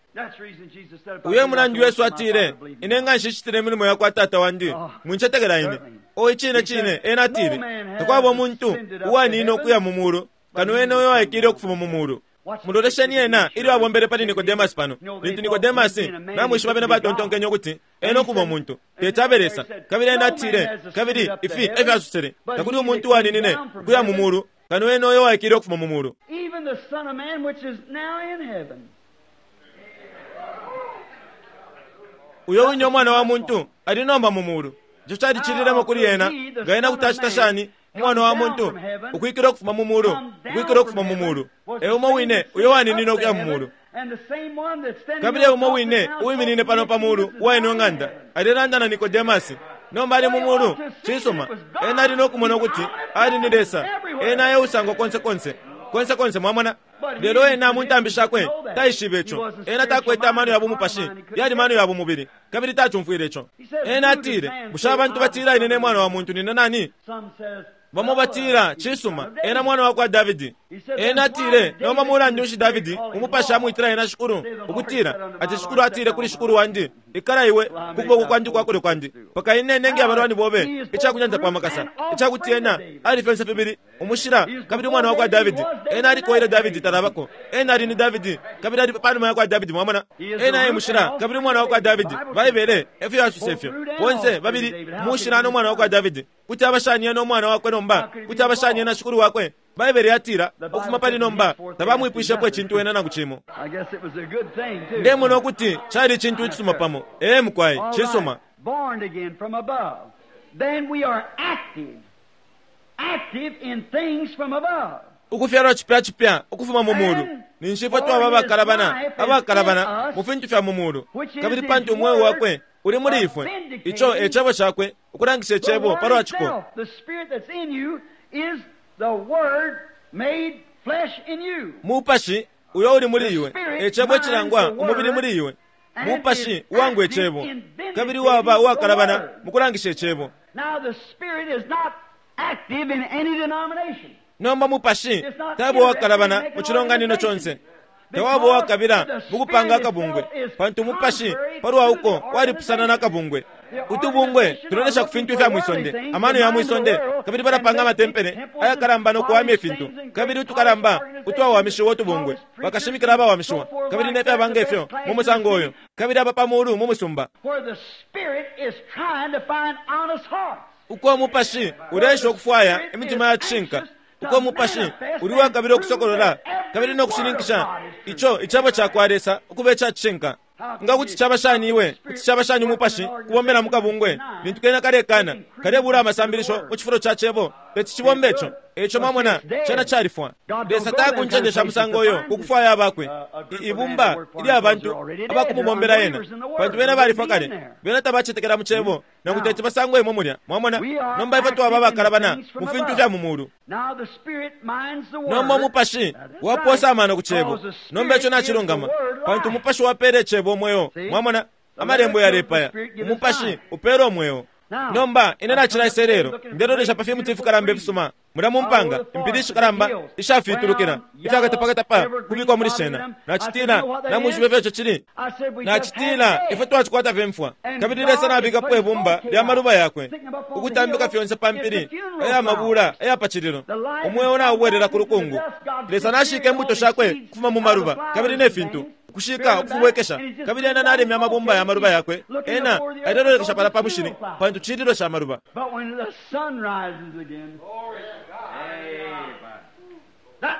Uyo mulandu Yesu atile ine nga nshicitile imilimo ya kwa tata wandi mwincetekela ine. O icine cine ena atile takwaba umuntu uwanina ukuya mu mulu kano ena uyo waikile ukufuma mu mulu. Mulolesheni ena ilyo abombele pali Nikodemasi pano, lintu Nikodemasi namwishiba bena batontonkenye ukuti ena okuba umuntu tetabe Lesa, kabili ena atile kabili ifi efyo asosele takuli umuntu uwaninine ukuya mu mulu kano ena uyo waikile ukufuma mu mulu. Uyo wine umwana wa muntu ali nomba mu mulu. Ico calicililemo kuli ena nga ena kuti acita shani Umwana wa muntu ukwikila ukufuma mu mulu, ukwikila ukufuma mu mulu, e umo wine uyo waninine ukuya mu mulu. Kabili umo wine uwiminine pano pa mulu uwa ino ng'anda alelanda na Nikodemasi. Nomba ali mu mulu. Cisuma, ena ali nokumona ukuti ali ni Lesa. Ena eusangwa konse konse konse konse, mwamona. Lelo ena mu ntambi shakwe taishibe ico. Ena takwete amano ya bumupashi, yali mano ya bumubili, kabili tacumfwile ico. Ena atile, bushe abantu batila ine ne mwana wa muntu nine nani? Bamo batila, cisuma, ena mwana wa kwa Davidi. Ena atile, nomba mulandu nshi Davidi umupashi amwitila ena shikulu, ukutila ati shikulu atile kuli shikulu wandi, ikala iwe kukuboko kwandi kwakulyo kwandi paka ine nenge abalwani bobe icakunyanza kwa makasa. Icakuti ena ali fyonse fibili umushila kabili umwana wa kwa Davidi. Ena alikoile Davidi talabako. Ena ali ni Davidi kabili ali panuma ya kwa Davidi, mwamona. Ena e mushila kabili umwana wa kwa Davidi. Baibele efyo yasuse ifyo bonse babili, mushila no mwana wa kwa Davidi. Kuti abashaniye no mwana wakwe nomba, kuti abashaniye na shikulu wakwe. Baibele yatila ukufuma pali nomba tabamwipwishepo icintu ena nangu cimo. Ndemona ukuti cali icintu icisuma pamo. Ee mukwai, cisuma. Born again from above. Then we are active. Active in things from above. Ukufyalwa cipya cipya ukufuma mu mulu, ninshi ifwe twaba abakalabana abakalabana mu fintu fya mu mulu, kabili pantu umweo wakwe uli muli ifwe, ico e cebo cakwe ukulangisha icebo palwa ciko. The spirit that's in you is the word made flesh in you. Mupashi uyo uli muli iwe e cebo icilangwa umubili muli iwe. Mupashi uwangwa icebo kabili waba uwakalabana mu kulangisha icebo. Now the spirit is not active in any denomination. Nomba mupashi taba uwakalabana mu cilonganino conse, tawaba uwakabila mu kupanga akabungwe, pantu umupashi palwa uko walipusana na kabungwe. Utubungwe tulolesha ku fintu ifya mwisonde, amano ya mwisonde, kabili balapanga amatempele ayakalamba no kuwamya ifintu, kabili utukalamba utwawamishiwa utubungwe bakashimikila abawamishiwa, kabili nefyabanga ifyo mu musango uyo, kabili aba pa mulu mu musumba. Where the spirit is trying to find honest hearts. Uko umupashi ulesha ukufwaya imitima ya cishinka, uko umupashi uli wakabila ukusokolola kabili no kushininkisha ico icebo ca kwa Lesa ukuba ica cishinka. Nga kuti caba shani iwe, kuti caba shani umupashi kubombela mu kabungwe lintu kena kalekana kalebula amasambilisho mu cifulo ca cebo? Teti cibombe ico. Eco mwamona cena califwa. Lesa tayakuncende sha musango uyo kukufwaya abakwe, ibumba ilya bantu abakumubombela ena, pantu bena balifwa kale, bena tabacetekela mu cebo nangu teti basangwemo mulya. Mwamona, nomba ifwe twaba abakalabana mu fintu fya mu mulu. Now the spirit minds the word. Nomba umupashi waposa amano ku cebo. Nomba ico nacilungama, pantu umupashi wapeele icebo umweo. Mwamona, amalembo yalepaya, umupashi upeele umweo. Nomba ine nacilaisa lelo ndelolesha pa fimuti ifikalamba ifisuma mulya mu mpanga, impili ishikalamba ishafitulukila ifyakatapakatapa kubikwa muli shena. Nacitila, namwishiba ifyo ico cili. Nacitila ifwe twacikwata fye mfwa, kabili Lesa nabikapo ibumba lya maluba yakwe ukutambika fyonse pa mpili aya mabula aya pa cililo. Umweo naubwelela ku lukungu. Lesa nashika imbuto shakwe kufuma mu maluba kabili ne fintu kushika ukubwekesha, kabili ena nalemya amabumba ya maluba yakwe. Ena alelolekesha pala pa mushili, pantu cililo sha maluba. But when the sun rises again, that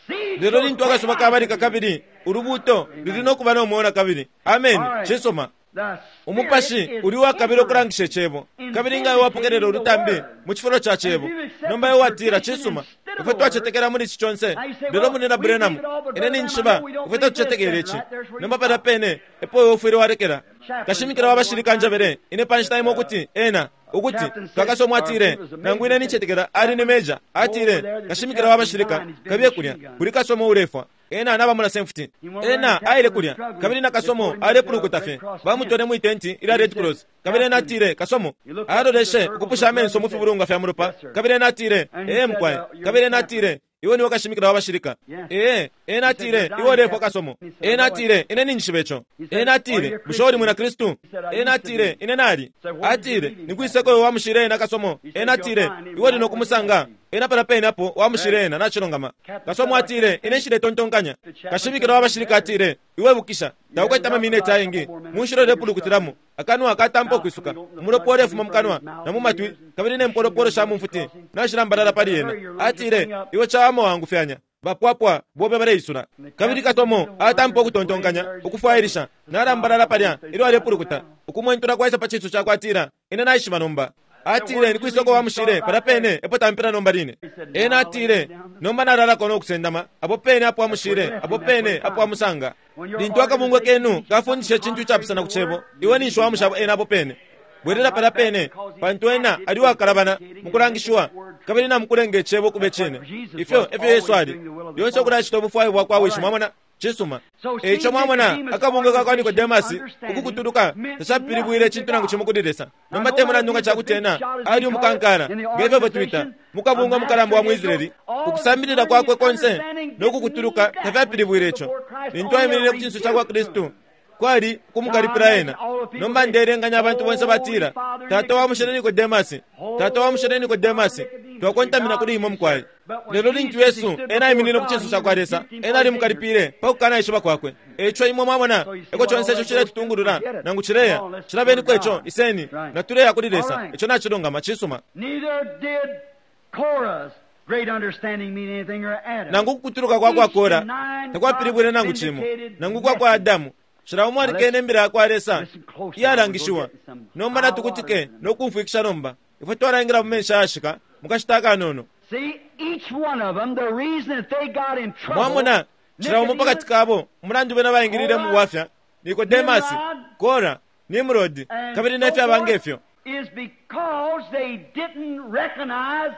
seed Lelo lintu akasuba kabalika kabili ulubuto luli no kuba no mweo na kabili. Amen. Cisuma. the Umupashi uli wakabila ukulangisha icebo, kabili nga iwe wapokelela ulutambi mu cifulo ca cebo, nomba iwe watila, cisuma, ifwe twacetekela muli ici conse. Lelo munina Branham, ine ninjishiba ifwe tatucetekele ici. Nomba palya pene epo iwe ufwile walekela. Kashimikila wa bashilika njebele ine pa nshita imo ukuti ena ukuti kakasomo atile, nangu ine nincetekela ali ni meja, atile kashimikila wa bashilika kabiye kulya kuli kasomo ulefwa. Ena anabamula semfuti. Ena aile kulya kabili na kasomo alepulukuta fye, bamutwele mwi tenti ilya Red Cross. Kabili ena atile, kasomo aloleshe ukupusha amenso mu fibulungwa fya mulopa. Kabili ena atile, ee mukwai. Kabili ena atile, iwe niwe kashimikila wa bashilika. Ee, ena atile, iwe ulefwa kasomo. Ena atile, ine ninjishiba ico. Ena atile, bushe uli mwina Kristu? Ena atile, ine nali. Atile, nikwiseko iwe wamushile ena kasomo. Ena atile, iwe uli nokumusanga. Ena pala pene apo wamushile ena nachilongama. Kasomo atile, ine nshiletontonkanya. Kashimikila wa bashilika atile, iwe bukisha, taukwete amamineti ayengi munshilo ulepulukutilamo. Akanwa katampa ukwisuka, umulopa ulefuma mu kanwa na mu matwi, kabili ne mpolopolo sha mumfuti nashilambalala pali ena. Atile, iwe cawama wangufyanya, bapwapwa bobe baleisula. Kabili katomo atampa ukutontonkanya ukufwailisha, nalambalala palya ilyo alepulukuta. Ukumwentula kwaisa pa cinso cakwe, atila, ine naishiba nomba. Atile ni kwisoko wamushile palya pene epo tampila nomba line. Ena atile nomba nalalako no kusendama apo pene apo amushile, apo pene apo amusanga. Lintu akabungwe kenu kafundisha icintu icapusana ku cebo, iwe ninshi wamusha ena apo pene. Bwerera palya pene, pantu ena ali wakalabana mukulangishiwa kabili na mukulenga icebo kube cine. Ifyo efyo Yesu ali lyonse ukulacita ubufwayo bwa kwa wishi. Mwamona? Cisuma. Eico mwamona akabungwe ka kwa Nikodemasi ukukutuluka tacapilibwile icintu nangu cimo kuli Lesa. Nomba te mulandu nga cakuti ena ali umukankala ngefyo fwe twita mukabungwe mukalamba wa mu Israeli, ukusambilila kwakwe konse no kukutuluka tafyapilibwile ico. Lintu aiminine ku cinso ca kwa Kristu kwali kumukalipila ena. Nomba ndelenganya abantu bonse batila, Tata wa mushele Nikodemasi, tata wa mushele Nikodemasi, twakontamina kuli imwe mukwai. Lelo lintu Yesu ena aiminine ku cinso ca kwa Lesa, ena alimukalipile pa kukanaishiba kwakwe. Eico imwe mwamona eko conse ico ciletutungulula nangu cileya cilabeniko ico iseni natuleya kuli Lesa. Ico nacilungama. Cisuma. Neither did Korah's great understanding mean anything or Adam. Nangu kukutuluka kwa kwa Kora takwapilibwile nangu cimo, nangu kwa kwa Adamu. Cila umo alikene imbila ya kwa Lesa iyalangishiwa. Nomba natukutike no kumfwikisha nomba. Ifwe twalaingila mu menshi ayashika mukashita akanono. See, each one of them, the reason that they got in trouble, Mwamona cila umo pakati kabo umulandu bena baingilile mu bwafya, Nikodemasi, Kora, Nimrodi and kabili so nefyaba forth, ngefyo. is because they didn't recognize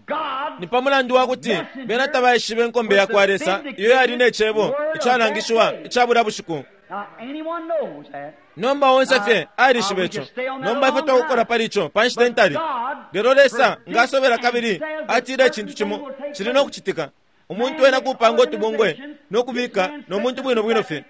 God. Ni pa mulandu wa kuti bena tabaishibe inkombe ya kwa Lesa iyo yali ne cebo icalangishiwa icabula bushiku. Now, anyone knows that. Nomba onse fye alishibe ico. Nomba ifwe twakukola pali ico pa nshita intali. Lelo Lesa ngasobela kabili atile icintu cimo cili no kucitika. Umuntu ena kupanga utubungwe no kubika no muntu bwino bwino fye.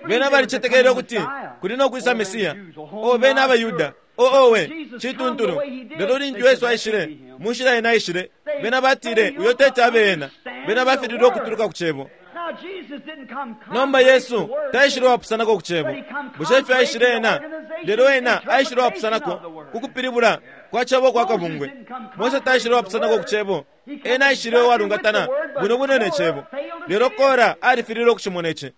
Bena balicetekele ukuti kuli no kwisa Mesiya. O bena abayuda, o owe cituntulu. Lelo lintu Yesu aishile mu nshila ena aishile, bena batile uyo tete abe ena. Bena bafililwe ukutuluka ku cebo. Now, Jesus didn't come Nomba contrary to Yesu the word. taishile uwapusanako ku cebo. Bushe ifyo aishile ena? Lelo ena aishile uwapusanako ku kupilibula kwa cebo kwa kabungwe. Mose taishile uwapusanako ku cebo. Ena aishile uwalungatana bwino bwino ne cebo. Lelo Kora alifililwe ukucimona ici.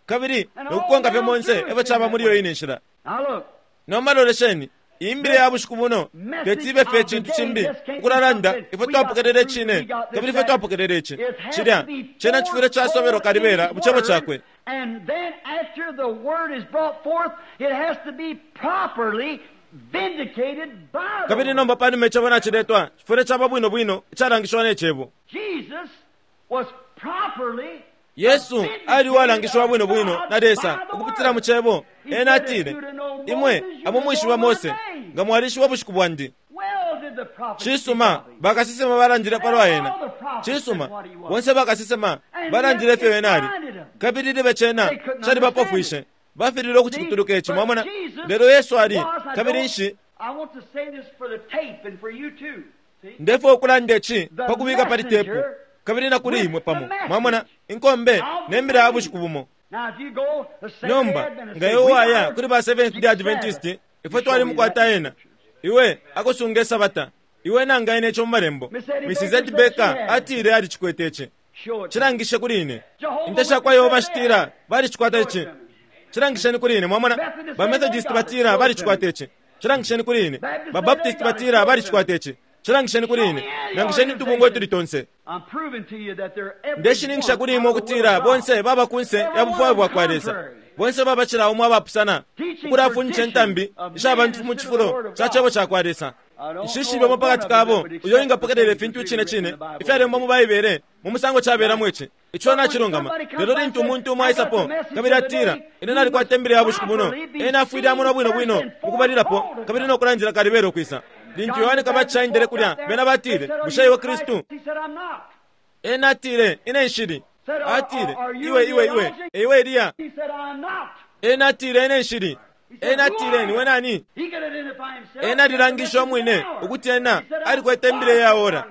Kabili nokukonka fye monse efyo caba muli iyo ine nshila. Now look, Nomba lolesheni, imbila ya bushiku buno tetibe fye icintu cimbi ukulalanda ifwe twapokelele icine kabili ifwe twapokelele ici cilya cena cifwile casobelwa kalibela mu cebo cakwe. And then after the word is brought forth, it has to be properly vindicated by the Kabili word. nomba panuma icebo naciletwa cifwile caba bwino bwino icalangishiwa ne cebo. Jesus was properly Yesu ali uwalangishiwa bwino bwino na Lesa ukupitila mu cebo. Ena atile, imwe abo mwishiba Mose nga mwalishiba ubushiku bwandi. Well did the prophets Cisuma speak of him. bakasesema balandile palwa ena. Cisuma bonse bakasesema balandile ifyo ena ali, kabili libe cena calibapofwishe bafililwe ukucikutuluka ici. Mwamona? Lelo Yesu ali kabili nshi I want to say this for the tape and for you too. See? ndefo ukulanda ici pakubika pali tepu kabili na kuli imwe pamo. Mwamona inkombe ne mbila ya bushiku bumo. Now if you go the Seventh-day Nomba Adventist nga say, iwe "We waya are kuli ba Seventh Day Adventist, ifwe twalimukwata ena iwe akusunga esabata iwe nanga ine ico mu malembo. Missus Ed Baker atile alicikwete ici. Show it. Cilangishe kuli ine. Inte sha kwa Yehova shitila balicikwata ici. Cilangisheni kuli ine. Mwamona ba Methodist batila balicikwata ici. Cilangisheni kuli ine. Ba Baptist batila balicikwata ici. Cilangisheni kuli ine. Nangisheni tubungwe tuli tonse. I'm proving to you that they're every Ndeshininkisha kuli imwe one ukutila of the will of God. bonse baba kunse ya bufwayo bwa kwa Lesa. Bonse baba cila umo abapusana ukulafundisha intambi isha bantu mu cifulo ca cebo ca kwa Lesa. Nshishibe mo pakati kabo uyo ingapokelela ifintu icine cine ifyalembwa mu Baibele mu musango cabelamo ici. Ico nacilungama. Lelo lintu umuntu umo aisapo kabili atila ine nalikwata imbila ya bushiku buno, ena afwile amona bwino bwino mukubalilapo kabili no kulandila kalibela ukwisa. Lintu Yohane Kabatisha aendele kulya, bena batile, bushe iwe Kristu? He said, I'm not. Ena atile, ine nshili. Atile, iwe iwe iwe, iwe Eliya. He said, I'm not. Ena atile, ine nshili. Ena atile, niwe nani? He could identify himself. Ena alilangisha umwine ukuti ena alikwete imbila ya ora.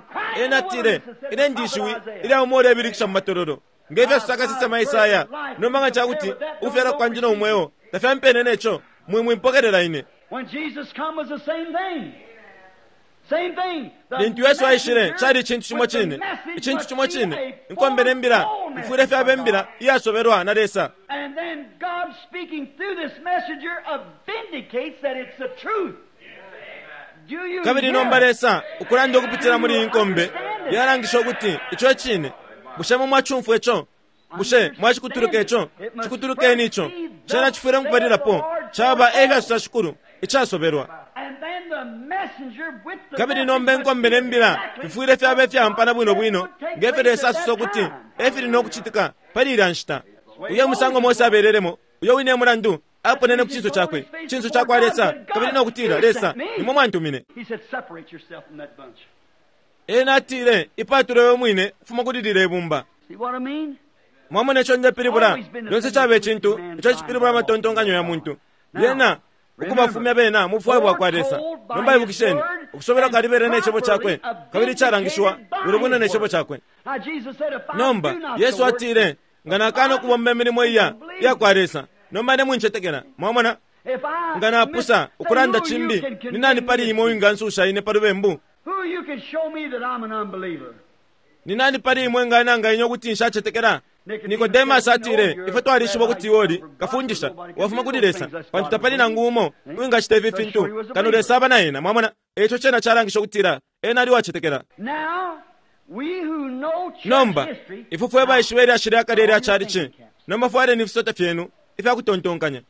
Ena atile, ine ndishiwi ilya umo ulebilikisha mu matololo ngefyo sisakasesema Isaya. Nomba nga cakuti ukufyala kwandi no mweo tafyampene neco, mwimwimpokelela ine. When Jesus come was the same thing. Same thing. The Lintu Yesu aishile messenger cali icintu cimo with the cine, message icintu must cimo be cine, a inkombe ne mbila foretold ifwile fyaba message imbila iyasobelwa na Lesa. And then God speaking through this messenger uh, vindicates that it's the truth. Kabili nomba Lesa ukulanda ukupitila muli inkombe yalangisha ukuti ico ecine. Bushe mwe mwacumfwa ico? Bushe mwacikutuluka ico? Cikutulukeni ico. Cena cifwile mukubalilapo caba efyasosa Shikulu icasobelwa. Kabili nomba inkombe ne mbila fifwile fyaba ifyampana bwino bwino ngefyo Lesa asosa ukuti efili nokucitika pali ilya nshita. Uyo musango Mose abelelemo, uyo wine mulandu aponene ku cinso cakwe, cinso cakwa Lesa, kabili nokutila, Lesa, nimwe mwantumine. Ena atile, ipatule we mwine kufuma kuli lile ibumba. Mwamona ico ndepilibula? Lyonse caba icintu ico cipilibula amatontonkanyo ya muntu. Lyena ukubafumya bena mu bufwayo bwakwa Lesa. Nomba ibukisheni, ukusobela kwalibele ne cebo cakwe, kabili calangishiwa bwino bwino ne cebo cakwe. Nomba Yesu atile, nga nakana ukubomba imilimo iya iyakwa Lesa, nomba ne mwincetekela. Mwamona? Nga napusa ukulanda cimbi, ni nani pali imwe wingansusha ine pa lubembu? Ni nani pali imwe ngananga ine ukuti nshacetekela? Nikodemasi atile, ifwe twalishiba ukuti iwe uli kafundisha wafuma kuli Lesa, pantu tapali nangu umo uwingacita ifi fintu kano Lesa aba na ena. Mwamona? Eco cena calangisha ukutila ena ali wacetekela. Nomba ifwe fwe baishiba ilyashi lya kale ilya calici, nomba fwaleni ifisote fyenu ifyakutontonkanya.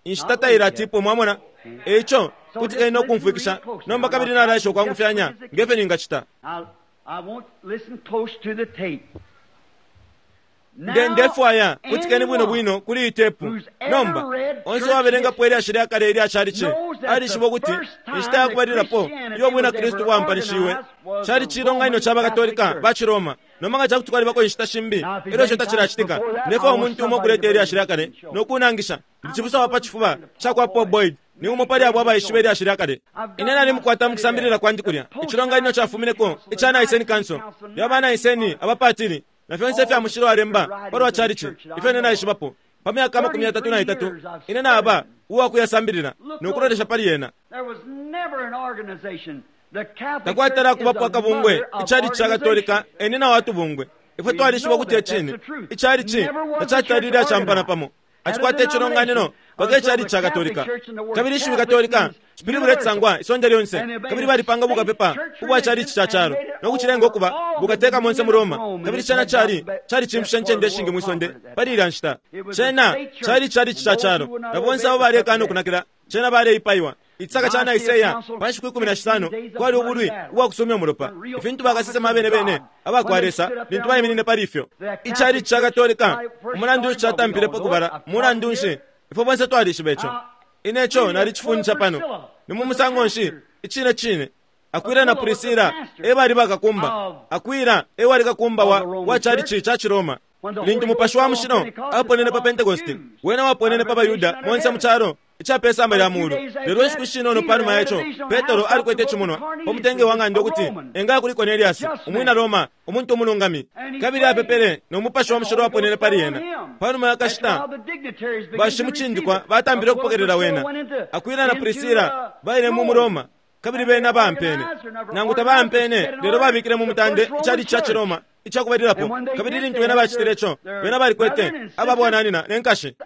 Inshita tailatipo, mwamona? Eco kuti ena okumfwikisha. Nomba kabili nalaisha ukwangufyanya ngefyo ningacita. Nde ndefwaya kutikeni bwino bwino kuli iyi tepu. Nomba onse wabelengapo ilyashi lya kale ilya calici alishiba ukuti inshita yakubalilapo iyo bwina Kristu bwampanishiwe cali cilonganino ca bakatolika ba Ciroma. Nomba nga cakuti kwalibako inshita shimbi ilyo ico tacilacitika, ndefwaya umuntu umo ukuleta ilyashi lya kale nokunangisha. Ndi cibusa wa pa cifuba cakwa Paul Boyd, ni umo pali abo abaishiba ilyashi lya kale. Ine nalimukwata mukusambilila kwandi kulya icilonganino cafumineko ica Nicene Council ya ba Nicene abapatili na fyonse ifya mushilo alemba palwa calici ifyo ine naishibapo pa myaka amakumi yatatu na itatu. Ine naba uwakuyasambilila nokulolesha pali yena. Takwatala kubapo akabungwe icalici ca Katolika ene na watubungwe. Ifwe twalishiba ukuti ecine icalici tacatalile acampana pamo, acikwata icilonganino paka icalici ca Katolika. Kabili ishiwi Katolika cipilibula icisangwa isonde lyonse, kabili balipanga bukapepa ubwa calici ca calo nokucilenga ukuba bukateka monse mu Roma. Kabili cena cali cali cimfisha incende ishingi mwisonde pali ilya nshita. Cena cali calici ca calo, na bonse abo balekana ukunakila cena baleipaiwa. Icisaka ca Nicaea pa nshiku ikumi na shisano kwali ubulwi ubwakusumya umulopa, ifintu bakasesema bene bene abakwa Lesa lintu baiminine pali ifyo. Icalici ca Katolika umulandu nshi catampilepo kubala, mulandu nshi ifwe bonse twalishiba ico. Ine ico nalicifundisha pano. Ni mu musango nshi icine cine Akwila na Priscilla e bali bakakumba. Akwila e wali kakumba wa, wa calici ca Ciroma. Lintu Mupashi wa Mushilo aponene pa Pentekoste, wena waponene pa Bayuda monse mu calo icapesamba lya mulu. Lelo inshiku shinono panuma yaco, Petero alikwete icimonwa pa mutenge wa ng'anda ukuti engaya kuli Cornelius, umwina Roma, umuntu umulungami. Kabili apepele no Mupashi wa Mushilo waponene pali ena. Panuma ya kashita, bashimucindikwa batambile ukupokelela wena. Akwila na Priscilla baile mu Roma, kabili bena bampene. Nangu tabampene, lelo babikile mu mutande icalici ca Ciroma icakubalilapo. Kabili lintu bena bacitile ico, bena balikwete ababwananina ne nkashi.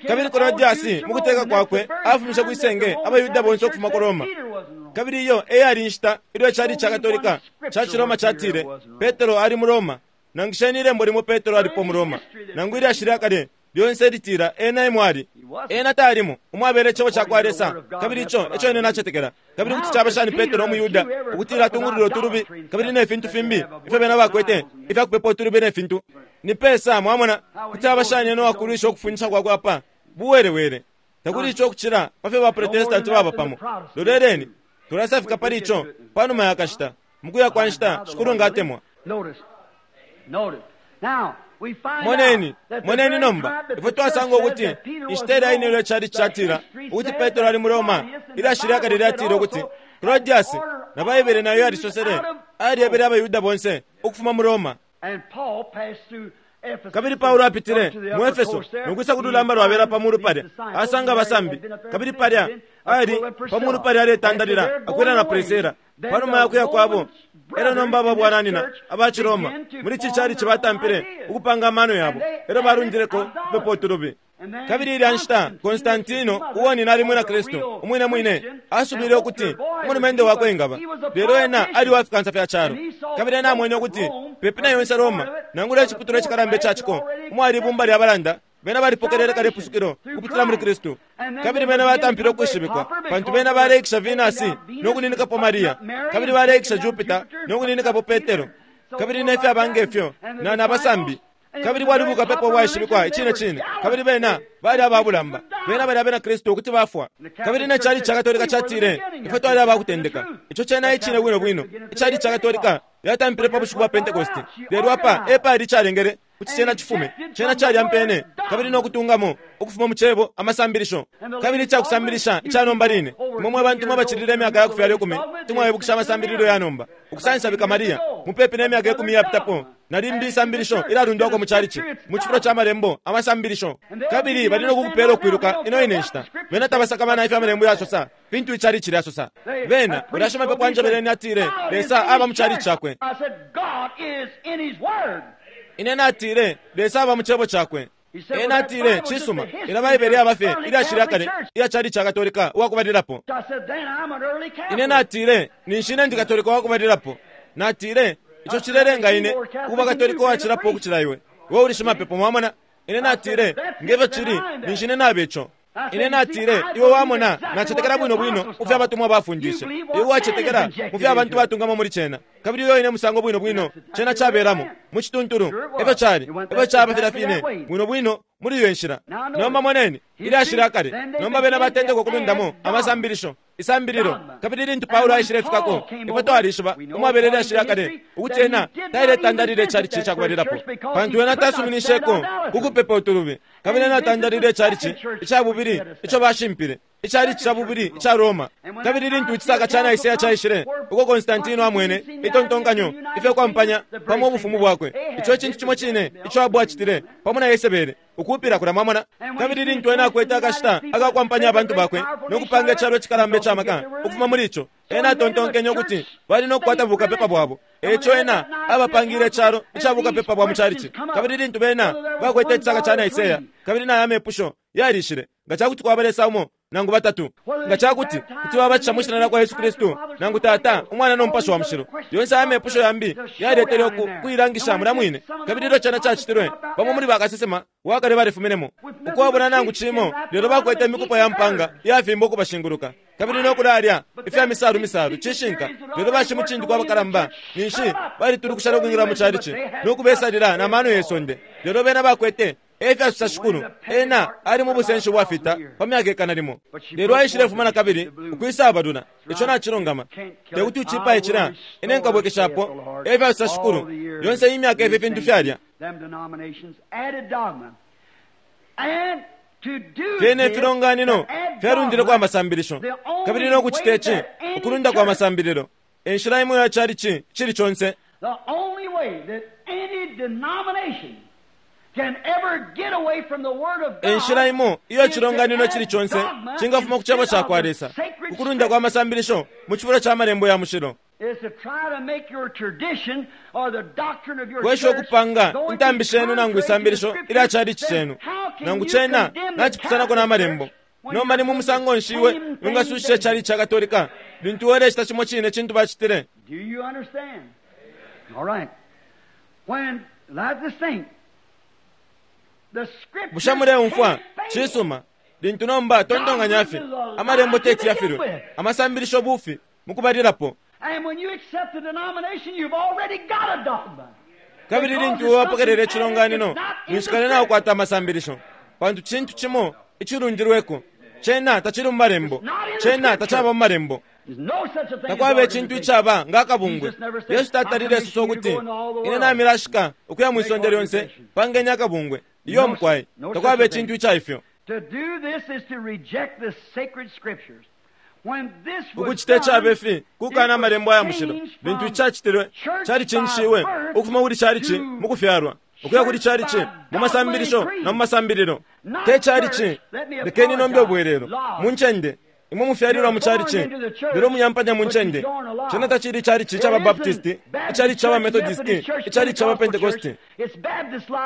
Kabili Claudius mukuteka kwakwe afumishe kwisenge abayuda bonse ukufuma ku Roma. Kabili iyo eyali inshita ilyo icalici ca Katolika ca Ciroma catile Petero ali mu Roma. Nangisheni ilembo limo Petero alipo mu Roma. Nangu ilyashi lya kale lyonse litila ena emwali. Ena talimo umwabele icebo cakwa Lesa, kabili ico eco ine nacetekela. Kabili kuti caba shani Petero umuyuda ukutila atungulule utulubi kabili ne fintu fimbi ifyo bena bakwete ifyakupepa utulubi ne fintu? Ni pesa mwamona kuti aba shani ena uwakulwisha ukufundisha kwakwe apa buwelewele. Takuli ico ukucila pa fyo ba Protestanti baba pamo. Loleleni, tulasafika pali ico panuma ya kashita, mukuya kwa nshita Shikulu nga atemwa. Moneni, moneni nomba ifwe twasanga ukuti inshita ilya ine ilyo calici catila ukuti Petero ali mu Roma, ilyashi lya kale lyatile ukuti Claudius na Baibele nayo yalisosele alyebele abayuda bonse ukufuma mu Roma. Kabili Paulo apitile mu Efeso nokwisa ku lulamba lwabela pa mulu palya asanga abasambi. Kabili palya ali pa mulu palya aletandalila Akwila na Priscilla panuma yakuya kwabo. Elyo nomba ababwananina aba Ciroma muli ci calici batampile ukupanga amano yabo, elyo balundileko ukupepa utulubi. Kabili ilya nshita Konstantino, uo nyina ali mwina Kristu umwine mwine, asubile ukuti umulumendo wakwe engaba, lelo ena ali wa fikansa fya calo. Kabili ena amwene ukuti pepi na yonse Roma, nangula iciputulwa icikalamba ica ciko umwali ibumba lya balanda, bena balipokelele kale ipusukilo ukupitila muli Kristu. Kabili bena batampile ukwishibikwa pantu bena baleikisha Venasi no kuninikapo Maria, kabili baleikisha Jupiter no kuninikapo Petero, kabili nefyaba ngefyo na nabasambi. Kabili bwali bukapepa ubwaishibikwa icine cine, kabili bena bali ababulamba, bena bali abena Kristu ukuti bafwa. Kabili ne chalichi ca Katolika catile, ifwe twali abakutendeka. Ico cena icine bwino bwino. Ichalichi ca Katolika yatampile pa bushiku bwa Pentekoste, lelo apa epali icalengele kuti cena cifume. Cena calyampene kabili nokutungamo ukufuma mu cebo amasambilisho. Kabili icakusambilisha ica nomba line, imwe mwe bantu mwabacilile imyaka ya kufyala ikumi, timwaibukisha amasambililo ya nomba. Ukusansabika Maria mupepi ne myaka ikumi iyapitapo, na limbi isambilisho ilalundwako mu chalichi mu cifulo ca malembo amasambilisho. Kabili bali nokukupela ukwiluka ino ine nshita. Bena tabasakamana ifyo amalembo yasosa, fintu ichalichi lyasosa. Bena ulya shimapepo anjebeleni atile, Lesa aba mu chalichi cakwe. Ine natile, Lesa aba mu cebo cakwe. Ena atile, cisuma, ila Baibele yaba fye ilyashi lya kale ilya chalichi ca Katolika uwakubalilapo. Ine natile, ninshi ine ndi Katolika uwakubalilapo. Natile, ico cilelenga ine ukuba Katolika uwacilapo ukucila iwe. Iwe uli shimapepo, mwamona. Ine natile, ngefyo cili, ninshi ine naba ico. Ine natile, iwe wamona, nacetekela bwino bwino mu fyo abatumwa bafundishe. Iwe wacetekela mu fyo abantu batungamo muli cena. Kabili uyo ine musango bwino bwino cena cabelamo mu cituntulu. Efyo cali, efyo caba filya fine bwino bwino muli iyo nshila. Nomba moneni ilyashi lya kale. Nomba bena batendeka ukulundamo amasambilisho, isambililo. Kabili lintu Paulo aishilefikako, ifwe twalishiba umwabele ilyashi lya kale ukuti ena tailetandalila icalichi icakubalilapo, pantu ena tasuminisheko ukupepa utulubi. Kabili ena atandalile icalichi ica bubili ico bashimpile, icalichi ca bubili ica Roma. Kabili lintu icisaka ca Nicaea caishile, uko Konstantino amwene itontonkanyo ifyo kwampanya pamo ubufumu bwakwe, ico icintu cimo cine ico Ahabu acitile pamo na Yesebele, ukupila kula, mwamona. Kabili lintu ena akwete akashita akakwampanya abantu bakwe nokupanga icalo icikalamba icamaka ukufuma muli ico, ena atontonkenye ukuti bali nokukwata bukapepa bwabo. Eco ena abapangile icalo ica bukapepa bwa mu chalichi. Kabili lintu bena bakwete icisaka ca Nicaea, kabili naya amepusho yalishile, nga cakuti kwaba Lesa umo nangu batatu, nga cakuti kuti babatisha mu shina lya kwa Yesu Kristu nangu Tata, Umwana no Mupashi wa Mushilo. Yonse aya mepusho yambi yaletele ukuilangisha mulya mwine. Kabili ilyo cena cacitilwe, bamo muli bakasesema wakale balifuminemo ukwabula nangu cimo, lelo bakwete imikupo ya mpanga iyafimba ukubashinguluka, kabili nokulalya ifya misalu misalu cishinka. Lelo bashimucindikwa abakalamba ninshi balitulukusha nokwingila mu chalichi nokubesalila na mano ye sonde. Lelo bena bakwete efyasusa shikulu, ena ali mu busenshi bwafita pa myaka ikana limo. Lelo aishilefuma na kabili ukwisa abadula. Ico nacilungama, tekuti ucipaye cila, ine nkabwekeshapo, efyasusa shikulu. Yonse iyi myaka ifi fintu fyalya fyene ifilonganino fyalundileko amasambilisho. Kabili nokucita ici ukulunda kwa masambililo, enshila imo ya chalichi cili conse. Enshila imo iyo cilonganino cili conse cingafuma ku cebo ca kwa Lesa, ukulunda kwa masambilisho mu cifulo ca malembo ya mushilo, kwesha ukupanga intambi shenu nangu isambilisho ilya chalichi cenu, nangu cena nacipusanako na malembo. Nomba ni mu musango nshi iwe wingasusha icalichi ca Katolika lintu welecita cimo cine cintu bacitile? Bushe muleumfwa? Cisuma. Lintu nomba tontonkanya fye, amalembo teti yafilwe, amasambilisho bufi mukubalilapo. Kabili lintu wapokelele icilonganino, ninshi naukwata amasambilisho, pantu cintu cimo icilundilweko. Cena tacili mu malembo, cena tacaba mu malembo. Takwaba icintu icaba nga akabungwe. Yesu tatalile sosa ukuti, ine namilashika ukuya mwi sonde lyonse pangeni akabungwe. Iyo mukwai, takwaba icintu ica ifyo. Ukucita icaba ifi kukana amalembo aya mushilo. Lintu icacitilwe calicinjishiwe ukufuma kuli chalichi mu kufyalwa ukuya kuli chalichi mu masambilisho na mu masambililo. Te chalichi, lekeni nombe ubwelelo mu ncende. Imwe mufyalilwa mu chalichi, lelo muyampanya mu ncende. Cena tacili chalichi cha Babaptisti, ichalichi cha Bamethodisti, ichalichi cha Bapentekosti.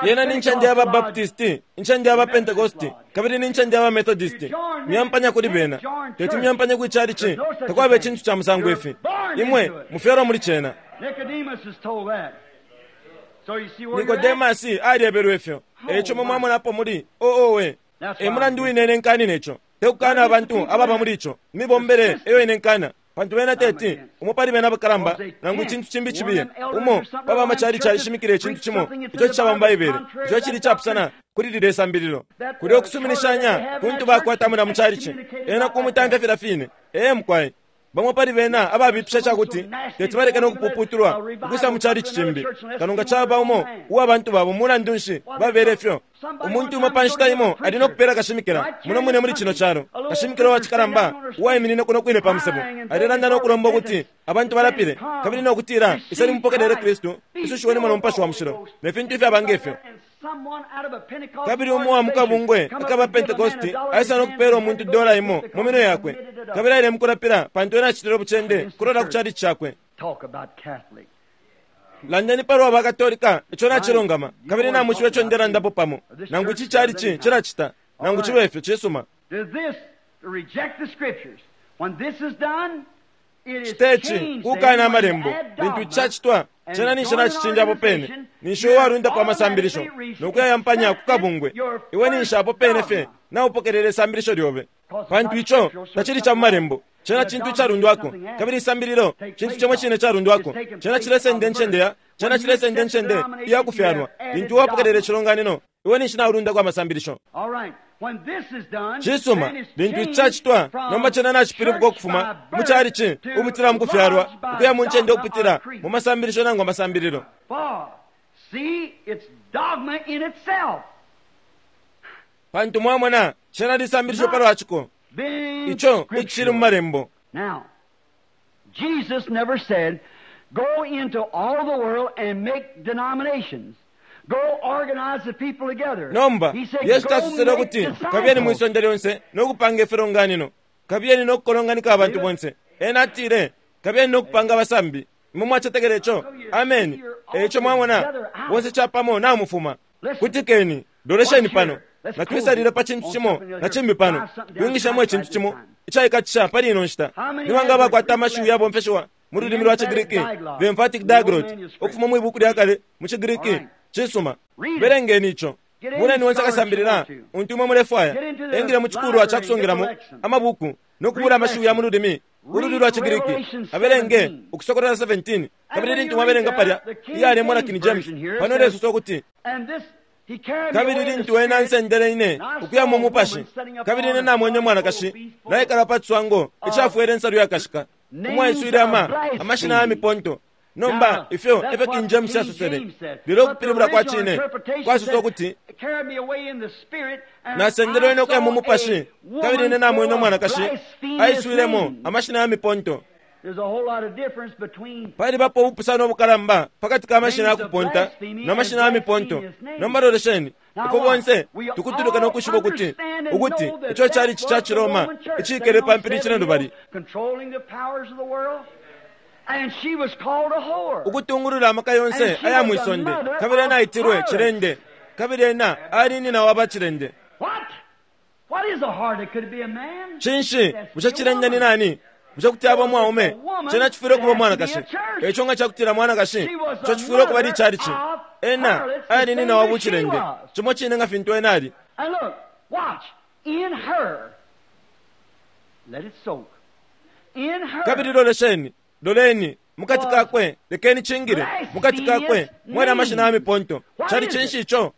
Yena ni ncende ya Babaptisti, incende ya Bapentekosti, kabili ni ncende ya Bamethodisti. Muyampanya kuli bena. Teti muyampanye ku chalichi, takwaba icintu cha musango ifi. Imwe mufyalwa muli cena. Nikodemasi alyebelwe ifyo. Eico mwe mwamonapo muli oowe. E mulandu wine nenkanine ico. Tekukana abantu ababa muli ico. Mibombele eyo inenkana. Pantu bena teti umo pali bena abakalamba nangu icintu cimbi cibiye. Umo baba amachalichi alishimikile icintu cimo ico cicaba mu Baibele. Ico cili capusana kuli lilya isambililo. Kuli okusuminishanya kuntu bakwata muna mu chalichi. Ena kumutamfya filya fine. Ee mukwai. Bamwe pali bena ababipisha cakuti teti baleke nokupuputulwa ukwisa mu chalichi cimbi. Kano nga caba umo uwa bantu babo mulandu nshi babele ifyo. Umuntu umo pa nshita imo ali nokupela kashimikila muno mwine muli cino calo. Kashimikila wa cikalamba uwaiminine kuno kwine pa musebo. Alelanda nokulomba ukuti abantu balapile kabili nokutila iseni mupokelele Kristu isushiwenimo no Mupashi wa Mushilo ne fintu ifyaba ngefyo. Kabili umo wa mukabungwe akaba Pentekosti aisa nokupela umuntu dola imo mu minwe yakwe. Kabili aile mukulapila pantu ena acitile ubucende kulola ku chalichi cakwe. Landeni palwa bakatolika ico nacilungama kabili namwishiba ico ndelandapo pamo. Nangu ici chalichi cilacita nangu cibe ifyo cisuma. Citeci kukana amalembo lintu icacitwa cena ninshi nacicinja apo pene. Ninshi uwalundapo amasambilisho nokuyayampanya ku kabungwe. Iwe ninshi apo pene fye naupokelele isambilisho lyobe. Pantu ico tacili ca mu malembo. Cena cintu icalundwako kabili isambililo cintu cimwe cine calundwako. Cena cilesenda incende ya cena cilesenda incende iya kufyalwa. Lintu wapokelele icilonganino iwe ninshi naulundako amasambilisho. Cisuma lintu icacitwa nomba cena nacipilibuka ukufuma mu chalichi ukupitila mu kufyalwa ukuya mu ncende ukupitila mu masambilisho nangu amasambililo. Pantu mwamona cena lisambilisho palwa ciko. Ico icili mu malembo. Now, Jesus never said, go into all the world and make denominations. Go organize the people together. Nomba He said, Yesu go tasosele make ukuti kabiyeni disciples. mwisonde lyonse nokupanga ifilonganino. Kabiyeni nokukolonganika abantu bonse. Ena atile kabiyeni nokupanga abasambi. Imwe mwacetekela ico? Amen. Eico mwamona bonse capamo namufuma. Kutikeni, lolesheni pano. Natwisalile pa cintu cimo na cimbi pano. Twingishamo icintu cimo icaikatisha pali ino nshita. Nibanga abakwata amashiwi yabomfeshiwa mu lulimi lwa ciGriki, the emphatic diaglott, ukufuma mwi buku lya kale mu ciGriki. Cisuma. Belengeni ico. Muneni wonse akasambilila untu imwe mulefwaya. Engile mu cikulwa ca kusongelamo amabuku nokubula amashiwi ya mu lulimi ululimi lwa ciGriki. Abelenge Ukusokolola seventeen. Kabili lintu mwabelenga palya iyalembwa na King James pano lesosa ukuti kabili lintu ena nsendele ine ukuya mu mupashi kabili ine namwenye mwanakashi naikala pa ciswango icafwele insalu yakashika umwaiswile ama amashina ya miponto. Nomba ifyo efyo King James yasosele. Lelo ukupilibula kwa cine kwasosa ukuti nasendele ine ukuya mu mupashi kabili ine namwenye mwanakashi aiswilemo amashina ya miponto. Palibapo ubupusano obukalamba pakati ka mashina ya kuponta na mashina ya miponto. Nomba lolesheni ifwe bonse tukutuluka nokwishiba ukuti ukuti ico chalichi ca Ciroma iciikele pa mpili cine lubali ukutungulula amaka yonse aya mwisonde. Kabili ena aitilwe cilende kabili ena ali nyina wa bacilende. Cinshi bushe cilende ni nani? Bushe kuti aba mwaume? Cena cifwile ukuba mwanakashi. Eico nga cakutila mwanakashi ico cifwile ukuba lichalichi. Ena ali nyina wa bucilende cimo cine nga fintu ena ali. Kabili lolesheni, loleni mukati kakwe, lekeni cingile mukati kakwe mwena amashina ya miponto. Cali cinshi ico?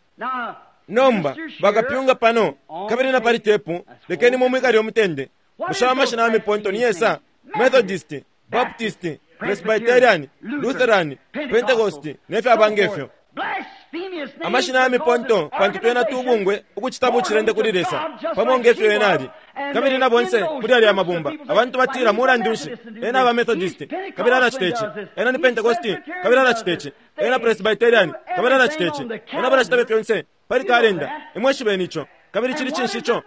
Nomba bakapyunga pano kabili na pali tepu, lekeni mumwikale umutende. Bushe amashina ya miponto ni yesa? Methodist, Baptist, Presbyterian, Lutheran, Pentecost nefyaba ngefyo. Amashina ya miponto pantu twena tubungwe ukucita bucilende kuli Lesa pamo ngefyo ena ali. Kabili na bonse muli alya mabumba abantu batila mulandu nshi ena aba Methodist kabili alacita ici, ena ni Pentecost kabili alacita ici, ena Presbyterian kabili alacita ici, ena balacita fyonse pali kalenda. Imwe shibeni ico. Kabili cili cinshi ico?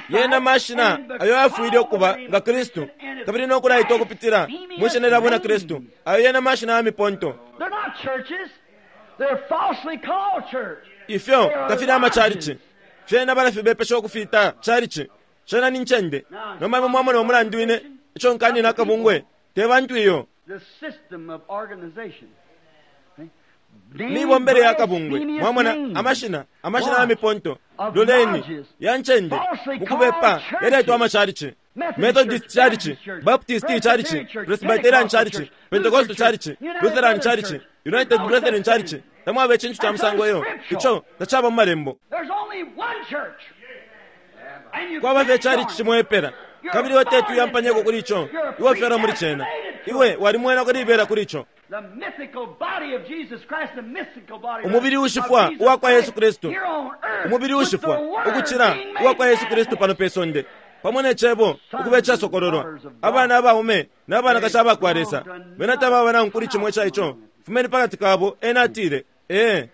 Yena mashina ayo ayafwile ukuba nga Kristu kabili nokulaita ukupitila mwishina lya bwina Kristu, ayo yena mashina ya miponto. Ifyo tafili amachalichi, fyena balafibepesha ukufita chalichi, cena ni ncende. Nomba imwe mwamona umulandu ine ico nkanina akabungwe te bantu iyo. Mibombele ya kabungwe, mwamona amashina, amashina ya miponto, loleni ya ncende mukubepa yaletwa amachalichi. Methodist chalichi, Baptist chalichi, Presbyterian chalichi, Pentecostal chalichi, Lutheran chalichi, United Brethren chalichi. Tamwaba echintu cha musango yo, icho tachaba mu malembo. Kwaba fye chalichi chimwepera kabili otetu yampanyeko kuli icho, iwe fyara muri chena, iwe walimwena kulibera kuli icho. Umubili ushifwa uwa kwa Yesu Kristu, umubili ushifwa ukuchila uwa kwa Yesu Kristu pano pesonde pamwe nechebo ukube chasokololwa. Abana abaume n'abanakashi abakwa Lesa bena tababa nankuli chimwe cha icho. Fumeni pakati kabo, ena atile ee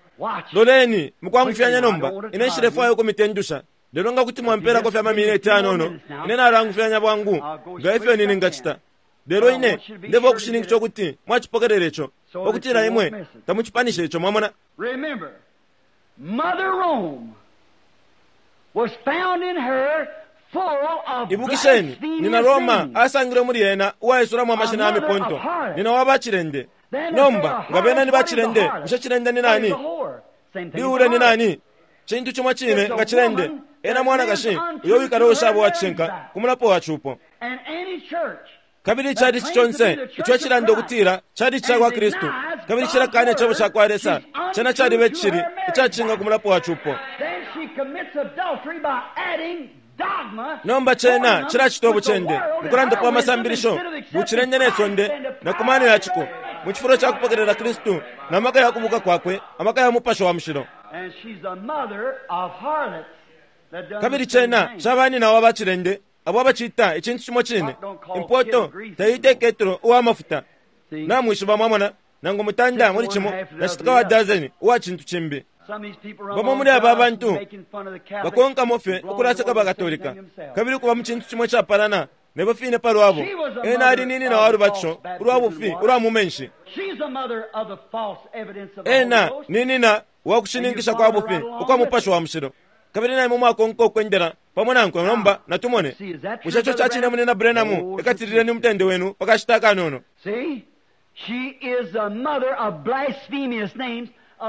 loleni mukwangufyanya nomba ine nshilefwayo ukumitendusha, lelo nga kuti mwamperako fya mamineti anono ine nalangufyanya bwangu nga ifyo nini ngachita. Lelo ine ndeva okushininkisha ukuti mwachipokelera icho, okutila imwe tamuchipanisha icho, mwamona. Remember, Mother Rome was found in her Ibukisheni, nina Roma asangile muli ena uwaisulamo amashina ya miponto, nina wabachilende. Nomba nga bena ni bachilende, bushe chilende ni nani? Liule ni nani? Chintu chimwe chine nga chilende ena mwanakashi uyo wikala ushabo wachinka kumulapo wachupo. Kabili chalichi chonse icho chilanda okutila chalichi cha kwa Kristu kabili chilakana echebo cha kwa Lesa chena chalibe chili ichachinga kumulapo wachupo. Nomba chena chilachita obuchende mukulandapo amasambilisho buchilende nesonde na kumano yachiko muchifulo cha kupokelela Kristu na maka ya kubuka kwakwe, amaka ya mupasho wa mushilo. Kabili chena chabani na wabachilende abo abachita echintu chimo chine impoto taite ketro uwa mafuta namwishiba mwamona nangu mutanda muli chimo na chituka wa dazeni uwa chintu chimbi. Bamo muli aba bantu bakonkamo fye okulaseka bakatolika kabili kuba mu chintu chimwe chapalana nebo fine palwabo ena ali nini na walubacho ulwa bufi ulwa mumenshi. Ena ninina wakushininkisha kwa bufi ukwa mupasho wa mushilo kabili naimwe mwakonka okwendela pamo nankwe. Nomba natumone bushe icho chachine munena Branham ekatilileni umutende wenu pakashita akanono.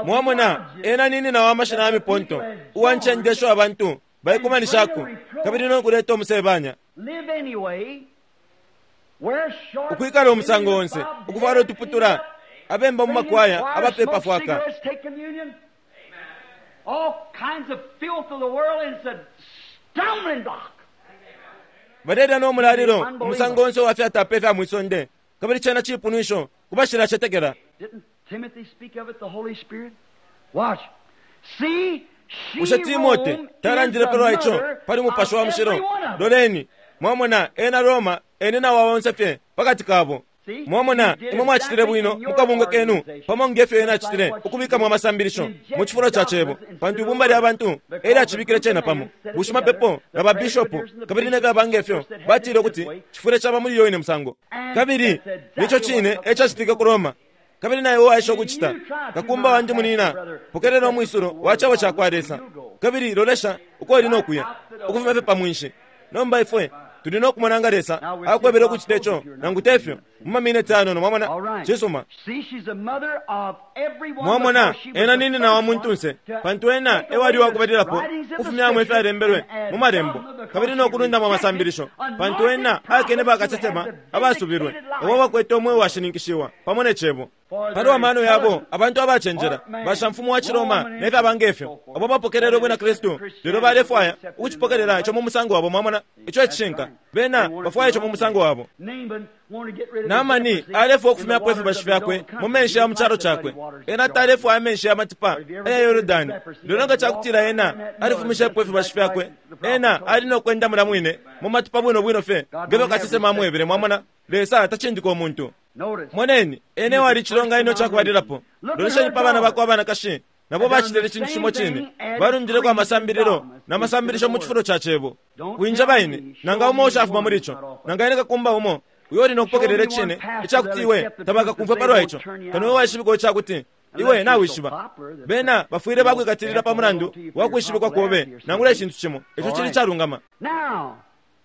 Mwamona ena nini na wamashina ya miponto uwanchendesho abantu baikumanishako kabili nokuleta omusebanya ukwikala omusango onse ukufwala otuputura abemba mu makwaya abapepa fwaka baleta n'omulalilo omusango onse owafyatapa efya mwisonde kabili chena chipunwisho kubashila chetekela. Ushe Timote talandile palwa icho pali mupasho wa mushilo. Loleni mwamona ena Roma ene na wawonse fye pakati kabo. Mwamona imwe mwachitile bwino mukabungwe kenu pamo ngefyo ena achitile ukubikamo amasambilisho mu chifulo cha chebo pantu ibumba lya bantu eli achibikile chena pamo bushimapepo na babishopu kabili nefya ngefyo batile ukuti chifule chaba muli yoine musango kabili nicho chine echachitike ku Roma kabili naye uwaisha okuchita kakumba wandi munina pokelela omwisulo wa chabo cha kwa Lesa kabili lolesha uko oli nokuya ukufuma fye pamwinshi. Nomba ifwe tuli nokumona nga Lesa akwebele okuchita echo nangu tefyo mumamineti anono. Mwamona chisuma mwamona ena nini na wa muntunse pantu ena ewali wakubalilapo kufumyamo efyalembelwe mu malembo kabili nokulundamo amasambilisho pantu ena akene bakasesema abasubilwe abo bakwete omwe washininkishiwa pamo nechebo pali amano yabo abantu abachenjera bashamfumu wa Chiroma nefyabanga efyo abo bapokelele obwina Kristu lelo balefwaya ukuchipokelela icho mu musango wabo. Mwamona icho echishinka bena bafwaya icho mu musango wabo. Naamani alefwa okufumyapo efibashi fyakwe mu menshi ya muchalo chakwe ena talefwaya amenshi ya matipa aya Yorodani lelo nga chakutila ena alifumishapo efibashi fyakwe ena ali nokwenda mula mwine mu matipa bwino bwino fye ngefyo kasesema amwebele. Mwamona Lesa tachindika omuntu. Moneni ene wali chilonga ino chakubalilapo. Lolesheni pa bana bakwe abanakashi nabo bachitile chintu chimo chine balundileko amasambililo na masambilisho mu cifulo ca cebo. Winjeba ine nanga umo ushafuma muli ico, nanga ine kakumba umo uyo uli nokupokelela icine icakuti iwe tabakakumfwe palwa ico, kano iwe waishibikwa icakuti iwe nawishiba. Bena bafwile bakwikatilila pa mulandu wa kwishibikwa kobe nangula icintu cimo ico cili calungama. Now,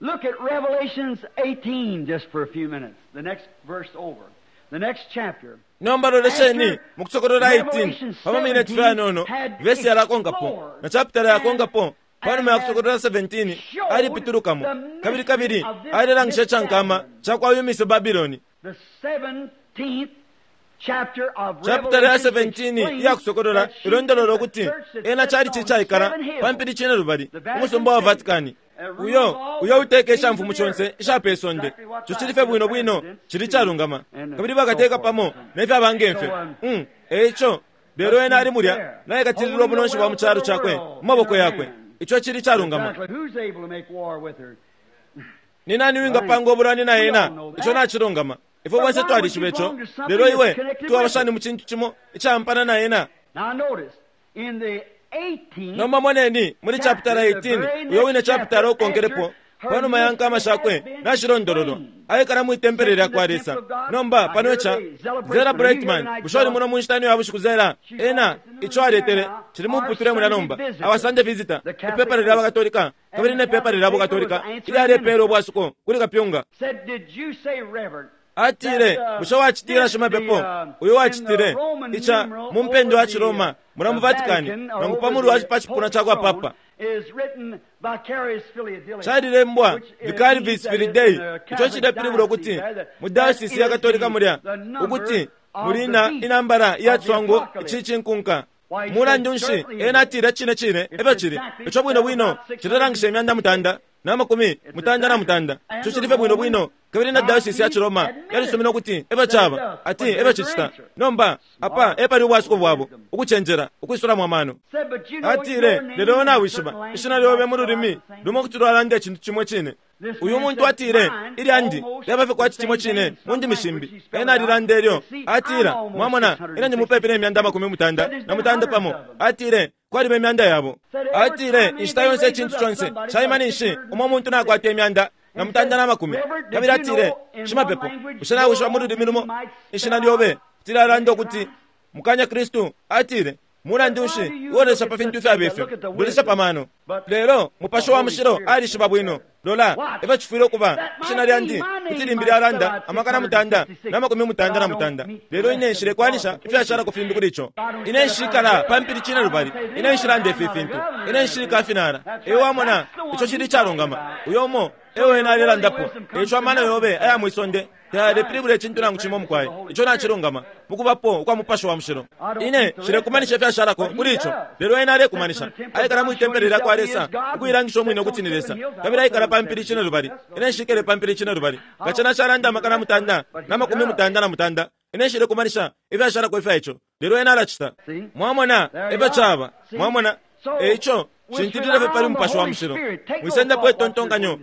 look at Revelations eighteen just for a few minutes. The next verse over. The next chapter. Nomba lolesheni mu Kusokolola eighteen pa mamineti fye yanono, vesi yalakonkapo na chapitala yakonkapo panuma ya Kusokolola seventeen alipitulukamo kabili kabili alilangisha icankama ca kwa uyu Miss Babiloni. The seventeenth chapter of Chapitala ya Revelation seventeen explains iya Kusokolola that she ilondolola is ukuti a church that ena sits cali on cicaikala seven hills. pa mpili cine lubali, umusumba wa Vatikani, uyo uyo uteka ishamfumu shonse isha pe sonde. Ico cili fye bwino bwino, cili calungama, kabili bakateka pamo nefyaba ngemfyo. Mm, eico lelo ena ali mulya naikatililwa ubunonshi bwa mu calo cakwe mu maboko yakwe. Ico cili calungama. Exactly. Who's able to make war with her? Ni nani wingapanga obulwani na ena? Ico nacilungama. Ifwe bonse twalishiba ico, lelo iwe twaba shani mu cintu cimo icampana na ena? Now notice, in the eighteenth Nomba moneni muli chapitala eighteen, uyo wine chapitala ukonkelepo panuma ya nkama shakwe nashilondololwa aikala mwi tempele lya kwa Lesa. Nomba pano ica Zera Brightman, bushe uli muno mu nshita ino ya bushiku Zera? Ena ico aletele cili muputule mulya nomba. Our Sunday Visitor, ipepala lya Bakatolika kabili ne pepala lya Bukatolika ilyalepela ubwasuko kuli kapyunga. said, Did you say, Reverend, Atile, bushe wacitila shimapepo uyo wacitile ica mu mpendo wa Ciroma mula mu Vatikani nangu pa mulu wa pa cipuna ca kwa Papa is written Vicarius Filii Dei, calilembwa which is Vicarius means that Filii in Dei, the ico Catholic cilepilibula ukuti diocese there, mu that diocese is ya Katolika mulya the number ukuti of muli the ina beast inambala iya of the ciswango apocalypse. ici cinkunka. Why, he Mulandu said, nshi certainly ena atile cine cine It's efyo cili exactly ico bwino bwino about six hundred cilelangisha imyanda mutanda na makumi mutanda na mutanda. Ico cili fye bwino bwino kabili na diocese ya Ciroma yalisumina ukuti efyo caba ati efyo cicita. Nomba apa epali ubwasuko bwabo ukucenjera ukwisulamo amano. Said, but you know Atile, your name lelo in a nawishiba certain ishina language lyobe mu lulimi might spell lumo kuti lwalanda icintu cimo cine. This Uyu man muntu said, atile, mine ilyandi almost lyaba fye kwati the cimo same cine thing mu ndimi in some shimbi. language he spelled Ena out. alilanda elyo See, atila, I'm almost mwamona ine ndi mupepi ne myanda makumi mutanda Said there's na been mutanda hundreds pamo. of them. Atile kwaliba imyanda yabo. Said every Atile time inshita anything yonse raises icintu up, conse somebody's caima got ninshi six hundred umo muntu nakwata imyanda na mutanda na makumi. Reverend, did Kabili you atile, know in shimapepo, one language bushe nawishiba mu lulimi lumo your might ishina spell lyobe out kuti lyalanda ukuti mukanya Kristu? Atile, mulandu nshi uolesha pa fintu ifyaba ifyo, lolesha pa mano. Lelo mupashi wa mushilo alishiba bwino. Lola efyo cifwile ukuba ishina lyandi kuti limbi lyalanda amakana mutanda na makumi mutanda na mutanda, lelo ine nshilekwanisha ifyashalako fimbi kuli ico. Ine nshikala pa mpili cine lubali, ine nshilanda ifi fintu, ine nshilika finala. Ewe wamona ico cili calungama, uyo umo ewe ena alelandapo. Eico amano yobe aya mwisonde tayalepilibula icintu nangu cimo mukwai. Ico nacilungama mukubapo ukwa mupashi wa mushilo. Ine nshilekumanisha ifyashalako kuli ico, lelo ena alekumanisha. Aikala mwi tempele lya kwa Lesa ukuilangisha umwine ukuti ni Lesa, kabili aikala pa mpili cine lubali. Ine nshikele pa mpili cine lubali nga cena amakana mutanda na makumi mutanda na mutanda. Ine nshilekumanisha ifyashalako ifya ico, lelo ena alacita. Mwamona efyo caba, mwamona. Eico shintilila fye pali mupashi wa mushilo, mwisendapo itontonkanyo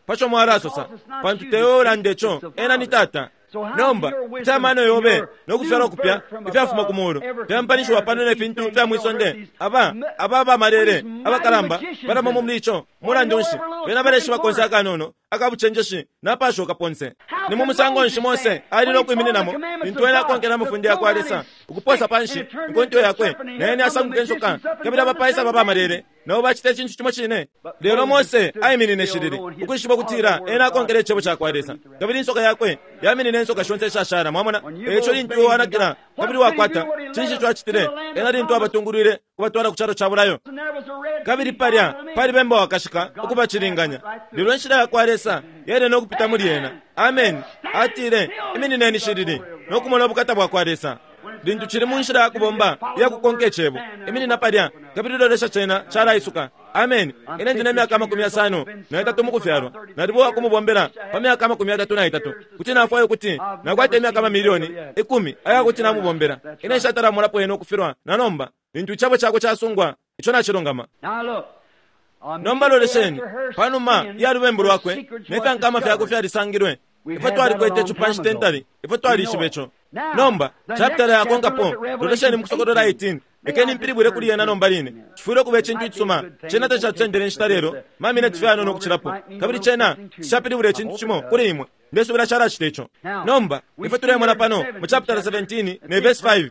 paco mwalasosa, pantu tewe ulanda ico, ena ni Tata. Nomba kuti amano yobe nokufyalwa kupya ifyafuma ku mulu fyampanishiwa pano ne fintu fya mwisonde. Aba aba abamalele abakalamba balamamo muli ico. Mulandu nshi bena baleshiba konse akanono akabucenjeshi napashoka ponse. Ni mu musango nshi Mose ali nokwimininamo lintu ena akonkela amafunde ya kwa Lesa ukuposa panshi inkonto yakwe na ene asanguka insoka, kabili abapaisa baba amalele nabo bacita icintu cimo cine. Lelo Mose aiminine shilili ukwishiba ukutila ena akonkele icebo ca kwa Lesa, kabili insoka yakwe yaminine insoka shonse ishashala. Mwamona eico lintu iwe wanakila kabili wakwata cinshi ico acitile ena lintu abatungulwile kubatwala ku calo ca bulayo. And there was a red Kabili sea palya following pali bemba wakashika ukubacilinganya, lelo inshila ya kwa Lesa yali nokupita muli ena. Amen. Atile, iminineni shilili nokumona ubukata bwa kwa Lesa. Lintu cili mu nshila ya kubomba iya kukonka icebo, iminina palya kabili lolesha cena calaisuka. Amen. Ine ndi ne myaka amakumi yasano na itatu mukufyalwa, nalibowa kumubombela pa myaka amakumi yatatu na itatu. Kuti nafwaya ukuti nakwata imyaka amamilioni ikumi aya kuti namubombela. Ine nshatala ena ukufilwa na nomba lintu icebo cakwe casungwa ico nacilungama. Now look, Nomba lolesheni panuma ya lubembu lwakwe ne fyankama fyakwe fyalisangilwe. Ifwe twalikwete ico pa nshita intali, ifwe twalishiba ico. Nomba chapitala yakonkapo, lolesheni mu Kusokolola eighteen Lekeni mpilibwile kuli yena nomba line. Cifwile ukuba icintu icisuma. Cena tacatusendele inshita lelo, mamineti fye yanono ukucilapo. Kabili cena cishapilibula icintu cimo kuli imwe. Ndesubila calacita ico. Nomba ifwe tulemona pano mu chapter seventeen ne verse five.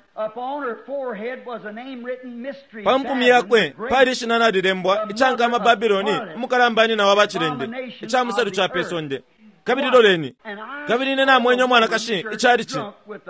Pa mpumi yakwe pali ishina nalilembwa, icankama Babiloni, umukalamba nyina wa bacilende, ica musalu ca pe sonde. Kabili loleni, kabili ine namwenye umwanakashi icalici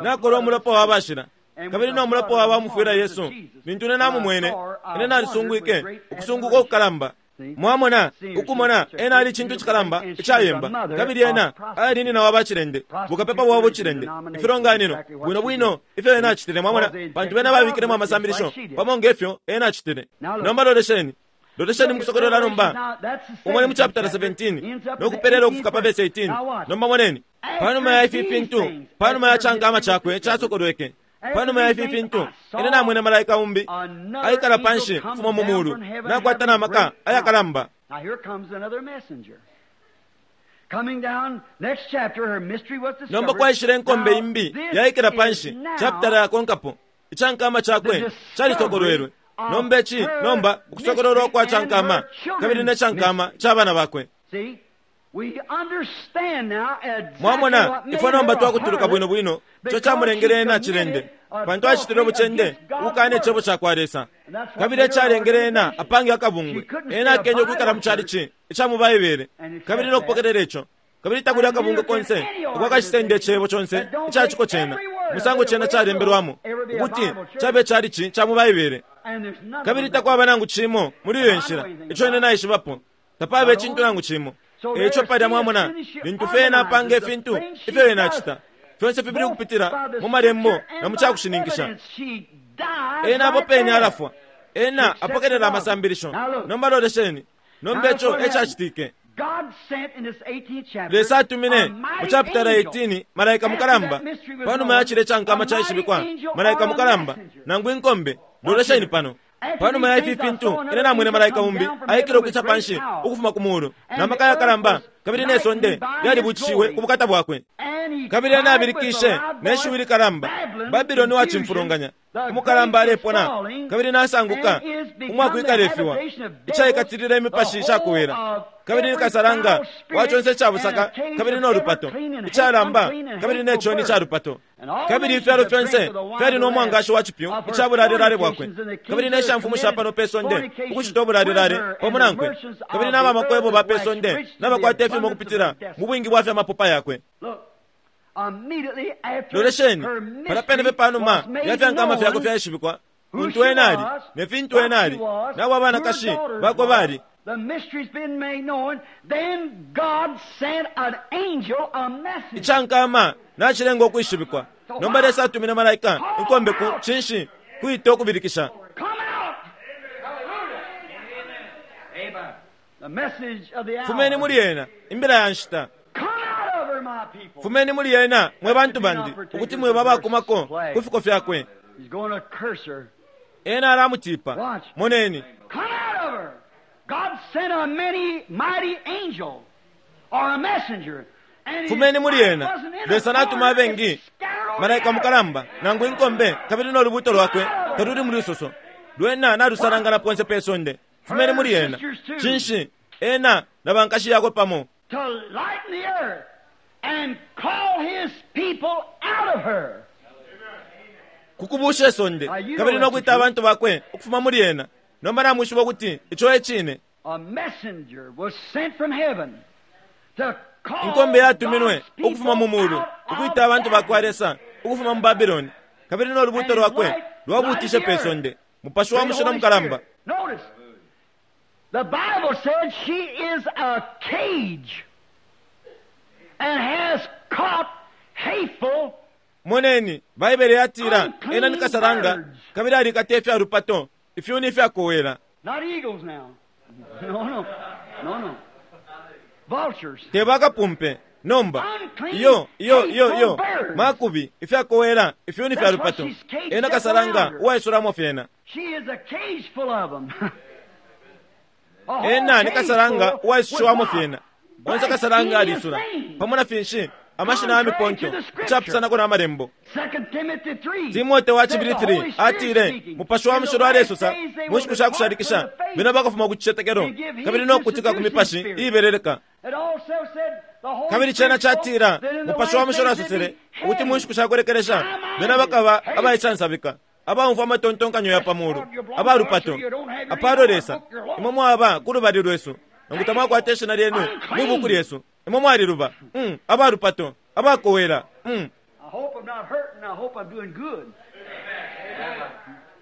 nakolwa umulopa wa bashila, kabili no mulopa wa bamufwila Yesu. Lintu ine namumwene, ine nalisungwike ukusunguka ukukalamba. Mwamona, ukumona ena ali icintu cikalamba icayemba, kabili ena ali nyina wa bacilende, bukapepa bwa bucilende, ifilonganino bwino bwino ifyo ena acitile. Mwamona, pantu bena babikilemo amasambilisho pamo ngefyo ena acitile. Nomba lolesheni, lolesheni mukusokolola nomba umwe mu chapter seventeen nokupelela ukufika pa verse eighteen. Nomba moneni, panuma ya ifi fintu, panuma ya cankama cakwe casokolweke, panuma ya ifi fintu, ine namwene malaika umbi aikala panshi kufuma mu mulu, nakwata na maka ayakalamba. Nomba kwaishile inkombe imbi yaikala panshi, chapter yakonkapo, icankama cakwe calisokolwelwe. Nomba ici nomba ukusokololwa kwa cankama kabili ne cankama ca bana bakwe. Mwamona, ifwe nomba twakutuluka bwino bwino ico camulengele ena cilende, pantu acitile ubucende ukukana icebo ca kwa Lesa. Kabili ecalengele ena apange akabungwe, ena akenye ukwikala mu calici ica mu Baibele kabili nokupokelela ico. Kabili takuli akabungwe konse ukwakashisenda icebo conse ica ciko cena musango cena calembelwamo ukuti cabe calici ca mu Baibele. Kabili takwaba nangu cimo muli iyo nshila ico ine naishibapo, tapaba icintu nangu cimo. Eico palya mwamona, lintu fye ena apanga ifintu ifyo ena acita fyonse fibili ukupitila mu malembo na mu cakushininkisha, ena apo pene alafwa, ena apokelela amasambilisho. Nomba lolesheni, nomba ico ecacitike. Lesa atumine mu chapter eighteen malaika mukalamba, panuma ya cile cankama caishibikwa, malaika mukalamba nangu inkombe. Lolesheni pano, panuma ya ifi fintu, ine namwene malaika umbi aikile ukwisa panshi ukufuma ku mulu na maka yakalamba, kabili ne sonde lyalibutishiwe ku bukata bwakwe. Kabili ena abilikishe ne shiwi likalamba, Babiloni wacimfulunganya umukalamba alepona, kabili nasanguka umwakwikala ifiwa, icaikatilila imipashi ishakuwela, kabili nikasalanga wa conse icabusaka kabili no lupato, icalamba kabili ne coni ica lupato. Kabili ifyalo fyonse fyali no mwangashi wa cipyu ica bulalelale bwakwe, kabili ne shamfumu sha pano pe sonde ukucita ubulalelale pamo nankwe, kabili n'abamakwebo ba pe sonde n'abakwata ifyuma ukupitila mu bwingi bwa fyamapupa yakwe. Lolesheni, pala pene pe panuma ya fyankama fyakwe fyaishibikwa, untu ena ali ne fintu ena ali, nabo abanakashi bakwe bali. Icankama nacilenga ukwishibikwa. Nomba Lesa atumine malaika inkombe ku cinshi kwita ukubilikisha. Fumeni muli ena, imbila ya nshita. Fumeni muli ena, mwe bantu bandi, ukuti mwe babakumako ku fiko fyakwe. Ena alamutipa. Moneni, fumeni muli ena. Lesa natuma abengi malaika mukalamba nangu inkombe, kabili no lubuto lwakwe taluli muli lusoso lwena nalusalangana ponse pe sonde. Fumeni muli ena. Cinshi ena na bankashi yakwe pamo kukubusha isonde kabili no kwita abantu bakwe ukufuma muli ena. Nomba namwishiba ukuti ico ecine. Inkombe yatuminwe ukufuma mu mulu ukwita abantu bakwa Lesa ukufuma mu Babiloni, kabili no lubuto lwakwe lwabutishe pe sonde. Mupashi wa mushilo mukalamba. The Bible said she is a cage and has caught hateful. Moneni, Baibele yatila ena ni kasalanga kabili alikata ifya lupato, ifyuni ifyakowela. Not eagles now. No, no. No, no. Vultures. Tebakapumpe nomba iyo iyo iyo iyo makubi ifyakowela, ifyuni fya lupato. Ena kasalanga uwaisulamo fyena. She is a cage full of them. Ena ni kasalanga uwaisushiwamo fyena. Onse kasalanga alisula pamo na finshi Amashina ya miponto icapusanako na malembo. Timote wa cibili three atile Mupashi wa Mushilo alesosa mu nshiku sha kushalikisha bena bakafuma ku cicetekelo kabili no kukutika ku mipashi iibeleleka. Kabili cena catila Mupashi wa Mushilo asosele ukuti mu nshiku sha kulekelesha bena bakaba abaisansabika, abaumfwa amatontonkanyo ya pa mulu, abalupato. Apalo Lesa, imwe mwaba ku lubali lwesu, nangu tamwakwata ishina lyenu mwi buku lyesu, imwe mwaliluba. Mm, abalupato, abakowela. Mm.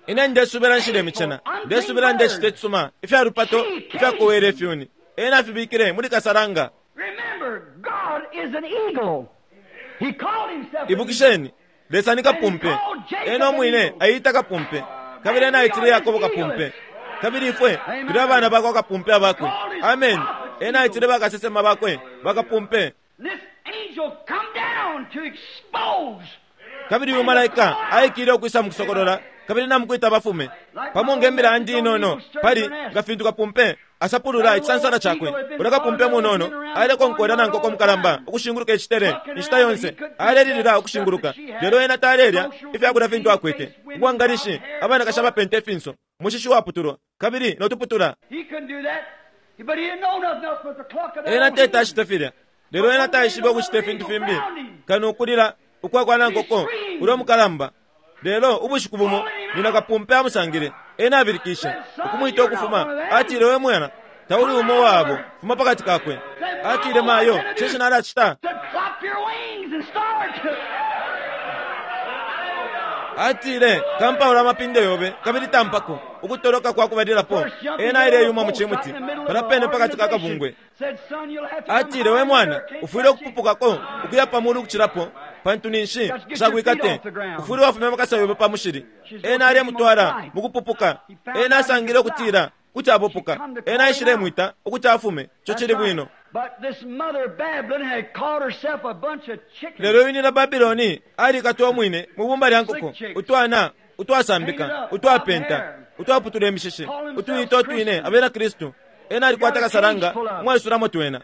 Ine ndesubila nshile michena, ndesubila ndecita icisuma, ifyalupato, ifyakowela ifyuni. Ena afibikile muli kasalanga. Ibukisheni, Lesa ni kapumpe. Ena omwine ayita kapumpe, kabili ena aitile Yakobo kapumpe, kabili ifwe tuli abana bakwa kapumpe abakwe. Amen. Ena aitile bakasesema bakwe bakapumpe. Kabili uyu malaika aikile ukwisa mukusokolola kabili namukwita bafume pamo ngembela andi inono pali nga fintu kapumpe asapulula ichisansala chakwe. Ula kapumpe munono alekonkola na nkoko mukalamba ukushinguluka ichitere inshita yonse alelilila ukushinguluka, lelo ena talelya ifyakulya fintu akwete. Ubwangalishi abanakashi abapenta ifinso mushishi waputulwa kabili notuputula. Ena teta ashita filya, lelo ena taishibe ukuchita ifintu fimbi kano ukulila ukwakwa na nkoko ulwa mukalamba. Lelo ubushiku bumo nina kapumpe amusangile, ena abilikishe ukumwita ukufuma. Atile, we mwana tauli umo wabo, fuma pakati kakwe. Atile, mayo cinshi nalacita? Atile, kampaula amapinda yobe kabili tampako. Ukutoloka kwa kubalilapo ena aileyuma mu chimuti pala pene pakati ka kabungwe. Atile, we mwana ufwile ukupupukako ukuya pamulu ukuchilapo, pantu ninshi shakwikate ufwile wafumya amakasa yobe pa mushili. Ena alemutwala mukupupuka. Ena asangile ukutila kuti apupuka. Ena aishilemwita ukuti afume. Ico cili bwino. Lelo uyu nina Babiloni alikatwa omwine mu bumba lya nkoko, utwana utwasambika, utwapenta, utwaputula imishishi, utuita utwine abena Kristu. Ena alikwata kasalanga umwaisulamo twena.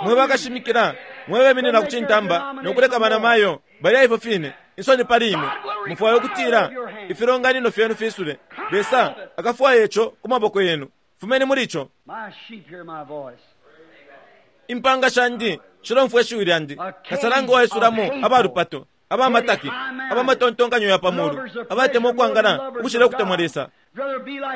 Mwe bakashimikila, mwe beminina ku cintamba nokuleka bana mayo balya ifyo fine insoni pali imwe. Mufwaya ukutila ifilonganino fyenu fisule. Lesa akafwaya ico ku maboko yenu. Fumeni muli ico. Impanga shandi shilomfwa ishiwi lyandi. Kasalanga waisulamo abalupato, abamataki, abamatontonkanyo ya pamulu, abatemwa ukwangana ukucila ukutemwa Lesa,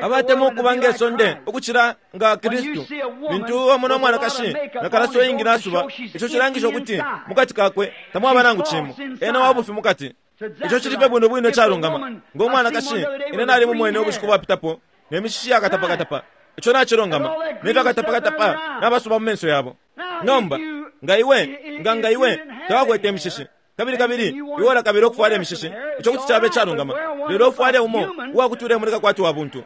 abatemwa ukuba ngesonde ukucila nga Kristu. Lintu wamona umwanakashi na kalaso ingi nasuba, ico cilangisha ukuti mukati kakwe tamwaba nangu cimo. Ena wabufi mukati. Ico cilipe bwino bwino icalungama. Ngo mwanakashi ine nali mumwene ubushiku bwapitapo ne mishishi yakatapakatapa. Ico nacilungama. Nefyakatapakatapa nabasuba mu menso yabo. Nomba nga iwe nga nga iwe tawakwete imishishi kabili kabili iwe ulakabila ukufwala imishishi, ico kuti cabe icalungama. Lelo ufwale umo uwakuti ulemulika kwati wa buntu.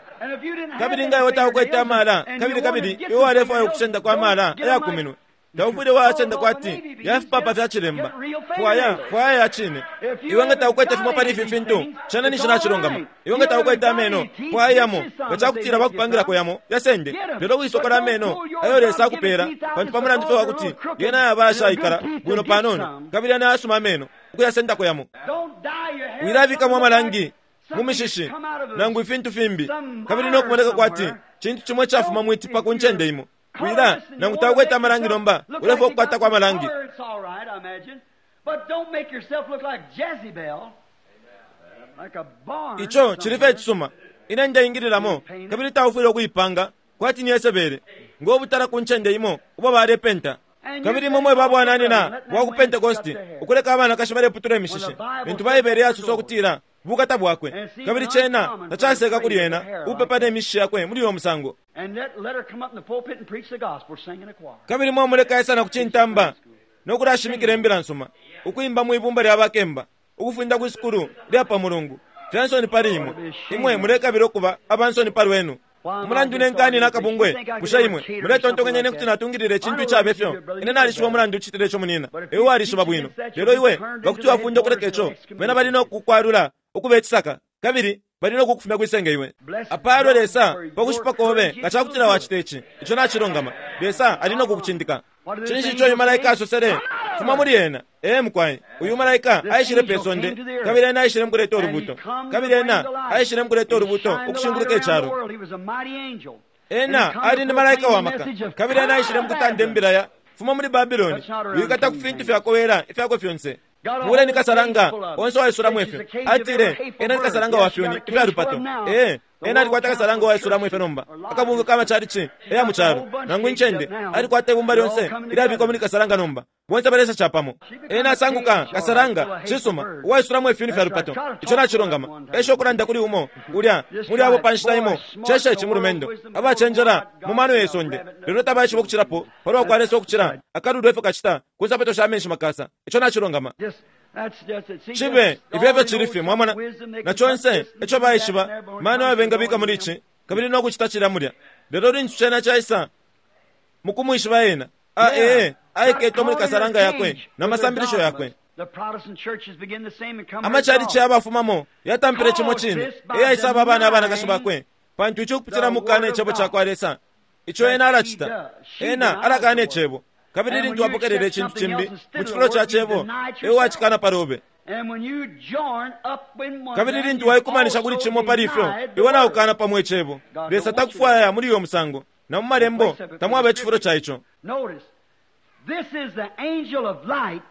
Kabili nga iwe tawakwete amala kabili kabili iwe walefwaya ukusenda kwa amala ayakuminwe, taufwile wayasenda kwati yafipapa fya chilemba. Fwaya fwaya ya chine. Iwe nga taukwete fimo pali ifi fintu, cena ninshi nacilungama. Iwe nga taukwete ameno, fwaya yamo. Nga cakutila bakupangilako yamo, yasende. Lelo wisokola ameno ayo Lesa akupela, pantu pamulandu fye wakuti yena yaba ayashaikala bwino panono, kabili yena yasuma ameno ukuyasendako yamo. Wilabikamo amalangi mu mishishi nangu ifintu fimbi, kabili nokumoneka kwati cintu cimwe icafuma mwitipa ku ncende imo. Wila nangu taukwete amalangi nomba ulefwa ukukwata kwa amalangi. Ico cilife icisuma. Ine ndeingililamo kabili taufwile ukuipanga kwati ni Yesebele ngo butala ku ncende imo ubo balepenta. Kabili imwe mwe babwananina bwa ku Pentekosti ukuleka abanakashi baleputula imishishi, lintu Baibele yasosa ukutila bukata bwakwe, kabili cena tacaseka kuli ena upepa ne mishishi yakwe muli uyo musango. Kabili mwamuleka esa na kucintamba nokulashimikila imbila nsuma, ukuimba mwibumba lya bakemba, ukufunda ku isukulu lya pa mulungu. Fyansoni pali imwe. Imwe mulekabila ukuba abansoni pa lwenu. Umulandu nenkani nakabungwe, bushe imwe muletontonkanya ine kuti natungilila icintu icabe fyo? Ine nalishiba umulandu ucitile ico munina. Iwe walishiba bwino. Lelo iwe nga kuti wafunda ukuleka ico, bena bali nokukwalula ukuba icisaka kabili Bali no kukufumya kwisenge iwe. Apalwe Lesa pakushipa kobe nga cakutila wacita ici. Ico nacilungama. Lesa ali no kukucindika. Cinshi ico uyu malaika asosele? Fuma muli ena. Ee mukwai. Uyu malaika aishile pe sonde, kabili ena aishile mukuleta ulubuto. Kabili ena aishile mukuleta ulubuto ukushinguluka icalo. Ena ali ni malaika wa maka, kabili ena aishile mukutanda imbila ya fuma muli Babiloni, wikata ku fintu fyakowela ifyakwe fyonse. Mule ni kasalanga onse waisulamo ifyo. Atile ena ni kasalanga wa fyoni ifyalupato. Ee, ena alikwata kasalanga waisulamo ifyo nomba. Akabunga kama chalichi eya mu cyalo nangu incende alikwata ibumba lyonse ilyabikwa muli kasalanga nomba. Bonse balesa chapamo. Ena asanguka kasalanga cisuma uwaisulamo ifyuni fyalupato. Ico nacilungama. Esho okulanda kuli umo ulya muli abo pa nshita imo cesha ici mulumendo abacenjela mu mano ye sonde lelo tabaishiba ukucilapo palwa kwa Lesa ukucila akalulu efyo kacita ku nsapato sha menshi makasa. Ico nacilungama. Cibe ifyo efyo cili fye mwamona na conse ico baishiba mano abengabika muli ici kabili no kucita cilya mulya. Lelo lintu cena caisa mukumwishiba ena a ee aiketwa muli kasalanga yakwe na masambilisho yakwe. Amachalichi abafumamo yatampile cimo cine eyaisaba abana abanakashi bakwe pantu ico kupitila mukana icebo cakwa Lesa. Ico ena alacita ena alakana icebo kabili lintu apokelele icintu cimbi mu cifulo ca cebo ewe wacikana palobe. Kabili lintu waikumanisha kuli cimo pali ifyo iwe naukana pamwe icebo. Lesa takufwaya muli uyo musango na mu malembo tamwaba icifulo ca ico. This is the angel of light.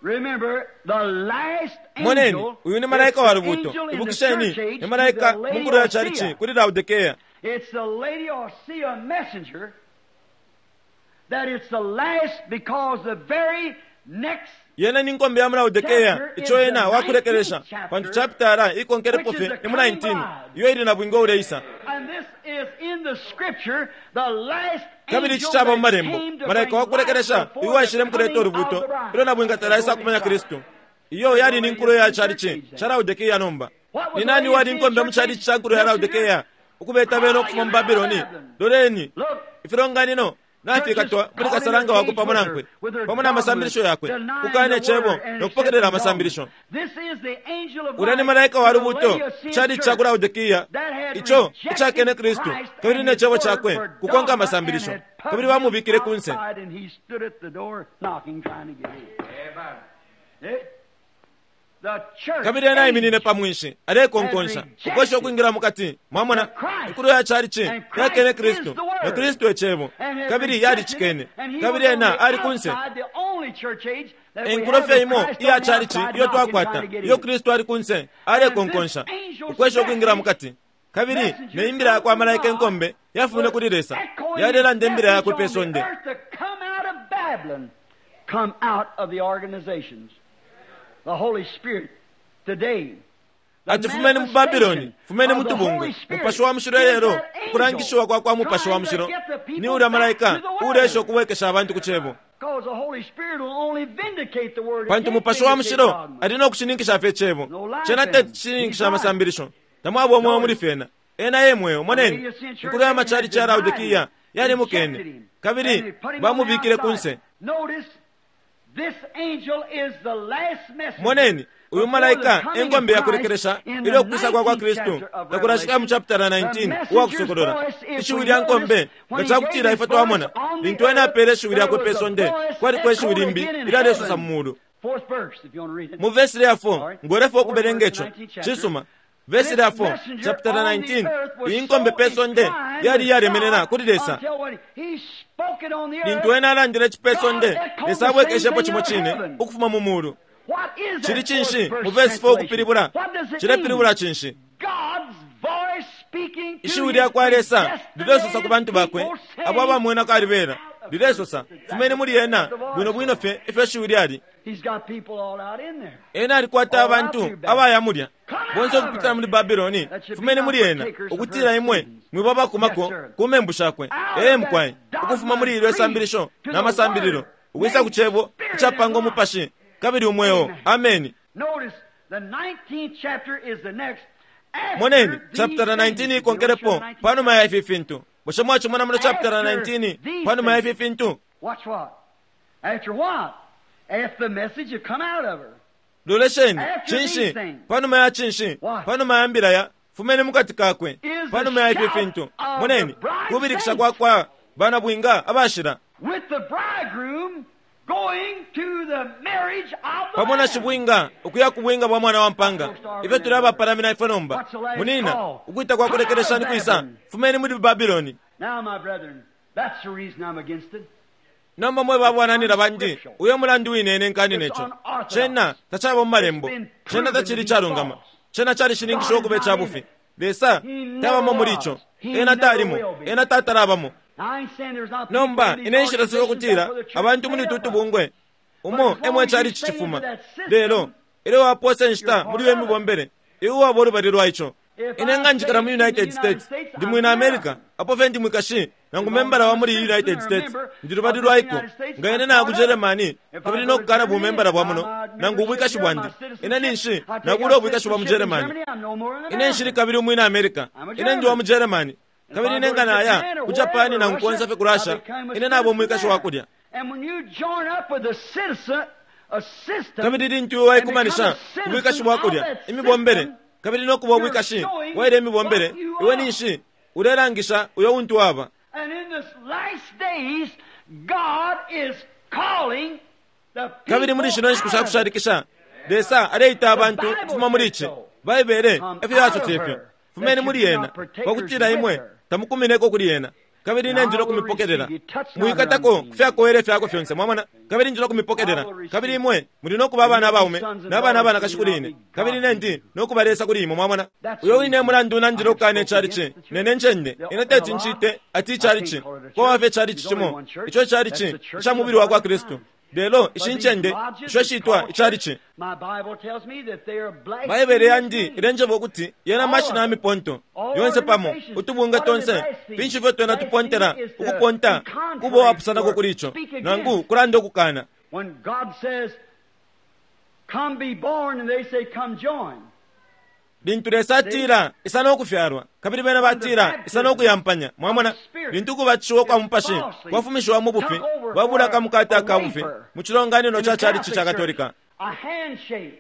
Remember, the last Moneni, uyu ni malaika wa lubuto. Ibukisheni, ni malaika mukulu ya chalichi kuli Laodikea. It's the Laodicea messenger that it's the last because the very next Yena ni nkombe ya Laodikea ico ena wakulekelesha pantu chapter ikonkelepo fye ni mu nineteen iyo ili na bwingo uleisa. And this is in the scripture, the last kabili ici caba mu malembo malaika wakulekelesha uyu waishile mukuleta ulubuto ilyo na bwinga talaisa kumanya Kristu. Iyo yali ni nkulo ya chalichi cha Laodikea nomba. Ni nani wali nkombe mu chalichi cha nkulo ya Laodikea ukubeta bene ukufuma mu Babiloni? Loleni ifilonganino nafikatwa muli kasalanga wako pamo nankwe pamo na masambilisho yakwe kukana icebo no kupokelela amasambilisho. Ulya ni malaika wa lubuto chalichi cha ku Laodikea ico icakene Kristu kabili ne cebo cakwe kukonka amasambilisho kabili bamubikile kunse. Kabili ena aiminine pa mwinshi alekonkonsha ukwesha ukwingira mukati. Mwamona inkulo ya chalichi yakene Kristu na Kristu ecebo kabili yali cikene kabili ena ali kunse. Enkulo fye imo iya chalichi iyo twakwata iyo Kristu ali kunse alekonkonsha ukwesha ukwingira mukati. Kabili ne imbila yakwa malaika enkombe yafumine kuli Lesa yalelanda imbila yakwe pe sonde. Come out of the organizations. The Holy Spirit today. Ati fumeni mu Babiloni, fumeni mu tubungwe. Mupashi wa mushilo lelo ukulangishiwa kwa kwa mupashi wa mushilo ni ulya malaika ulesha ukuwekesha abantu ku cebo. Pantu mupashi wa mushilo ali no kushininkisha fye cebo. Cena tecishininkisha amasambilisho. Tamwaba umweo muli fyena. Ena ye mweo. Moneni inkulo ya machalichi ya Laodikea yali mukene kabili bamubikile kunse. Moneni uyu malaika enkombe yakulekelesha ilyo kukwisa kwa kwa Kristu takulashika mu chapter nineteen uwa kusokolola. Ishiwi lya nkombe nga cakutila ifwe twamona lintu ena apele ishiwi lyakwe pe sonde kwaliko ishiwi limbi ilyalesosa mu mulu. Mu vesi lya four ngolefa okubelenga ico cisuma. Vesi lya four chapter nineteen iyi nkombe pe sonde yali yalemenena kuli Lesa. Lintu ena alandile cipe sonde Lesa abwekeshepo cimo cine ukufuma mu mulu. Cili cinshi mu vesi four ukupilibula? Cilepilibula cinshi? Ishiwi lya kwa Lesa lilesosa ku bantu bakwe abo abamwenako alibela. Lilesosa fumeni muli ena bwino bwino fye ifyo ishiwi lyali. Ena alikwata abantu abaya mulya bonse ukupitila muli Babiloni. Fumeni muli ena ukutila imwe mwiba bakumako ku membu shakwe. Ee mukwai ukufuma muli ilyo isambilisho na masambililo ukwisa ku cebo icapanga umupashi kabili umweo. Ameni. Moneni chapter nineteen ikonkelepo panuma ya ifi fintu. Bushe mwacimona muno chapter nineteen panuma ya ifi fintu? After what? After the message had come out of her. Lolesheni, cinshi, panuma ya cinshi, panuma ya mbila ya fumeni mukati kakwe, panuma ya ifi fintu. Moneni, kubilikisha kwa kwa bana bwinga abashila. With the bridegroom going to the marriage of the Pamo na Lamb. shibwinga ukuya ku bwinga bwa mwana wa mpanga. Ifyo tuli abapalamina ifwe nomba. Munina, ukwita kwa kulekelesha ni kwisa, fumeni muli Babiloni. Now, my brethren, that's the reason I'm against it. Nomba mwe babwananira bandi, uyo mulandu wine ine nkani neco. Cena tacaba mu malembo, cena tacili calungama, cena calishininkishiwa ukuba icabufi. Lesa tabamo muli ico, ena talimo, ena tatalabamo. Now, I ain't saying there's not people Nomba in these ine nshila organizations sikokutila that's where the church abantu is muli made utu up of. tubungwe umo emwe cali cicifuma. Lelo ilyo waposa inshita muli iyo mibombele, iwe waba ulubali lwa ico. Ine nga njikala mu United States, ndi mwina America, apo fye ndi mwikashi nangu membala wa muli United States, ndi lubali lwa iko. Nga ine naya ku Germany, kabili nokukana bumembala bwa muno, nangu ubwikashi bwandi. Ine ninshi nabula ubwikashi bwa mu Germany. Ine nshili kabili umwina America, ine ndi wa mu Germany. Kabili ine nga naya ku Japan nangu konse fye ku Russia, ine naba umwikashi wa kulya. And when you join up with a citizen, a system, Kabili lintu iwe waikumanisha ubwikashi bwa kulya imibombele, kabili nokuba ubwikashi waile imibombele, iwe ninshi ulelangisha uyo untu waba. and in this last days, God is calling the Kabili muli people shino nshiku out of it. shakushalikisha, Lesa aleita abantu ukufuma muli ici. Baibele efyo yasosele ifyo, fumeni muli yena, pakutila imwe tamukumineko kuli yena. Kabili ine ndilo kumipokelela, mwikatako ku fyakowela fyakwe fyonse, mwamona. Kabili ndilo kumipokelela, kabili imwe muli nokuba abana abaume n'abana abanakashi kuli ine, kabili ine ndi nokuba Lesa kuli imwe, mwamona. Uyo wine mulandu nandile okukana icalici, nene ncende ine teti ncite ati icalici, kwaba fye icalici cimo, ico icalici ica mubili wa kwa Kristu. Lelo ishi ncende isho shitwa icalici. My Bible tells me that they are blaspheming Baibele yandi his name. ilenjeba ukuti yena mashina ya miponto yonse pamo utubunga tonse finshi ifyo twena tupontela ukuponta kuba uwapusanako kuli ico nangu kulanda ukukana. When God says, come be born, and they say, come join. Lintu Lesa atila isa nokufyalwa, kabili bena batila isa nokuyampanya, mwamona. Lintu kubatishiwa kwa mupashi kwafumishiwa mu bufi, babula akamukate aka bufi mu cilonganino ca calici ca Katolika, A handshake.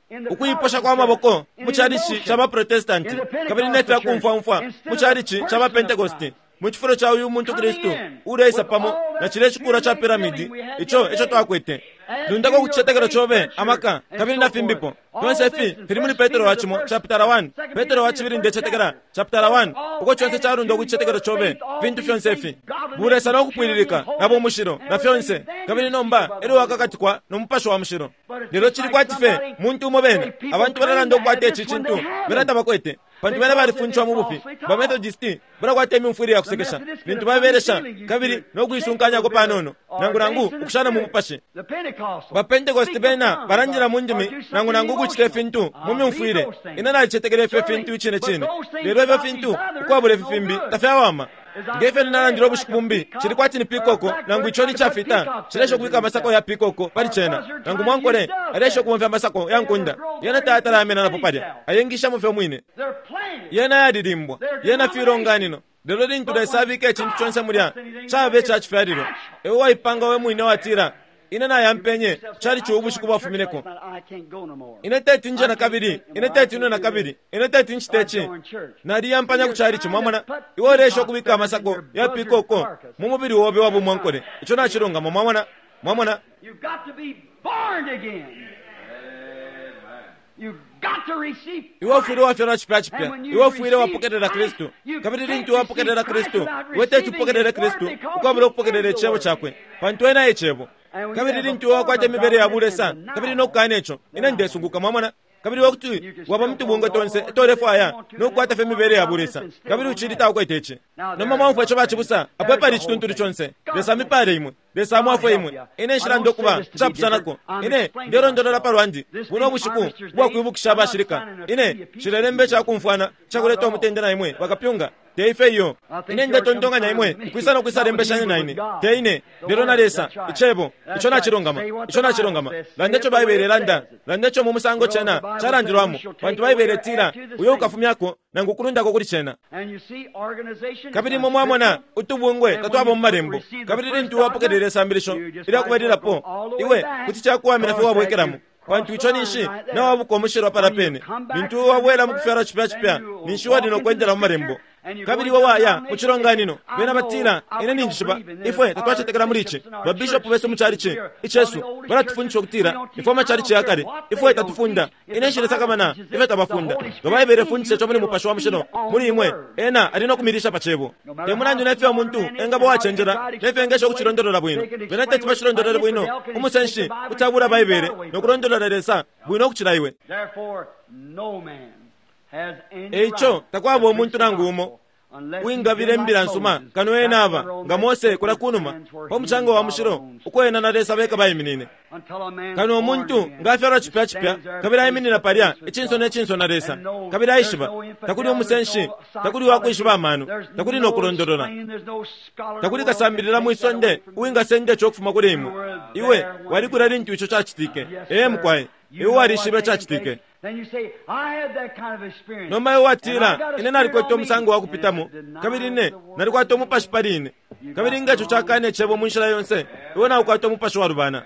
In the ukuiposha kwa maboko mu calici ca baprotestanti, kabili ne fya kumfwamfwa mu calici ca bapentekosti, mu cifulo ca uyu muntu Kristu uleisa pamo na cile cikulwa ca piramidi ico ico twakwete. Lundako ku cicetekelo cobe amaka kabili na fimbipo fyonse ifi fili muli Petero wa cimo chapitala one, Petero wa cibili ndecetekela chapitala one, uko conse calundwa ku cicetekelo cobe fintu fyonse ifi bulesa nokupwililika na bumushilo na fyonse, kabili nomba elyo wakakatikwa no mupashi wa mushilo. Lelo cili kwati fye muntu umo bene abantu balalanda ukukwata ici cintu bena tabakwete, pantu bena balifunshwa mu bufi. Ba Methodisti balakwata imyumfwile ya kusekesha lintu babelesha kabili no kuisunkanyako panono nangu nangu ukushana mu mupashi. The Pentecostals. Ba Pentecost bena balandila mu ndimi nangu nangu ukucita ifintu mu myumfwile. Ine nalicetekela ifyo fintu icine cine, lelo ifyo fintu ukwabula ifi fimbi tafyawama. Nge fyo nalandile ubushiku bumbi, cili kwati ni pikoko nangu iconi cafita cilesha ukubika amasako ya pikoko pali cena, nangu mwankole alesha ukubomfya amasako ya nkunda. Yena tayatalamena napo palya, ayengishamo fye umwine. They're planted. Yena yalilimbwa, yena filonganino. Lelo lintu Lesa abika icintu conse mulya cabe ica cifyalilwa, ewe waipanga we mwine watila ine nayampenye calici ubushiku bwafumineko. I can't go no more. Ine teti nje na kabili, ine teti nwe na kabili, ine teti ncite ici. Naliyampanya ku calici, mwamona. Iwe ulesha ukubika amasako ya pikoko mu mubili wobe wa bumwankole. Ico nacilungama, mwamona, mwamona. You've got to be born again. You've got to receive Iwe ufwile wafyalwa cipya cipya, iwe ufwile wapokelela Kristu. Kabili lintu wapokelela Kristu, iwe teti upokelele Kristu ukwabula ukupokelela icebo cakwe, pantu ena e cebo. Kabili lintu iwe wakwata imibele ya bulesa kabili nokukana ico, ine ndesunguka, mwamona. Kabili wakuti waba mutubungwe tonse tolefwaya nokukwata fye imibele ya bulesa, kabili ucili takwete ici. Nomba mwamfwa ico bacibusa, apo epali icituntulu conse. Lesa amipale imwe, Lesa amwafwe imwe. Ine nshilanda ukuba capusanako, ine ndelondolola pa lwandi buno bushiku bwakwibukisha abashilika. Ine nshilelemba icakumfwana cakuleta umutende na imwe bakapyunga, te ife iyo. Ine ndetontonkanya imwe ukwisa nokwisalembeshanya na ine, te ine lelo na Lesa icebo. Ico nacilungama, ico nacilungama. Landa ico Baibele ilanda, landa ico mu musango cena calandilwamo, pantu Baibele itila uyo ukafumyako nangu ukulundako kuli cena. And you see, organization Kabili imwe mwamona utubungwe tatwaba mu malembo, kabili lintu wapokelela isambilisho ilya kubalilapo, iwe kuti cakuwamina fye wabwekelamo, Pantu ico ninshi nawabuka umushilwa pala pene. Lintu wabwela mukufyalwa cipya cipya, ninshi wali nokwendela mu malembo. Kabili iwe waya mu cilonganino, bena batila, ine ninjishiba, ifwe tatwacetekela muli ici. Babishopu besu mu chalichi icesu balatufundisha ukutila ifwe amachalichi ya kale, ifwe tatufunda. Ine nshilesakamana ifwe tabafunda. Nga Baibele ifundisha ico muli Mupashi wa Mushilo muli imwe, ena ali nokumilisha pa cebo. Te mulandu nefyo umuntu engaba uwacenjela, nefyo engesha ukucilondolola bwino, bena teti bacilondolole bwino. Umusenshi kuti abula Baibele nokulondolola Lesa bwino ukucila iwe. Eico takwaba umuntu nangu umo uwingabila imbila nsuma kano ena aba nga Mose kula kunuma pa mucanga wa mushilo uko ena na Lesa beka baiminine. Kano umuntu nga afyalwa cipya cipya kabili aiminina palya icinso ne cinso na Lesa, kabili aishiba takuli umusenshi, takuli uwakwishiba amano, takuli nokulondolola, takuli kasambilila mwisonde uwingasenda ico ukufuma kuli imwe. Iwe walikula lintu ico cacitike. Ee mukwai, iwe walishiba cacitike. Nomba iwe watila, ine nalikwete umusango wa kupitamo, kabili ine nalikwata umupashi pali ine, kabili nga ico cakana icebo mu nshila yonse, iwe naukwata umupashi walubana.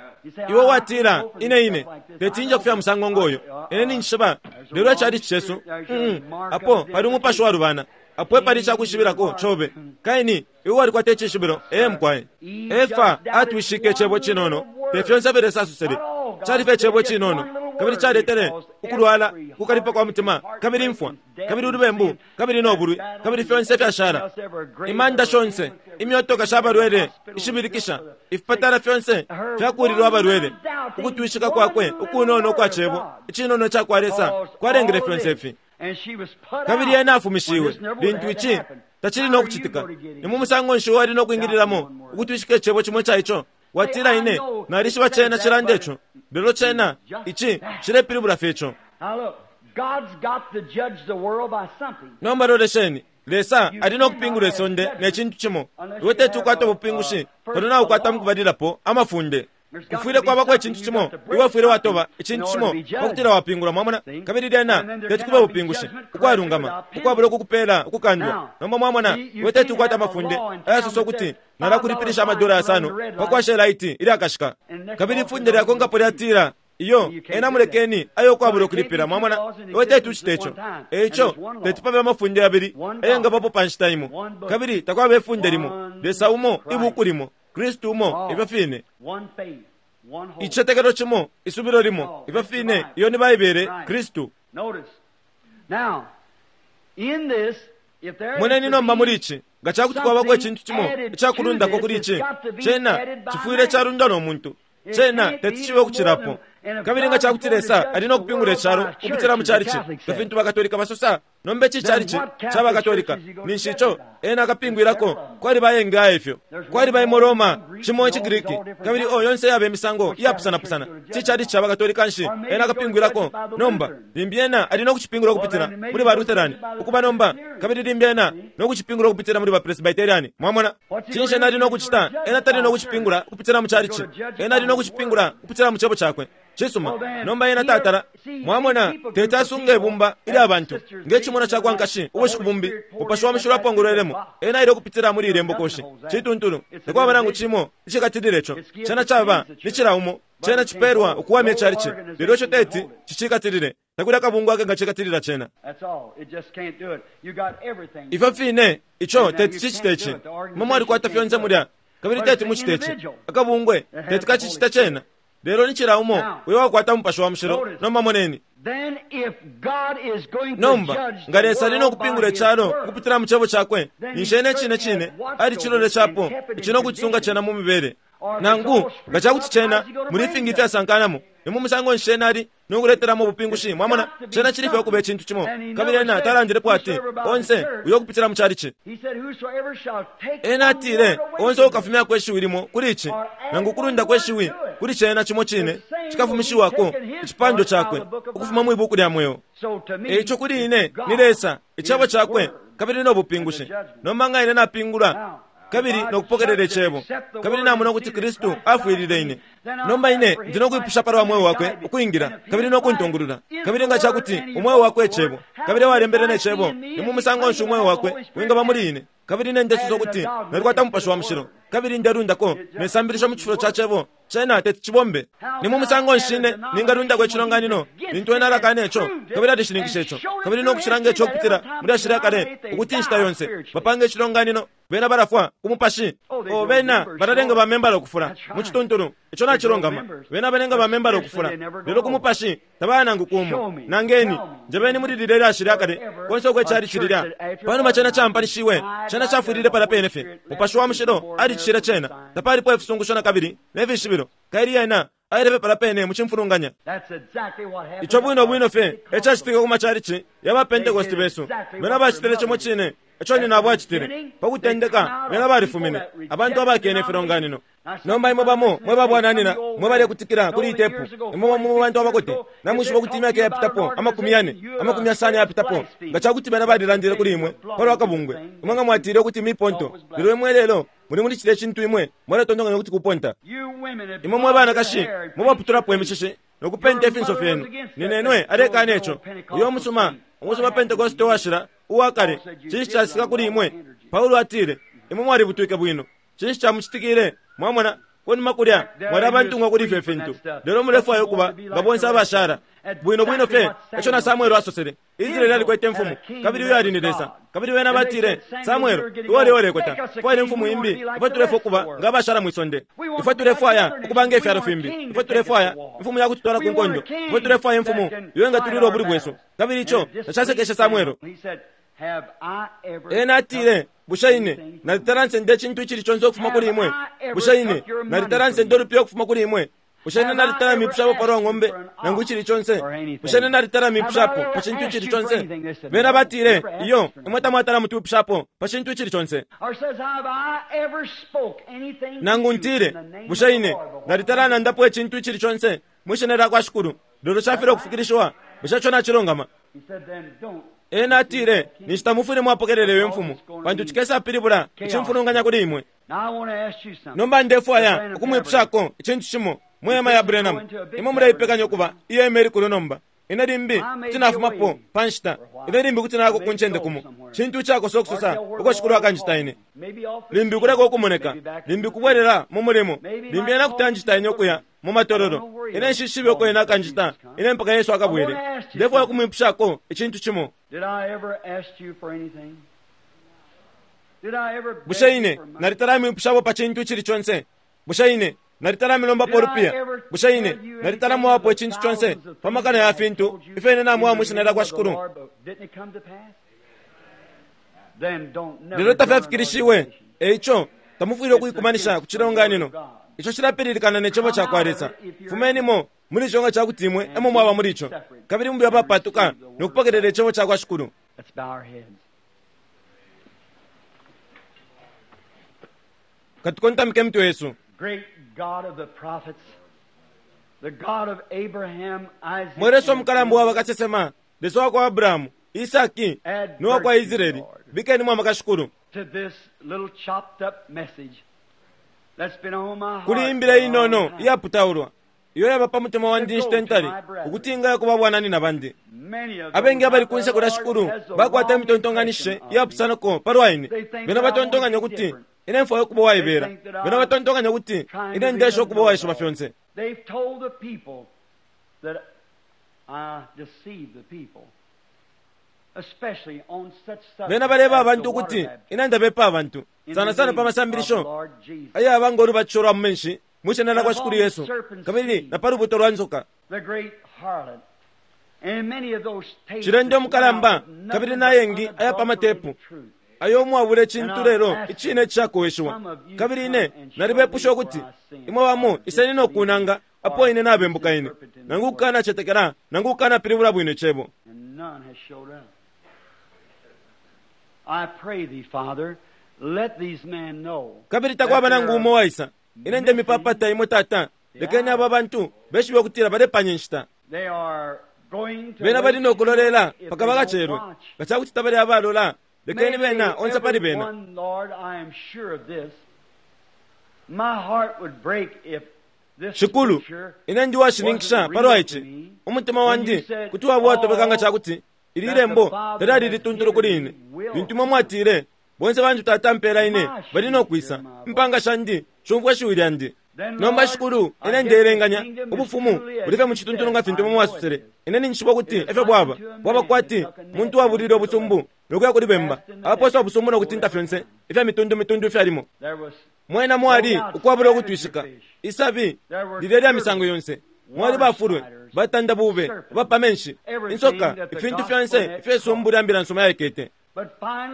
Iwe watila, ine ine teti nje kufya musango ngoyo, ine ninjishiba, lelo echalichi cesu, mm, apo pali umupashi walubana. Apo epali icakushibilako cobe. Kaini, iwe walikwata icishibilo. Ee mukwai. Efa atwishike icebo cinono, te fyonse ifyo Lesa asosele. Cali fye icebo cinono, kabili caletele ukulwala, kukalipa kwa mutima, kabili imfwa, kabili ulubembu, kabili nobulwi, kabili fyonse fyashala. Imanda shonse, imyotoka shabalwele ishibilikisha, ifipatala fyonse fyakulilwa abalwele. Ukutwishika kwakwe ukunono kwa cebo icinono cakwa Lesa kwalengele fyonse ifi. Kabili ena afumishiwe lintu ici tacili nokucitika. Ni mu musango nshi wali nokwingililamo ukutwishika icebo cimo ca ico? Watila, ine nalishiba cena cilanda ico, lelo cena ici cilepilibula fye ico. Nomba lolesheni, Lesa ali nokupingula isonde ne cintu cimo. Iwe teti ukwate ubupingushi kano naukwata mukubalilapo amafunde. Kufwile kwabako icintu cimo, iwe ufwile watoba icintu cimo pakutila wapingula, mwamona. Kabili lyena teti kube ubupingushi ukwalungama ukwabula ukukupela ukukandwa. Nomba mwamona, iwe teti ukwate amafunde ayasosa ukuti nalakulipilisha amadola yasano pakwasha ilaiti ilyakashika, kabili ifunde lyakonkapo lyatila iyo ena mulekeni ayo ukwabula ukulipila, mwamona. Iwe teti ucite ico. Eico teti pabe amafunde yabili ayengabapo pa nshita imo, kabili takwaba ifunde limo, Lesa umo, ibuku limo, Kristu umo, ifyo fine. Icetekelo cimo, isubilo limo, ifyo fine. Iyo ni Baibele, Kristu. Moneni nomba muli ici, nga cakuti kwabako icintu cimo icakulundako kuli ici, cena cifwile calundwa no muntu. Cena teti cibe ukucilapo. Kabili nga cakuti Lesa ali nokupingula icalo ukupitila mu chalichi, nga fintu bakatolika basosa, nomba ici chalichi ca bakatolika, ninshi ico ena akapingwilako kwaliba ayengi aefyo. Kwaliba imo Roma, cimo iciGriki, kabili o yonse yaba imisango iyapusanapusana. Ci chalichi ca bakatolika nshi ena akapingwilako? Nomba limbi ena ali nokucipingula ukupitila muli ba Lutheran, ukuba nomba, kabili limbi ena nokucipingula ukupitila muli ba Presbyterian. Mwamona? Cinshi ena ali nokucita? Ena tali nokucipingula ukupitila mu chalichi, ena ali nokucipingula ukupitila mu cebo cakwe. Cisuma. Nomba ena tatala, mwamona, teti asunge ibumba ilya bantu nge cimona cakwa nkashi ubushiku bumbi, Mupashi wa Mushilo apongolwelemo ena aile ukupitila muli ilembo koshi. Cituntulu takwaba nangu cimo icikatilile ico. Cena caba ni cila umo, cena cipelwa ukuwamya icalichi, lelo ico teti cicikatilile. Takuli akabungwe akengacikatilila cena. Ifyo fine ico teti cicite ici. Imwe mwalikwata fyonse mulya, kabili teti mucite ici. Akabungwe teti kacicita cena. Lelo ni cila umo uyo wakwata Mupashi wa Mushilo. Nomba moneni. Nomba nga Lesa ali nokupingula icalo ukupitila mu cebo cakwe, ninshi ena icine cine aliciloleshapo ici nokucisunga cena mu mibele. Nangu nga cakuti cena muli ifingi ifyasankanamo, ni mu musango nshi ena ali nokuletelamo ubupingushi? Mwamona, cena cili fye ukuba icintu cimo. Kabili ena talandilepo ati onse uyo ukupitila mu chalichi. Ena atile onse ukafumyako ishiwi limo kuli ici, nangu ukulundako ishiwi kuli cena cimo cine, cikafumishiwako icipando cakwe ukufuma mwi buku lya mweo. Eico kuli ine ni Lesa, icebo cakwe, kabili nobupingushi. Nomba nga ine napingula kabili nokupokelela icebo, kabili namona ukuti Kristu afwilile ine, nomba ine ndi nokwipusha palwa mweo wakwe ukwingila kabili nokuntungulula. Kabili nga cakuti umweo wakwe icebo, kabili walembele ne cebo, ni mu musango nshi umweo wakwe wingaba muli ine? Kabili ine ndesosa ukuti nalikwata Mupashi wa Mushilo, kabili ndelundako ne sambilisho mu cifulo ca cebo, cena teti cibombe. Ni mu musango nshine ningalundako icilonganino lintu ena alakana ico, kabili alishininkisha ico, kabili no kucilanga ico ukupitila muli ashili akale, ukuti inshita yonse bapanga icilonganino bena balafwa ku mupashi. O bena balalenga bamembala ukufula mu cituntulu, ico nacilongama. Bena balenga bamembala ukufula, lelo ku mupashi tabaya nangu kumo. Nangeni njebeni muli lile lyashi lyakale konse uko icali cililya panuma cena campanishiwe, cena cafwilile pala pene fye. Mupashi wa mushilo alicishile cena, tapalipo ifisungusho na kabili ne fishibilo, kaili yena ailebe pala pene mu cimfulunganya. Ico bwino bwino fye ecacitika ku macalici yaba Pentecost besu. Bena bacitile cimo cine ico nyina abo acitile pa kutendeka. Bena balifumine abantu abakene ifilonganino. Nomba imwe bamo mwe babwananina mwe balekutikila kuli itepu, imwe bamo mu bantu abakote namwishiba ukuti imyaka yapitapo amakumi yane amakumi yasano yapitapo, nga cakuti bena balilandile kuli imwe palwa kabungwe, imwe nga mwatile ukuti miponto, lelo imwe lelo muli muli cilya cintu imwe mwaletontonkanya ukuti kuponta. Imwe mwe banakashi mwebaputulapo imishishi nokupenta ifinso fyenu, ninenwe alekana ico. Uyo umusuma umusuma Pentecoste washila uwakale, cinshi casika kuli imwe? Paulo atile imwe mwalibutwike bwino. Cinshi camucitikile? Mwamona kunuma kulya mwali abantungwa kuli ifyo fintu, lelo mulefwaya ukuba nga bonse abashara bwino bwino fye. Eco na Samuel asosele, Israeli alikwete mfumu, kabili uyo ali ni Lesa. Kabili wena batile, Samuel, iwe olewolekota, fwayile mfumu imbi, ifwe tulefwaya ukuba nga abashara mwisonde, ifwe tulefwaya ukuba nge fyalo fimbi, ifwe tulefwaya imfumu yakututwala ku nkondo, ifwe tulefwaya imfumu iyo ingatulwila ubulwi bwesu. Kabili ico tacasekeshe Samuel. Ena atile, bushe ine nalitala nsende icintu icili conse ukufuma kuli imwe? Bushe ine nalitala nsende ulupiya ukufuma kuli imwe? Bushe ine nalitala mipushapo palwa ng'ombe nangu icili conse? Bushe ine nalitala mipushapo pa cintu icili conse? Bena batile, iyo, imwe tamwatala mutwipushapo pa cintu icili conse. Nangu ntile, bushe ine nalitala nandapo icintu icili conse mwishina lya kwa Shikulu, lelo cafile ukufikilishiwa? Bushe ico nacilongama? Ena atile, ninshi tamufwile mwapokelele iyo mfumu, pantu cikesapilibula icimfulunganya kuli imwe. Nomba ndefwaya ukumwipushako icintu cimo mwe hema ya Branham. Imwe muleipekanya ukuba iyo hema ilikulu nomba. Ine limbi kuti nafumapo pa nshita, ine limbi kuti nayako ku ncende kumo. Cintu icakosa ukusosa uko Shikulu akanjita ine. Limbi kuleka ukumoneka, limbi kubwelela mu mulimo, limbi ena kuti anjita ine ukuya mu matololo. Ine nshishibe uko ena akanjita ine mpaka Yesu akabwele. Ndefwaya ukumwipushako icintu cimo. Bushe ine nalitala mwipushako pa cintu icili conse? Bushe ine nalitala milombapo ulupiya? Bushe ine nalitala mwapo icintu conse pa makana ya fintu ifyo ine namwawa mwishina lya kwa Shikulu? Lelo tafyafikilishiwe. Eico tamufwile ukuikumanisha ku cilonganino. Ico cilapililikana ne cebo ca kwa Lesa. Fumenimo muli ico nga cakuti imwe emo mwaba muli ico, kabili mube abapatuka no kupokelela icebo ca kwa Shikulu. Katukontamike mitwe yesu. Mwe Lesa omukalamba wa bakasesema, Lesa wa kwa Abrahamu, Isaki, no wa kwa Israeli, bikeni mwa maka Shikulu kuli imbila inono iyaputaulwa iyo yaba pa mutima wandi inshita ntali, ukuti ingaya kuba bwananina bandi. Abengi abali kunse kulya Shikulu bakwata imitontonganishe iyapusanako palwa ine. Bena batontonkanya ukuti ine mfwaya ukuba uwaibela. Bena batontonkanya ukuti ine ndesha ukuba uwaishiba fyonse. Bena baleba abantu ukuti ine ndabepa abantu, sana sana pa masambilisho ayaba ngo lubatisho lwa mu menshi mwishina lya kwa Shikulu Yesu, kabili na pa lubuto lwa nzoka. Cilende omukalamba kabili nayengi aya pa matepu ayo mwabula icintu lelo icine icakoweshiwa. Kabili ine nalibepusha ukuti imwe bamo iseni no kunanga apo ine nabembuka ine, nangu kukanacetekela nangu kukanapilibula bwino icebo. Kabili takwaba nangu umo waisa. Ine ndemipapata imwe tata, lekeni aba bantu beshibe ukutila balepanya inshita. Bena bali nokulolela paka bakacelwe, nga cakuti tabali abalola, lekeni bena onse pali bena. Shikulu, ine ndi washininkisha palwa ici. Umutima wandi kuti waba uwatobeka nga cakuti ili lembo talyali lituntulu kuli ine. Lintu imwe mwatile Bonse bantu Tata ampela ine bali no kwisa. Impanga shandi shumfwa shiwi lyandi. Nomba Shikulu, ine ndeelenganya ubufumu buli fye mu cituntulu nga fintu mwasosele. Ine ninjishiba ukuti efyo bwaba. Bwaba kwati muntu wabulile ubusumbu nokuya kuli bemba, aposa ubusumbu no kutinta fyonse ifya mitundu mitundu ifyalimo. Mwena mwali ukwabula ukutwishika isabi lilya lya misango yonse. Mwali bafulwe, batanda bube, bapamenshi, insoka, ifintu fyonse ifyesumbu lya mbila nsuma yaikete.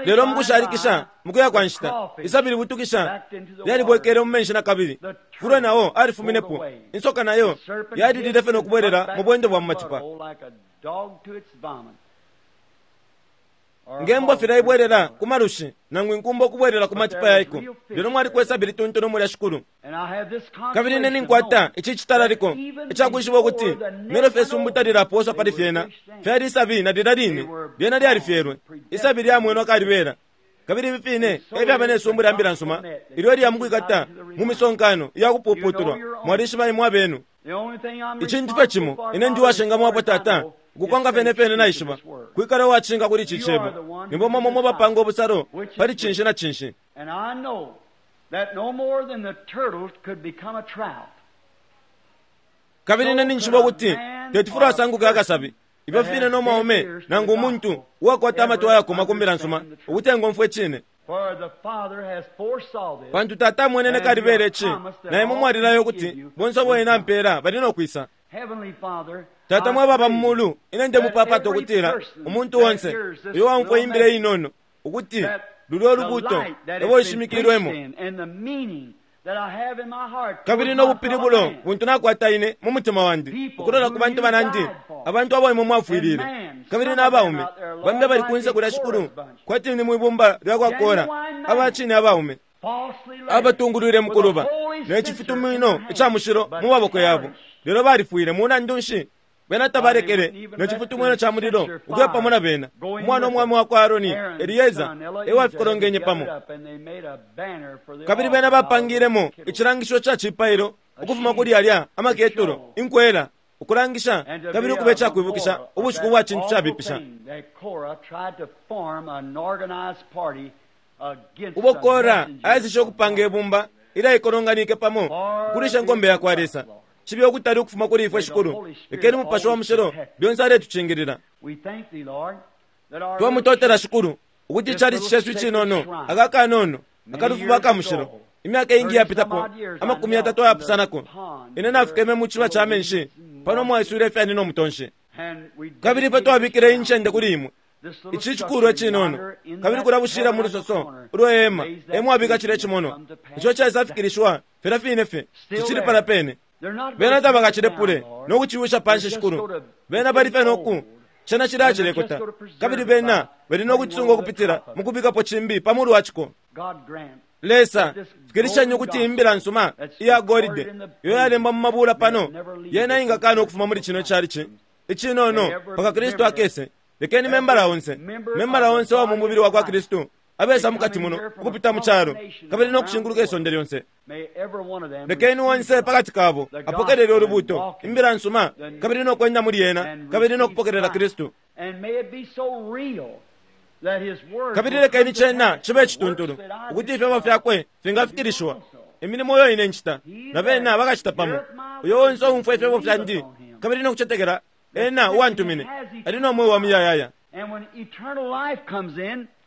Lelo mukushalikisha mukuya kwa nshita, isabi libutukisha lyalibwekele mu menshi na kabili. Fulwe nao alifuminepo, insoka nayo yalilile fye no kubwelela mu bwendo bwa mu matipa. Ngembo fila ibwelela ku malushi, nangu inkumbo kubwelela ku matipa yaiko. Lelo mwali isabi lituntuno mulya Shikulu. Kabili ine ninkwata ici citalaliko icakwishiba ukuti nelyo fye isumbu talilapooswa pali fyena, fyali isabi na lilya line lyena lyalifyelwe. Isabi lyamwenwa kalibela. Kabili ifi fine efyaba ne sumbu lya mbila nsuma ilyo lya mukwikata mu misonkano iya kupuputulwa. Mwalishiba imwe abenu. Icintu fye cimo ine ndi uwashingamwapo Tata, ukukonka fyene fyene naishiba, kwikala uwacinga kuli ici cebo. Nibo momo mubapanga ubusalo pali cinshi na cinshi. And I know that no more than the turtle could become a trout. Kabili ine ninjishiba ukuti tetifulwa asanguke akasabi. Ifyo fine no mwaume nangu umuntu uwakwata amatwi ayakoma ku mbila nsuma ukuti engomfwa icine. For the Father has foresaw this. Pantu Tata amwenene kalibele ici, na imwe mwalilayo ukuti bonse abo ine ampela bali no kwisa. Heavenly Father, Tata I mwaba pray mu mulu, ine ndemupapata ukutila umuntu onse uyo wamfwa imbila inono ukuti that lulyo the lubuto light that ebo has been ishimikilwemo. preached in and the meaning that I have in my heart Kabili towards no my bupilibulo fellow man. buntu nakwata ine mu mutima wandi ukulola ku bantu banandi, abantu abo imwe mwafwilile. Kabili n'abaume bambi abali kunse kulya Shikulu, kwati ni mwibumba lya kwa Kora, abacine abaume Falsely led abatungulwile mu kuluba with a holy ne censer cifutumwino in their ica mushilo hand, mu maboko yabo. but Lelo balifwile mulandu nshi? Bena tabalekele ne cifutumwino ca mulilo ukuya pamo na bena. Umwana umwami wa kwa Aaroni, Elieza, ewafikolongenye pamo. Kabili bena bapangilemo icilangisho ca cipailo ukufuma kuli alya amaketulo, inkwela, ukulangisha kabili ukuba icakwibukisha ubushiku bwa cintu cabipisha. Ubo Kora aeseshe ukupanga ibumba ilaikolonganike pamo ukulisha inkombe ya kwa Lesa. Cibe ukutali ukufuma kuli ifwe Shikulu. Lekeni Mupashi wa Mushilo lyonse aletucingilila. Twamutotela Shikulu ukuti icali cesu icinono aka kanono akalufuba aka mushilo. Imyaka ingi yapitapo, amakumi yatatu ayapusanako, ine nafikeme mu ciba ca menshi pano mwaiswile ifyani no mutonshi. Kabili ifwe twabikile incende kuli imwe, ici cikulwa icinono, kabili kulabushila mu lusoso ulwe hema emwabika cile cimono. Ico caisafikilishiwa filya fine fye, cicili pala pene. Bena tabakacilepule no kuciwisha panshi Shikulu. Bena bali fye noku cena cilacilekota, kabili bena bali no kucisunga ukupitila mu kubikapo cimbi pa mulu wa ciko. Lesa, fikilisheni ukuti imbila nsuma iya golide iyo yalembwa mu mabula pano yena ingakana ukufuma muli cino calici icinono paka Kristu akese. Lekeni membala onse, membala onse wa mu mubili wa kwa Kristu abesa mukati muno ukupita mu calo kabili no kushinguluka isonde lyonse. Lekeni onse pakati kabo apokelele ulubuto, imbila nsuma, kabili no kwenda muli yena kabili no kupokelela Kristu. Kabili lekeni cena cibe icituntulu ukuti ifyebo fyakwe fingafikilishiwa. Imilimo iyo ine ncita na bena bakacita pamo. Uyo onse uumfwa ifyebo fyandi kabili no kucetekela ena uwantumine ali no mweo wa muyayaya.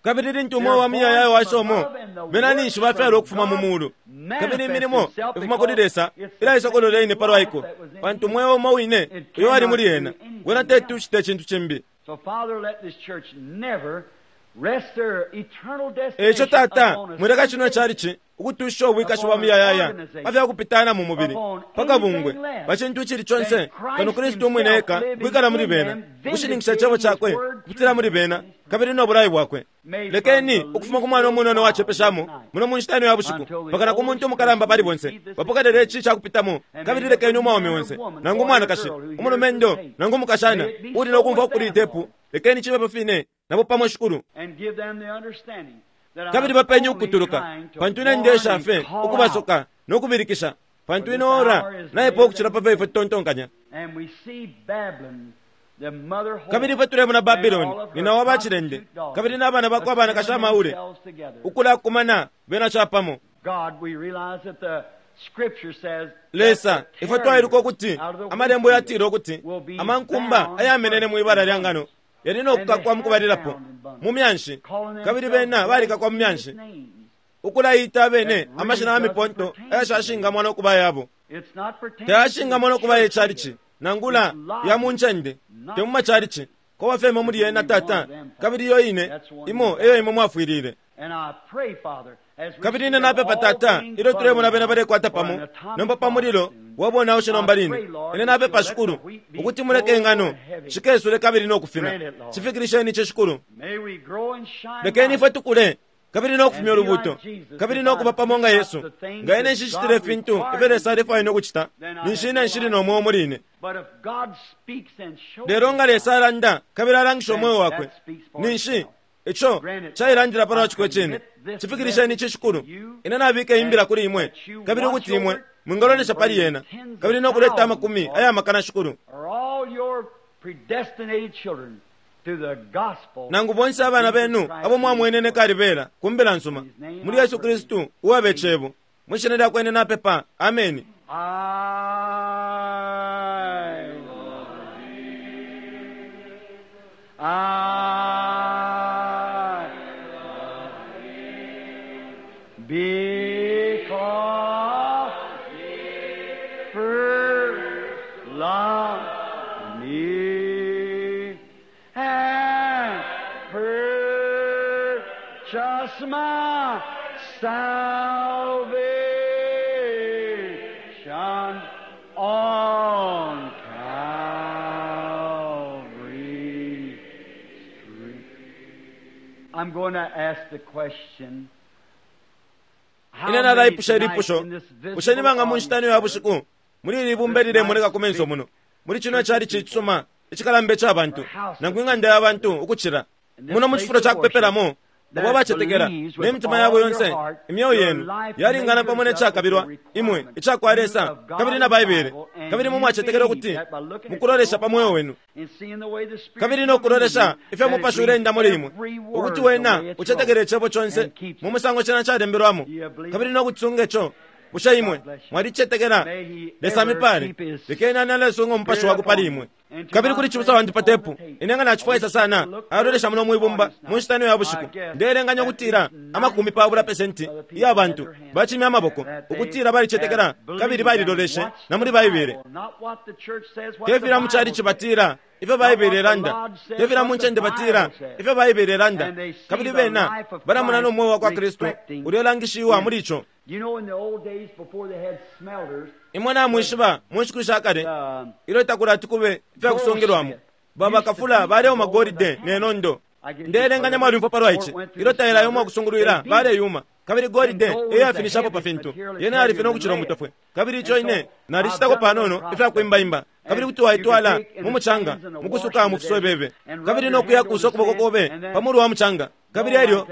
Kabili lintu umweo wa muyayaya wasomo, bena ninshi bafyalwa ukufuma mu mulu. Kabili imilimo ifuma kuli Lesa ilaisokolola ine palwa iko, pantu mweo umo wine uyo wali muli ena wena teti ucite icintu cimbi. So, Father, let this church never rest their eternal Eico destination Tata, upon a mwileka cino calici ukutusha ubwikashi bwa muyayaya pa fya kupitana mu mubili pakabungwe pa cintu icili conse kano Kristu umwine eka kwikala muli bena, ukushininkisha icebo cakwe kupitila muli bena kabili no bulayi bwakwe. Lekeni ukufuma ku mwana umunono wacepeshamo muno mu nshita ino ya bushiku mpaka na ku muntu umukalamba pali bonse bapokelele ici cakupitamo. Kabili lekeni umwaume onse nangu umwanakashi, umulumendo nangu umukashana uli no kumfwa kuli itepu, lekeni cibepo fine nabo pamo Shikulu. and give them the understanding that Kabili I'm bapenye only ukutuluka, trying to pantu ine warn ndesha and fye call ukubasoka out. no kubilikisha, pantu ine ora naipo ukucila pa fyo ifwe tutontonkanya. And we see Babylon Kabili ifwe tulemona Babiloni nina wa bacilende kabili n'abana bakwe abanakashi amaule ukulakumana bena capamo. Lesa, ifwe twailuka ukuti amalembo yatila ukuti amankumba ayamenene mwibala lya ngano yali nokukakwa mukubalilapo mu myanshi, kabili bena balikakwa mu myanshi, ukulaita abene amashina ya miponto ayashashingamwa nokuba yabo. Tayashingamwa nokuba yechalichi nangula ya mu ncende, te mu machalichi kobafeme muli yena Tata, kabili iyo ine imo eyo imwe mwafwilile. Kabili ine napepa Tata, ilyo tulemona bena balekwata pamo nomba pa mulilo wabonaushe nomba line, ine napepa Shikulu ukuti muleke ingano shikesule kabili nokufina. Chifikirisheni ici Shikulu. Lekeni ifwe tukule kabili nokufumya ulubuto kabili nokuba pamo nga Yesu. Nga ine nshicitile ifintu ifyo Lesa alefwaya nokucita, ninshi ine nshili no mweo muli ine. Lelo nga Lesa alanda kabili alangisha umweo wakwe, ninshi ico cailandila palwa ciko cine. Chifikirisheni ici Shikulu. Ine nabika imbila kuli imwe kabili ukuti imwe mwingalolesha pali yena kabili nokuleta amakumi ayamakana Shikulu. Nangu bonse abana benu abo mwamwenene kalibela ku mbila nsuma muli Yesu Kristu uwabe cebo, mwishina lyakwe ine napepa. Ameni. I because he first loved me and purchased my salvation on Calvary Street. I'm going to ask the question. Ine nalaipusha ilipusho, bushe nibanga mu nshita ya bushiku muli ili bumba lilemoneka ku menso muno muli chino chalichi cisuma icikalamba ica bantu nangu ing'anda ya bantu ukucila muno mu cifulo ca kupepelamo abo abacetekela ne mitima yabo yonse imyeo yenu yalingana pamo ne cakabilwa imwe icakwa Lesa kabili na Baibele, kabili mwe mwacetekela ukuti mukulolesha pa mweo wenu kabili nokulolesha ifyo mupashi uleenda muli imwe ukuti wena ucetekele icebo conse mu musango cena calembelwamo kabili nokucisunga ico. Bushe imwe mwalicetekela? Lesa mipale lekeni ani alesunga umupashi wakwe pali imwe. Kabili kuli cibusa wandi pa tepu, ine nga nacifwaisa sana alolesha muno mwibumba mu nshita ino ya bushiku, ndeelenganya ukutila amakumi pabula pesenti iya bantu bacimya amaboko ukutila balicetekela kabili baliloleshe na muli Baibele. Tefila mu chalichi batila ifyo Baibele ilanda, tefila mu ncende batila ifyo Baibele ilanda, kabili bena balamona no mweo wa kwa Kristu uliolangishiwa muli ico. Imwe namwishiba mu nshiku sha kale ilyo takulati kube ifyakusongelwamo, babakafula baleuma golide ne nondo. Ndeelenganya mwalimfwa palwa ici, ilyo taelayo mwakusungulwila baleyuma kabili golide eyo yafinishapo pa fintu yena yalifye nokucila umutofwe. Kabili ico ine nalicitako panono ifyakwimbaimba, kabili kuti waitwala mu mucanga mukusuka mu fiswebebe kabili nokuya kusa ukuboko kobe pa mulu wa mucanga, kabili elyo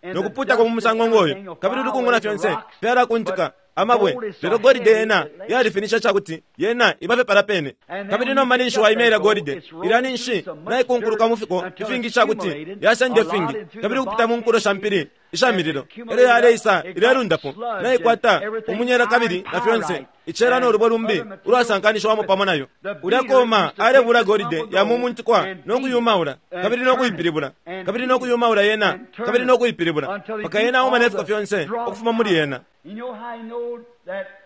nokuputako mu musango ngoyo, kabili ulukungu na fyonse fyalakuntika amabwe. Lelo golide yena yalifinisha cakuti yena ibafe pala pene. Kabili nomba ninshi waimela golide ilya ninshi naikunkuluka mu fiko ifingi cakuti yasenda ifingi kabili kupita mu nkulo sha mpili isha mililo, elyo yaleisa ilelundapo naikwata umunyela kabili na fyonse icela nolubo lumbi ulwasankanishiwamo pamo nayo. Ulya koma alebula golide ya mumuntikwa nokuyumaula kabili nokuyipilibula kabili nokuyumaula yena kabili nokuyipilibula paka yena auma nefiko fyonse ukufuma muli yena.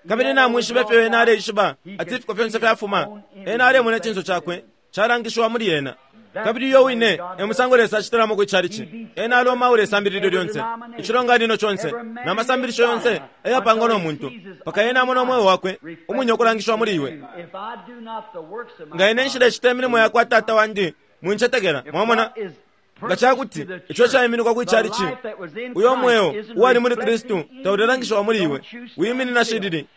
Kabili namwishiba ifyo yena aleishiba ati ifiko fyonse fyafuma, ena alemona icinso cakwe calangishiwa muli yena. Kabili iyo wine e musango Lesa acitilamo ku chalichi, ena alomaula isambililo lyonse, icilonganino conse na masambilisho yonse ayapangwa no muntu, paka ena amona umweo wakwe umwine ukulangishiwa muli iwe. Nga ine nshilecita imilimo yakwa Tata wandi, mwincetekela. Mwamona? Nga cakuti ico caiminikwa ku chalichi, uyo mweo uwali muli Kristu taulelangishiwa muli iwe, wiminina shilili.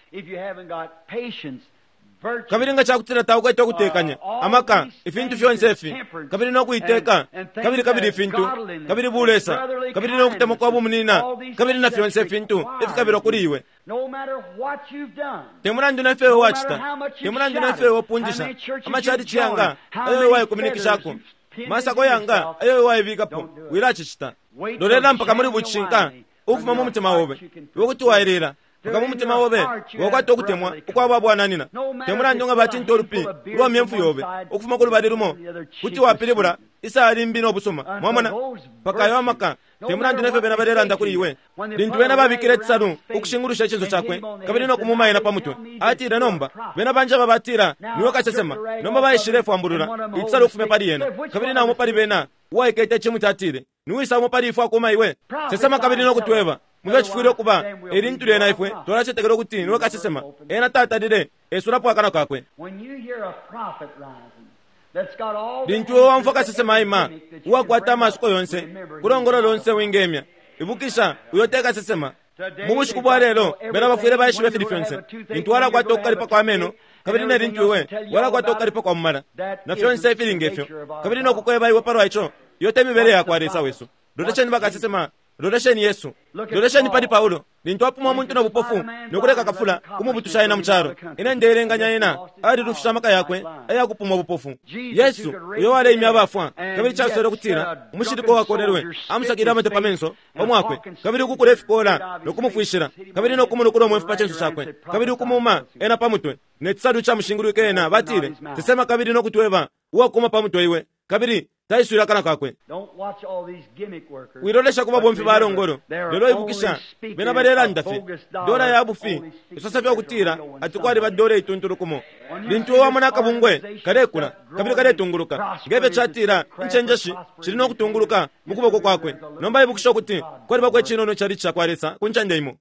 Kabili nga cakutila taukwete ukutekanya amaka ifintu fyonse ifi kabili nokuiteka kabili kabili ifintu kabili bulesa kabili nokutemwa kwa bumunina kabili na fyonse ifintu ifikabilwa kuli iwe, Te mulandu ne fyo wacita, te mulandu ne fyo wapundisha, amachalichi yanga ayo waikuminikishako, masako yanga ayo waibikapo, wilacicita. Lolela mpaka muli bucishinka ukufuma mu mutima obe, iwe kuti wailila mpaka mu mutima obe wakwata ukutemwa ukwaba bwananina. Te mulandu nga batinta ulupi ulwa myemfu yobe ukufuma ku lubali lumo, kuti wapilibula isaa limbi no busuma. Mwamona mpaka ayo amaka. Te mulandu nefyo bena balelanda kuli iwe. Lintu bena babikile icisalu ukushingulusha icinso cakwe kabili no kumumaila pa mutwe, atile, nomba bena banjaba batila niwe kasesema. Nomba baishile fwambulula icisalu ukufumya pali yena, kabili naumo pali bena uwaikete icimuti atile, niwisa umo pali ifwe akuma iwe? Sesema kabili no kutweba mufyo cifwile ukuba. Elintu lyena ifwe twalacetekela ukuti niwe kasesema. Ena tatalile esulapo akanwa kakwe. Lintu iwe wamfwa kasesema aima uwakwata amasuko yonse kulongola lonse wingemya, ibukisha uyo te kasesema. Mu bushiku bwa lelo bena bafwile baishiba ifili fyonse. Lintu walakwata ukukalipa kwa meno, kabili ne lintu iwe walakwata ukukalipa kwa mumala na fyonse ifili ngefyo, kabili no kukweba iwe palwa ico, iyo te mibele yakwa Lesa wesu. Lolesheni bakasesema, lolesheni Yesu, lolesheni pali Paulo lintu apuma umuntu no bupofu nokuleka kafula kumubutusha ena mu calo. Ine ndeelenganya ena alilufisha amaka yakwe ayakupuma ubupofu. Yesu uyo waleimya abafwa, kabili caswele ukutila umushiliko wakolelwe amusakile amate pa menso pamwakwe, kabili ukukula ifikola nokumufwishila, kabili nokumulukula umwefu pa cinso cakwe, kabili ukumuma ena pa mutwe ne cisalu camushingulwike ena. Batile, sesema kabili nokutweba uwakuma pa mutwe iwe, kabili taiswila akana kakwe. Wilolesha ku babomfi ba longolo, lelo ibukisha bena balelanda fye dola ya bufi isosa fya kutila ati kwaliba dola ituntulu kumo. Lintu iwe wamona akabungwe kalekula kabili kaletunguluka ngefyo catila incenjeshi cili no kutunguluka mu kuboko kwakwe, nomba ibukisha ukuti kwalibako icinono icali ca kwa Lesa ku ncende imo.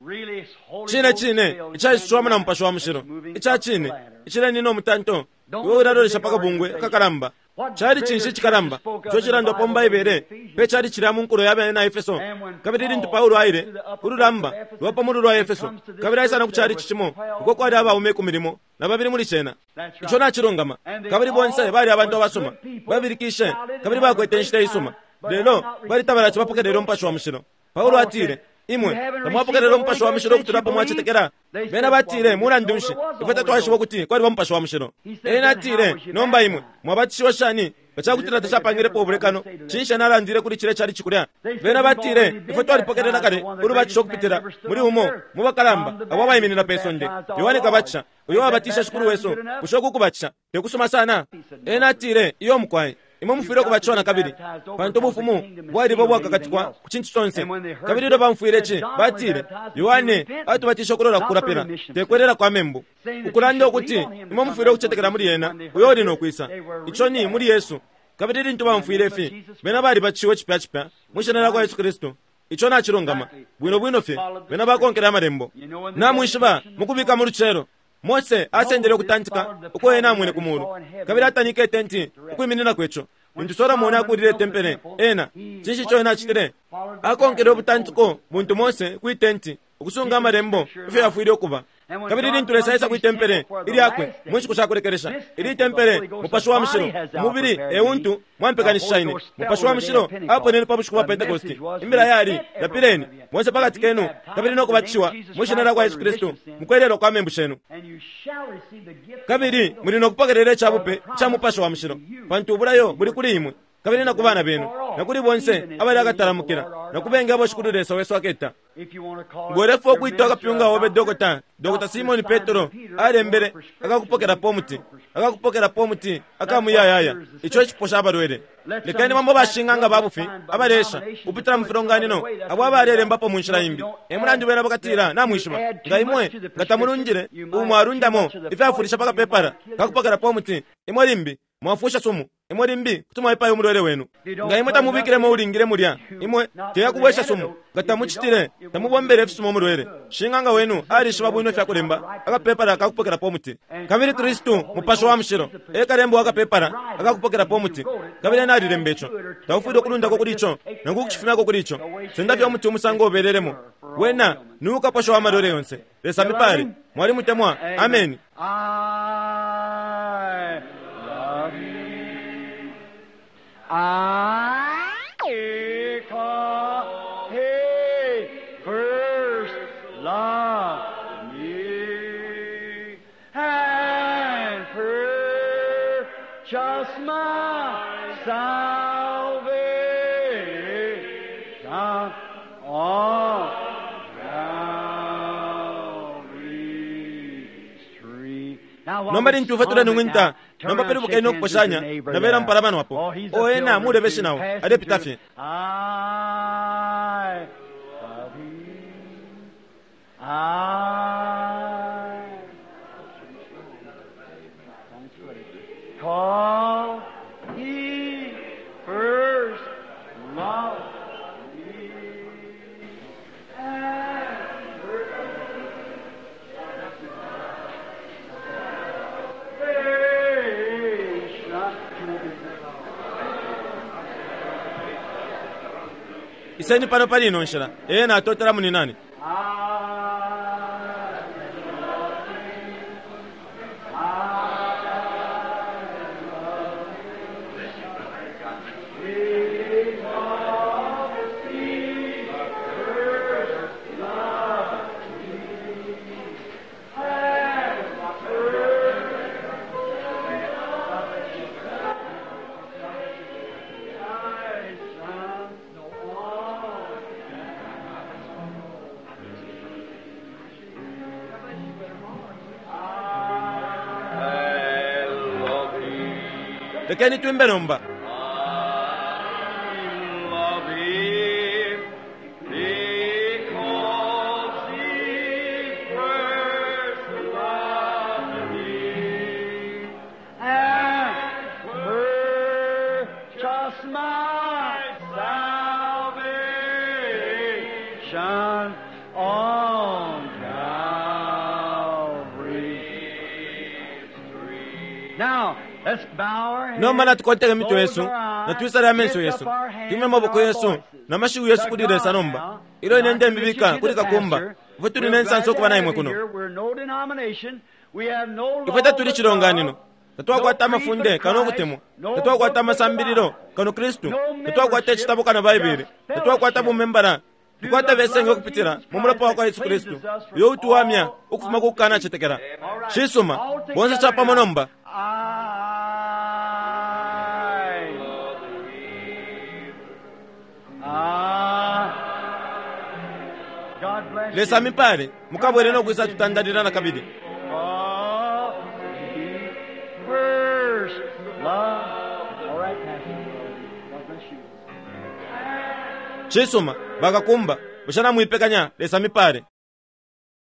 Cine cine icaishiwamo na Mupashi wa Mushilo, ica cine icilenina umutanto. Iwe wilalolesha pa kabungwe akakalamba. Cali cinshi icikalamba ico cilandwapo mu Baibele pe cali cilya mu nkulo ya bena Efeso? Kabili lintu Paulo aile kululamba lwa pa mulu lwa Efeso, kabili aisa na ku calici cimo uko kwali abaume ikumi limo na babili muli cena. Ico nacilungama. Kabili bonse bali abantu abasuma, babilikishe kabili bakwete inshita isuma, lelo bali tabalati bapokelele Umupashi wa Mushilo. Paulo atile, imwe tamwapokelele Umupashi wa Mushilo ukutulapo mwacetekela. Bena batile, mulandu nshi ifwe tatwaishiba ukuti kwaliba Umupashi wa Mushilo? Ena atile, nomba imwe mwabatishiwa shani? Bacakutila tacapangilepo ubulekano. Cinshi nalandile kuli cile cali cikulya? Bena batile, ifwe twalipokelela kale ulubatisho ukupitila muli umo mu bakalamba abo abaiminina pe sonde, Yohane Kabatisha, uyo wabatisha Shikulu wesu. Bushe uku kubatisha tekusuma sana? Ena atile, iyo mukwai, imwe mufwile ukubatishiwa na kabili, pantu ubufumu bwaliba ubwakakatikwa ku cintu conse. Kabili ilyo bamfwile ci, batile, Yohane atubatisha ukulola kukulapila, tekwelela kwa membu, ukulanda ukuti imwe mufwile ukucetekela muli yena uyo uli no kwisa, ico ni muli Yesu. Kabili lintu bamfwile ifi, bena balibatishiwe cipya cipya mwi shina lya kwa Yesu Kristu. Ico nacilungama bwino bwino fye. Bena bakonkele amalembo. Namwishiba mukubika mu lucelo, Mose asendele ukutantika uko ena amwene ku mulu, kabili atanike itenti ukwiminina kweco. Lintu Solomoni akulile itempele, ena cinshi ico ena acitile? Akonkele ubutantiko buntu Mose kwi tenti, ukusunga amalembo ifyo yafwile ukuba. Kabili lintu Lesa aisa kwi tempele ilyakwe mu nshiku shakulekelesha, ili tempele Mupashi wa Mushilo, umubili e untu mwampekanishisha ine. Mupashi wa Mushilo aponene pa bushiku bwa Pentekosti. Imbila yali, lapileni bonse pakati kenu kabili no kubatishiwa mwi shina lya kwa Yesu Kristu mukwelelwa kwa membu shenu, kabili muli no kupokelela icabupe ica Mupashi wa Mushilo, pantu ubulayo buli kuli imwe kabili na ku bana benu na kuli bonse abali akatalamukila na ku bengi abo Shikulu Lesa wesu aketa. Ngolefwa ukwitwa akapyunga obe Dokota Dokota Simoni Petro alembele akakupokelapo umuti, akakupokelapo umuti akamuyayaya, ico iciposha abalwele. Lekeni bamo bashing'anga babufi abalesha kupitila mu filonganino abo abalelembapo mu nshila imbi. E mulandu bena bakatila namwishiba, nga imwe nga tamulungile umwalundamo ifyafulisha pakapepala kakupokelapo umuti, imwe limbi mwafusha sumu, imwe limbi kuti mwaipaya umulwele wenu. Nga imwe tamubikilemo ulingile mulya, imwe teyakubwesha sumu. Nga tamucitile, tamubombele ifisuma umulwele. Shing'anga wenu alishiba bwino ifyakulemba akapepala kakupokelapo umuti. Kabili Kristu Mupashi wa Mushilo e kalembo akapepala akakupokelapo umuti, kabili ena alilemba ico. Taufwile ukulundako kuli ico nangu ukucifumyako kuli ico. Senda fye umuti umusango ubelelemo wena ni ukaposha wa malwele yonse. Lesa mipale mwalimutemwa. Ameni. I love you. I because he first loved Nomba lintu ifwe tulenung'winta, nomba pelibukeni ukuposhanya na bena mupalamano apo. O ena mulebeshi nao alepita fye. I love you. I call he first loved me and Iseni pano pali ino nshila. Ena atotela muninani. I love him. Lekeni twimbe nomba. I love him because he first loved me. And purchased my salvation on Calvary. Now, let's bow our heads, Nomba natukonteke imitwe close yesu, our eyes, natwisale amenso lift yesu, up our hands tumye amaboko and our yesu voices na mashiwi yesu to kuli Lesa God nomba. now. Ilyo ine Not to ndembibika you to kuli the kakumba, pastor. ifwe tuli We're ne nsansa glad to ukuba have naimwe you kuno. here. We're no denomination. We have no law Ifwe tatuli but chilonganino, love. tatwakwata amafunde kano ukutemwa, tatwakwata amasambililo kano Kristu, tatwakwata icitabo kano Baibele, tatwakwata bumembala, tukwata besenge ukupitila mu mulopa wa kwa Yesu Kristu, uyo utuwamya ukufuma ku kukanacetekela. Cisuma, bonse capamo nomba. I, I, God bless Lesa you. mipale, mukabwere no kwisa tutandalira na kabili. Oh, he first loved. All right, Pastor. God bless you. Cisuma, bakakumba, bushe namwipekanya Lesa mipale.